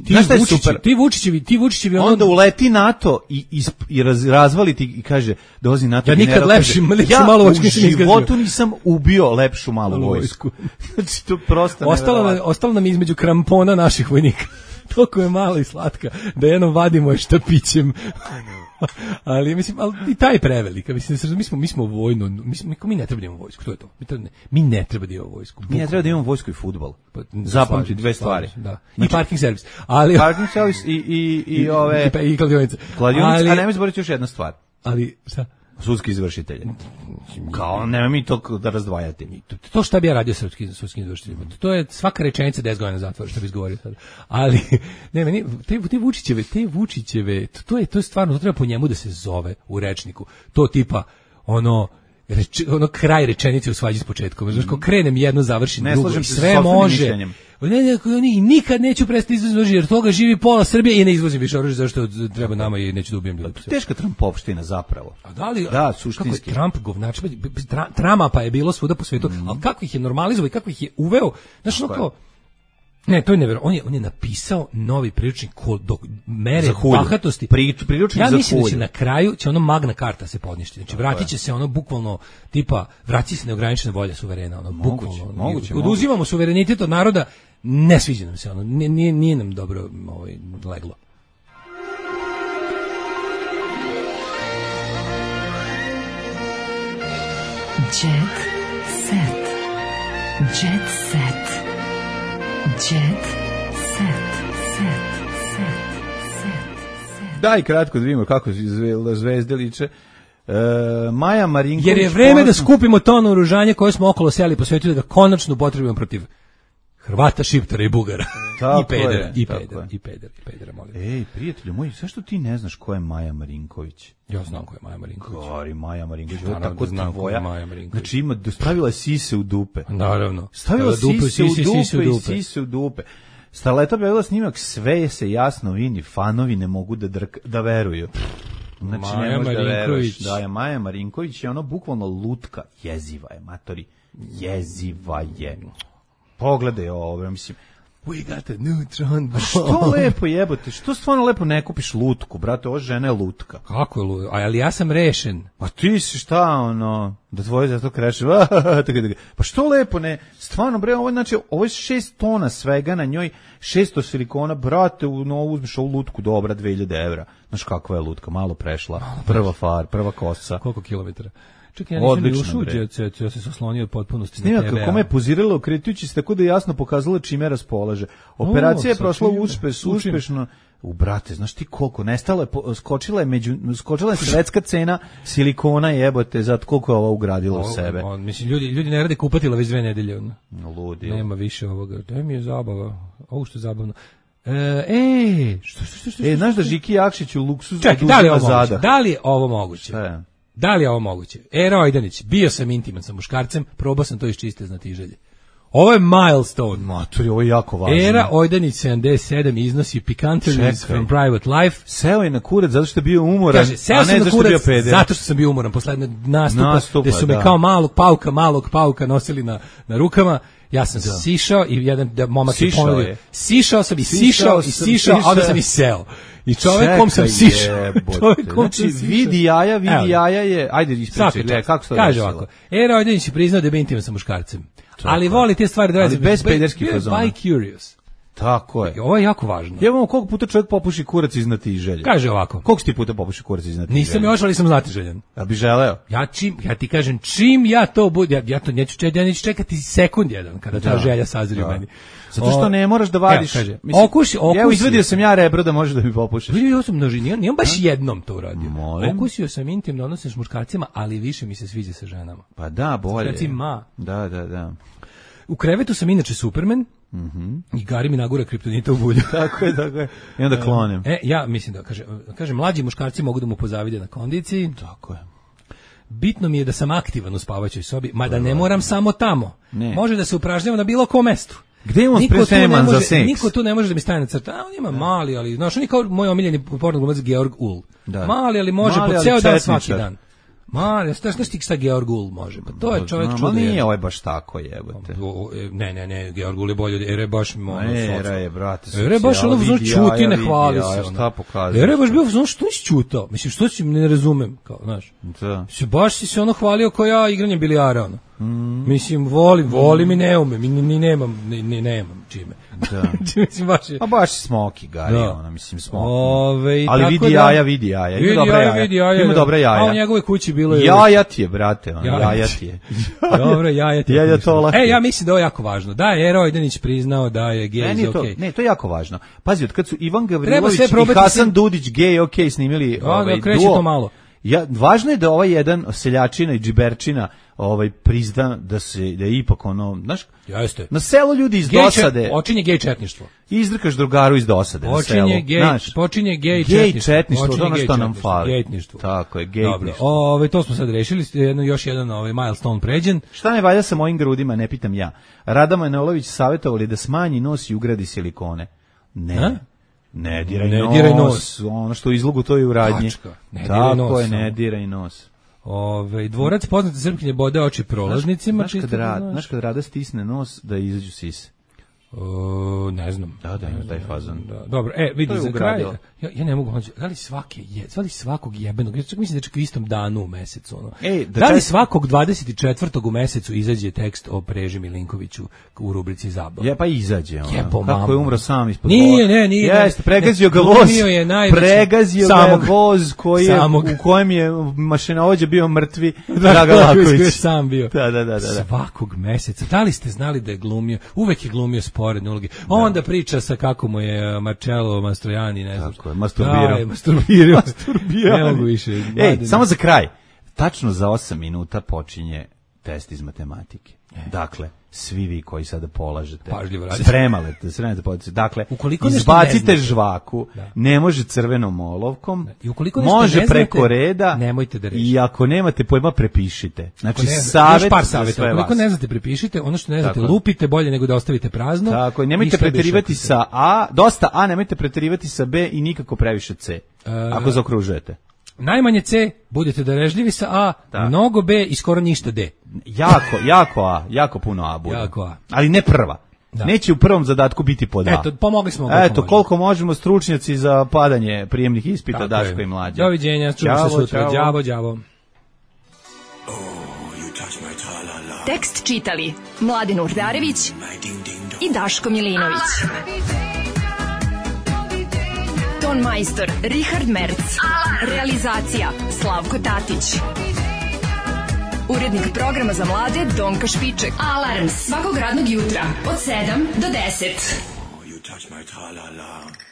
Speaker 9: Ti Vučićevi, ti Vučićevi, ti Vučićevi
Speaker 8: ono... onda uleti NATO i i, i raz, razvali ti i kaže dolazi NATO.
Speaker 9: Ja nikad lepši, lepši
Speaker 8: ja
Speaker 9: malu vojsku
Speaker 8: nisam izgazio. U životu nisam ubio lepšu malu vojsku. Znači to prosto
Speaker 9: ostalo nam, ostalo nam između krampona naših vojnika. Toliko je malo i slatka da jednom vadimo je štapićem. Ali mislim, ali i taj prevelik, mislim, mi smo mi smo vojno, mi smo, mi ne treba da imamo vojsku, to je to. Mi, treba, mi ne treba da imamo vojsku.
Speaker 8: Mi ne treba da imamo vojsku i fudbal. Pa, zapamti dve stvari.
Speaker 9: Da. I parking servis. Ali
Speaker 8: parking servis i i i ove
Speaker 9: i, i kladionice.
Speaker 8: Kladionice, a nemoj zaboraviti još jedna stvar.
Speaker 9: Ali šta?
Speaker 8: Sudski izvršitelji. Kao nema mi to da razdvajati.
Speaker 9: To, to šta bi ja radio srpski sudski izvršitelj. To je svaka rečenica deset godina zatvora što bi izgovorio sad. Ali ne meni te te Vučićeve, te Vučićeve, to, to je to je stvarno to treba po njemu da se zove u rečniku. To tipa ono reč, ono kraj rečenice u svađi s početkom. Znaš, ko krenem jedno, završim
Speaker 8: ne
Speaker 9: drugo.
Speaker 8: slažem se
Speaker 9: Sve
Speaker 8: sa sopstvenim
Speaker 9: može.
Speaker 8: mišljenjem.
Speaker 9: Ne, ne, ne, nikad neću prestati izvoziti oružje, jer toga živi pola Srbije i ne izvozim više oružje, zašto treba nama i neću da ubijem ljudi.
Speaker 8: Teška Trumpovština zapravo.
Speaker 9: A da li,
Speaker 8: da, suštinski.
Speaker 9: Kako je Trump govnač, tra, Trama pa je bilo svuda po svetu, mm. ali kako ih je normalizovao i kako ih je uveo, znaš, ono kao, ne, to je nevjerojatno. On je on je napisao novi priručnik kod do mere bahatosti.
Speaker 8: Pri, priručnik
Speaker 9: ja
Speaker 8: za
Speaker 9: mislim
Speaker 8: hulju.
Speaker 9: da će na kraju će ono Magna Carta se podnijeti. Znači vratit će se ono bukvalno tipa vrati se neograničena volja suverena, ono
Speaker 8: moguće,
Speaker 9: bukvalno.
Speaker 8: Moguće,
Speaker 9: oduzimamo moguće. Suverenitet od naroda, ne sviđa nam se ono. Nije, nije nam dobro ovaj leglo.
Speaker 10: Jet set. Jet set. Jet set, set, set, set.
Speaker 8: Daj kratko da vidimo kako zve, zvezde liče. E, Maja Marinković...
Speaker 9: Jer je vreme ponosno... da skupimo to naoružanje koje smo okolo seli po svetu, da ga konačno upotrebujemo protiv Hrvata, Šiptara i Bugara. I pedera, je, i pedera, i pedera, i pedera, molim.
Speaker 8: Ej, prijatelju moj, zašto ti ne znaš ko je Maja Marinković?
Speaker 9: Ja znam ko je Maja Marinković.
Speaker 8: Gori, Maja Marinković,
Speaker 9: ja,
Speaker 8: tako
Speaker 9: znam
Speaker 8: tvoja.
Speaker 9: Maja Marinković.
Speaker 8: Znači ima, stavila je sise u dupe.
Speaker 9: Naravno.
Speaker 8: Stavila sise, sise, u dupe sise u dupe i sise u dupe. Starleta objavila snimak, sve se jasno vidi, fanovi ne mogu da, drk, da veruju. Znači,
Speaker 9: Maja
Speaker 8: ne možeš da veruješ.
Speaker 9: Da,
Speaker 8: je Maja Marinković je ono bukvalno lutka, jeziva je, matori, jeziva je. Pogledaj ovo, mislim,
Speaker 9: we got a neutron bomb.
Speaker 8: Što lepo jebote, što stvarno lepo ne kupiš lutku, brate, ova žena je lutka.
Speaker 9: Kako je lutka? Ali ja sam rešen.
Speaker 8: Pa ti si šta, ono, da tvoje zato kreše, pa što lepo ne, stvarno bre, ovo, znači, ovo je šest tona svega na njoj, šesto silikona, brate, no, uzmiš ovu lutku, dobra, dve hiljade evra. Znaš kakva je lutka, malo prešla, malo prva far, prva kosa.
Speaker 9: Koliko kilometara? Čekaj, ja nisam ušao u Jet Set, ja se oslonio od potpunosti
Speaker 8: Snimak
Speaker 9: na te ve a.
Speaker 8: Kome je pozirala okretujući se tako da je jasno pokazala čime raspolaže. Operacija o, je prošla uspeš, uspešno. U brate, znaš ti koliko, nestalo je, skočila je, među, skočila je svetska cena silikona jebote, zato koliko je ova ugradila u sebe.
Speaker 9: On, mislim, ljudi, ljudi ne rade kupatila već dve nedelje.
Speaker 8: Ludi.
Speaker 9: Nema više ovoga, to mi je zabava, ovo što je zabavno. E, e, što, što, što, što,
Speaker 8: e, znaš da Žiki Jakšić u luksuzu
Speaker 9: Čekaj, da li je ovo moguće? Da li je ovo moguće?
Speaker 8: E.
Speaker 9: Da li je ovo moguće? Era Ojdanić, bio sam intiman sa muškarcem, probao sam to iz čiste znatiželje. Ovo je milestone.
Speaker 8: Matori, ovo je jako važno.
Speaker 9: Era Ojdanić sedamdeset sedam iznosi Picanteries from Private Life.
Speaker 8: Seo je na kurac zato što je bio umoran,
Speaker 9: Kaže, seo
Speaker 8: a
Speaker 9: sam
Speaker 8: ne
Speaker 9: na
Speaker 8: zato
Speaker 9: kurac
Speaker 8: što je bio peder.
Speaker 9: zato što sam bio umoran. Poslednje nastupa,
Speaker 8: nastupa
Speaker 9: gde su me
Speaker 8: da.
Speaker 9: kao malog pauka, malog pauka nosili na, na rukama. Ja sam da. sišao i jedan da momak je ponudio. Sišao sam i sišao i sišao, a onda sam i seo. I čovekom sam sišao.
Speaker 8: Čovekom znači, vidi jaja, vidi Evo. jaja je, ajde ispričaj, le, kako se to
Speaker 9: kaže ovako. Era Ojdanić je priznao da je bio intiman sa muškarcem. Ali voli te stvari da radi
Speaker 8: bez pederskih fazona.
Speaker 9: By curious.
Speaker 8: Tako je.
Speaker 9: Ovo je jako važno.
Speaker 8: Jebamo koliko puta čovjek popuši kurac iz znatiželje.
Speaker 9: Kaže ovako.
Speaker 8: Koliko si ti puta popuši kurac iz znatiželje?
Speaker 9: Nisam još, ali sam znatiželjen.
Speaker 8: Ja bi želeo.
Speaker 9: Ja čim, ja ti kažem, čim ja to budem, ja, ja to neću, ja neću čekati sekund jedan kada ta da. želja sazri u meni.
Speaker 8: Zato što ne moraš da vadiš.
Speaker 9: Kaže, mislim, okuši, okusi.
Speaker 8: Evo izvadio sam ja rebro da možeš da mi popušiš.
Speaker 9: Ja sam množi, nijem baš jednom to uradio. Molim. Okusio sam intimno odnose s muškarcima, ali više mi se sviđa sa ženama.
Speaker 8: Pa da, bolje.
Speaker 9: Reci ma.
Speaker 8: Da, da, da.
Speaker 9: U krevetu sam inače Superman.
Speaker 8: Mhm.
Speaker 9: I Gari mi nagura kriptonita u bulju.
Speaker 8: Tako je, tako je. I onda klonem.
Speaker 9: E, ja mislim da, kaže, kaže, mlađi muškarci mogu da mu pozavide na kondiciji.
Speaker 8: Tako je.
Speaker 9: Bitno mi je da sam aktivan u spavaćoj sobi, mada ne moram samo tamo. Ne. Može da se upražnjavam na bilo kom mestu.
Speaker 8: Gde je on spreman za seks?
Speaker 9: Niko tu ne može da mi stane na crta. A, on ima da. mali, ali, znaš, on je kao moj omiljeni porno glumac Georg Ul. Da. Mali, ali može mali, po ceo dan svaki dan. Ma, znaš ti šta Georg Ul može? Pa to je čovjek čudo.
Speaker 8: Ma nije ovaj baš tako jebote.
Speaker 9: Ne, ne, ne, Georg Ul je bolje. Era je baš ono.
Speaker 8: Era je, brate.
Speaker 9: Era je baš ono vzon čuti, ne hvali se.
Speaker 8: Šta pokazuje?
Speaker 9: Era je baš bio vzon što nisi čutao. Mislim, što si ne razumem, kao, znaš.
Speaker 8: Da.
Speaker 9: Se baš si se ono hvalio kao ja igranjem bilijara, ono. Mm. Mislim, volim, volim i ne umem, ni, ni nemam, ni, ni nemam čime.
Speaker 8: Da.
Speaker 9: Mislim, baš je...
Speaker 8: A baš smoki, Gari, da. Ona, mislim, smoki.
Speaker 9: Ove,
Speaker 8: ali vidi da, jaja, vidi jaja. Ima dobra jaja,
Speaker 9: vidi jaja.
Speaker 8: Ima dobra jaja.
Speaker 9: A u njegovoj kući bilo je...
Speaker 8: Jaja ti je, brate, on, jaja, jaja ti je.
Speaker 9: Dobro, jaja ti je.
Speaker 8: Jaja to lako.
Speaker 9: E, ja mislim da je ovo jako važno. Da je Era Ojdanić priznao da je gej iz okej.
Speaker 8: Ne, to je jako važno. Pazi, od kad su Ivan Gavrilović i Hasan Dudić gej okej snimili ovaj duo.
Speaker 9: Kreće to malo.
Speaker 8: Ja, važno je da ovaj jedan seljačina i džiberčina ovaj prizna da se da je ipak ono, znaš,
Speaker 9: jeste.
Speaker 8: Na selu ljudi iz
Speaker 9: gej
Speaker 8: dosade.
Speaker 9: Počinje gej četništvo.
Speaker 8: Izdrkaš drugaru iz dosade na selu.
Speaker 9: Počinje gej,
Speaker 8: znaš,
Speaker 9: počinje gej
Speaker 8: gej
Speaker 9: četništvo.
Speaker 8: četništvo, to
Speaker 9: Počinje
Speaker 8: ono
Speaker 9: gej
Speaker 8: što nam
Speaker 9: četništvo,
Speaker 8: fali.
Speaker 9: Gejtništvo.
Speaker 8: Tako je,
Speaker 9: Dobro,
Speaker 8: gejtništvo.
Speaker 9: ovaj to smo sad rešili, jedno još jedan ovaj milestone pređen.
Speaker 8: Šta ne valja sa mojim grudima, ne pitam ja. Rada Manojlović savjetovali da smanji nos i ugradi silikone. Ne.
Speaker 9: A?
Speaker 8: Ne diraj,
Speaker 9: Ne
Speaker 8: nos.
Speaker 9: diraj nos.
Speaker 8: Ono što u izlogu to je u radnji.
Speaker 9: Tačka. Ne diraj
Speaker 8: Tako
Speaker 9: nos,
Speaker 8: je, ne
Speaker 9: samo.
Speaker 8: diraj nos.
Speaker 9: Ovaj dvorac poznate srpkinje bode oči prolaznicima,
Speaker 8: Znaš kad,
Speaker 9: čisto da
Speaker 8: rad,
Speaker 9: znaš.
Speaker 8: znaš kad Rada stisne nos da izađu sise.
Speaker 9: O, ne znam.
Speaker 8: Da, da, ima taj fazon.
Speaker 9: Da, dobro, e, vidi,
Speaker 8: To je
Speaker 9: za kraj,
Speaker 8: ugradila.
Speaker 9: ja, ja ne mogu mlađe, da li svake, je, da li svakog jebenog, ja čak mislim da čak u istom danu u mesecu, ono.
Speaker 8: Ej, da
Speaker 9: da li
Speaker 8: čak-
Speaker 9: svakog dvadeset četvrtog u mesecu izađe tekst o Preži Milinkoviću u rubrici Zabava?
Speaker 8: Je, pa izađe ono.
Speaker 9: Jebo
Speaker 8: Kako
Speaker 9: mamu.
Speaker 8: je umro sam ispod
Speaker 9: Nije,
Speaker 8: voza.
Speaker 9: ne, nije.
Speaker 8: Jeste, pregazio ga
Speaker 9: Ne,
Speaker 8: voz.
Speaker 9: glumio je najveći-
Speaker 8: Pregazio ga
Speaker 9: samog.
Speaker 8: je voz koji je,
Speaker 9: Samog.
Speaker 8: u kojem je mašinovođa bio mrtvi
Speaker 9: Dragan
Speaker 8: Dragan
Speaker 9: Laković koji je
Speaker 8: Laković.
Speaker 9: sam bio.
Speaker 8: Da, da, da, da. da.
Speaker 9: Svakog meseca. Da li ste znali da je glumio? Uvek je glumio sporedne uloge. Onda priča sa kako mu je Marcello Mastrojani, ne znam.
Speaker 8: Tako je, masturbirao.
Speaker 9: Da, masturbirao.
Speaker 8: Masturbirao.
Speaker 9: Ne mogu više.
Speaker 8: Ej,
Speaker 9: Mladene.
Speaker 8: samo za kraj. Tačno za osam minuta počinje test iz matematike. Dakle, svi vi koji sada polažete,
Speaker 9: Pažljivo radite.
Speaker 8: spremate, spremate podnice. Dakle,
Speaker 9: Ukoliko nešto ne
Speaker 8: izbacite
Speaker 9: znate.
Speaker 8: žvaku,
Speaker 9: Da.
Speaker 8: ne može crvenom olovkom,
Speaker 9: I ukoliko nešto
Speaker 8: može
Speaker 9: ne znate,
Speaker 8: preko reda,
Speaker 9: nemojte da rešite.
Speaker 8: i ako nemate pojma, prepišite. Znači,
Speaker 9: Ako ne,
Speaker 8: savjet
Speaker 9: još par
Speaker 8: za
Speaker 9: savjeta.
Speaker 8: sve
Speaker 9: Ukoliko
Speaker 8: vas.
Speaker 9: ne znate, prepišite. Ono što ne znate,
Speaker 8: Tako je.
Speaker 9: lupite bolje nego da ostavite prazno.
Speaker 8: Tako je,
Speaker 9: I
Speaker 8: nemojte
Speaker 9: sve
Speaker 8: preterivati
Speaker 9: biše
Speaker 8: sa A, dosta A, nemojte preterivati sa B i nikako previše C,
Speaker 9: E,
Speaker 8: ako zaokružujete.
Speaker 9: Najmanje C, budete darežljivi sa A,
Speaker 8: Da.
Speaker 9: mnogo B i skoro ništa D.
Speaker 8: Jako, jako A, jako puno A bude.
Speaker 9: Jako A.
Speaker 8: Ali ne prva.
Speaker 9: Da.
Speaker 8: Neće u prvom zadatku biti pod A.
Speaker 9: Eto, pomogli smo. koliko
Speaker 8: Eto,
Speaker 9: možemo.
Speaker 8: koliko možemo, stručnjaci za padanje prijemnih ispita,
Speaker 9: Tako
Speaker 8: Daško
Speaker 9: je.
Speaker 8: i Mlađa.
Speaker 9: Doviđenja, čujemo se
Speaker 8: Ćao,
Speaker 9: sutra.
Speaker 8: ćao.
Speaker 9: Đavo, đavo.
Speaker 10: Tekst čitali Mladin Urdarević i Daško Milinović. Ton majstor Richard Merc. Realizacija Slavko Tatić. Urednik programa za mlade Donka Špiček. Alarms svakog radnog jutra od sedam do deset.
Speaker 3: You touch my tra-la-la.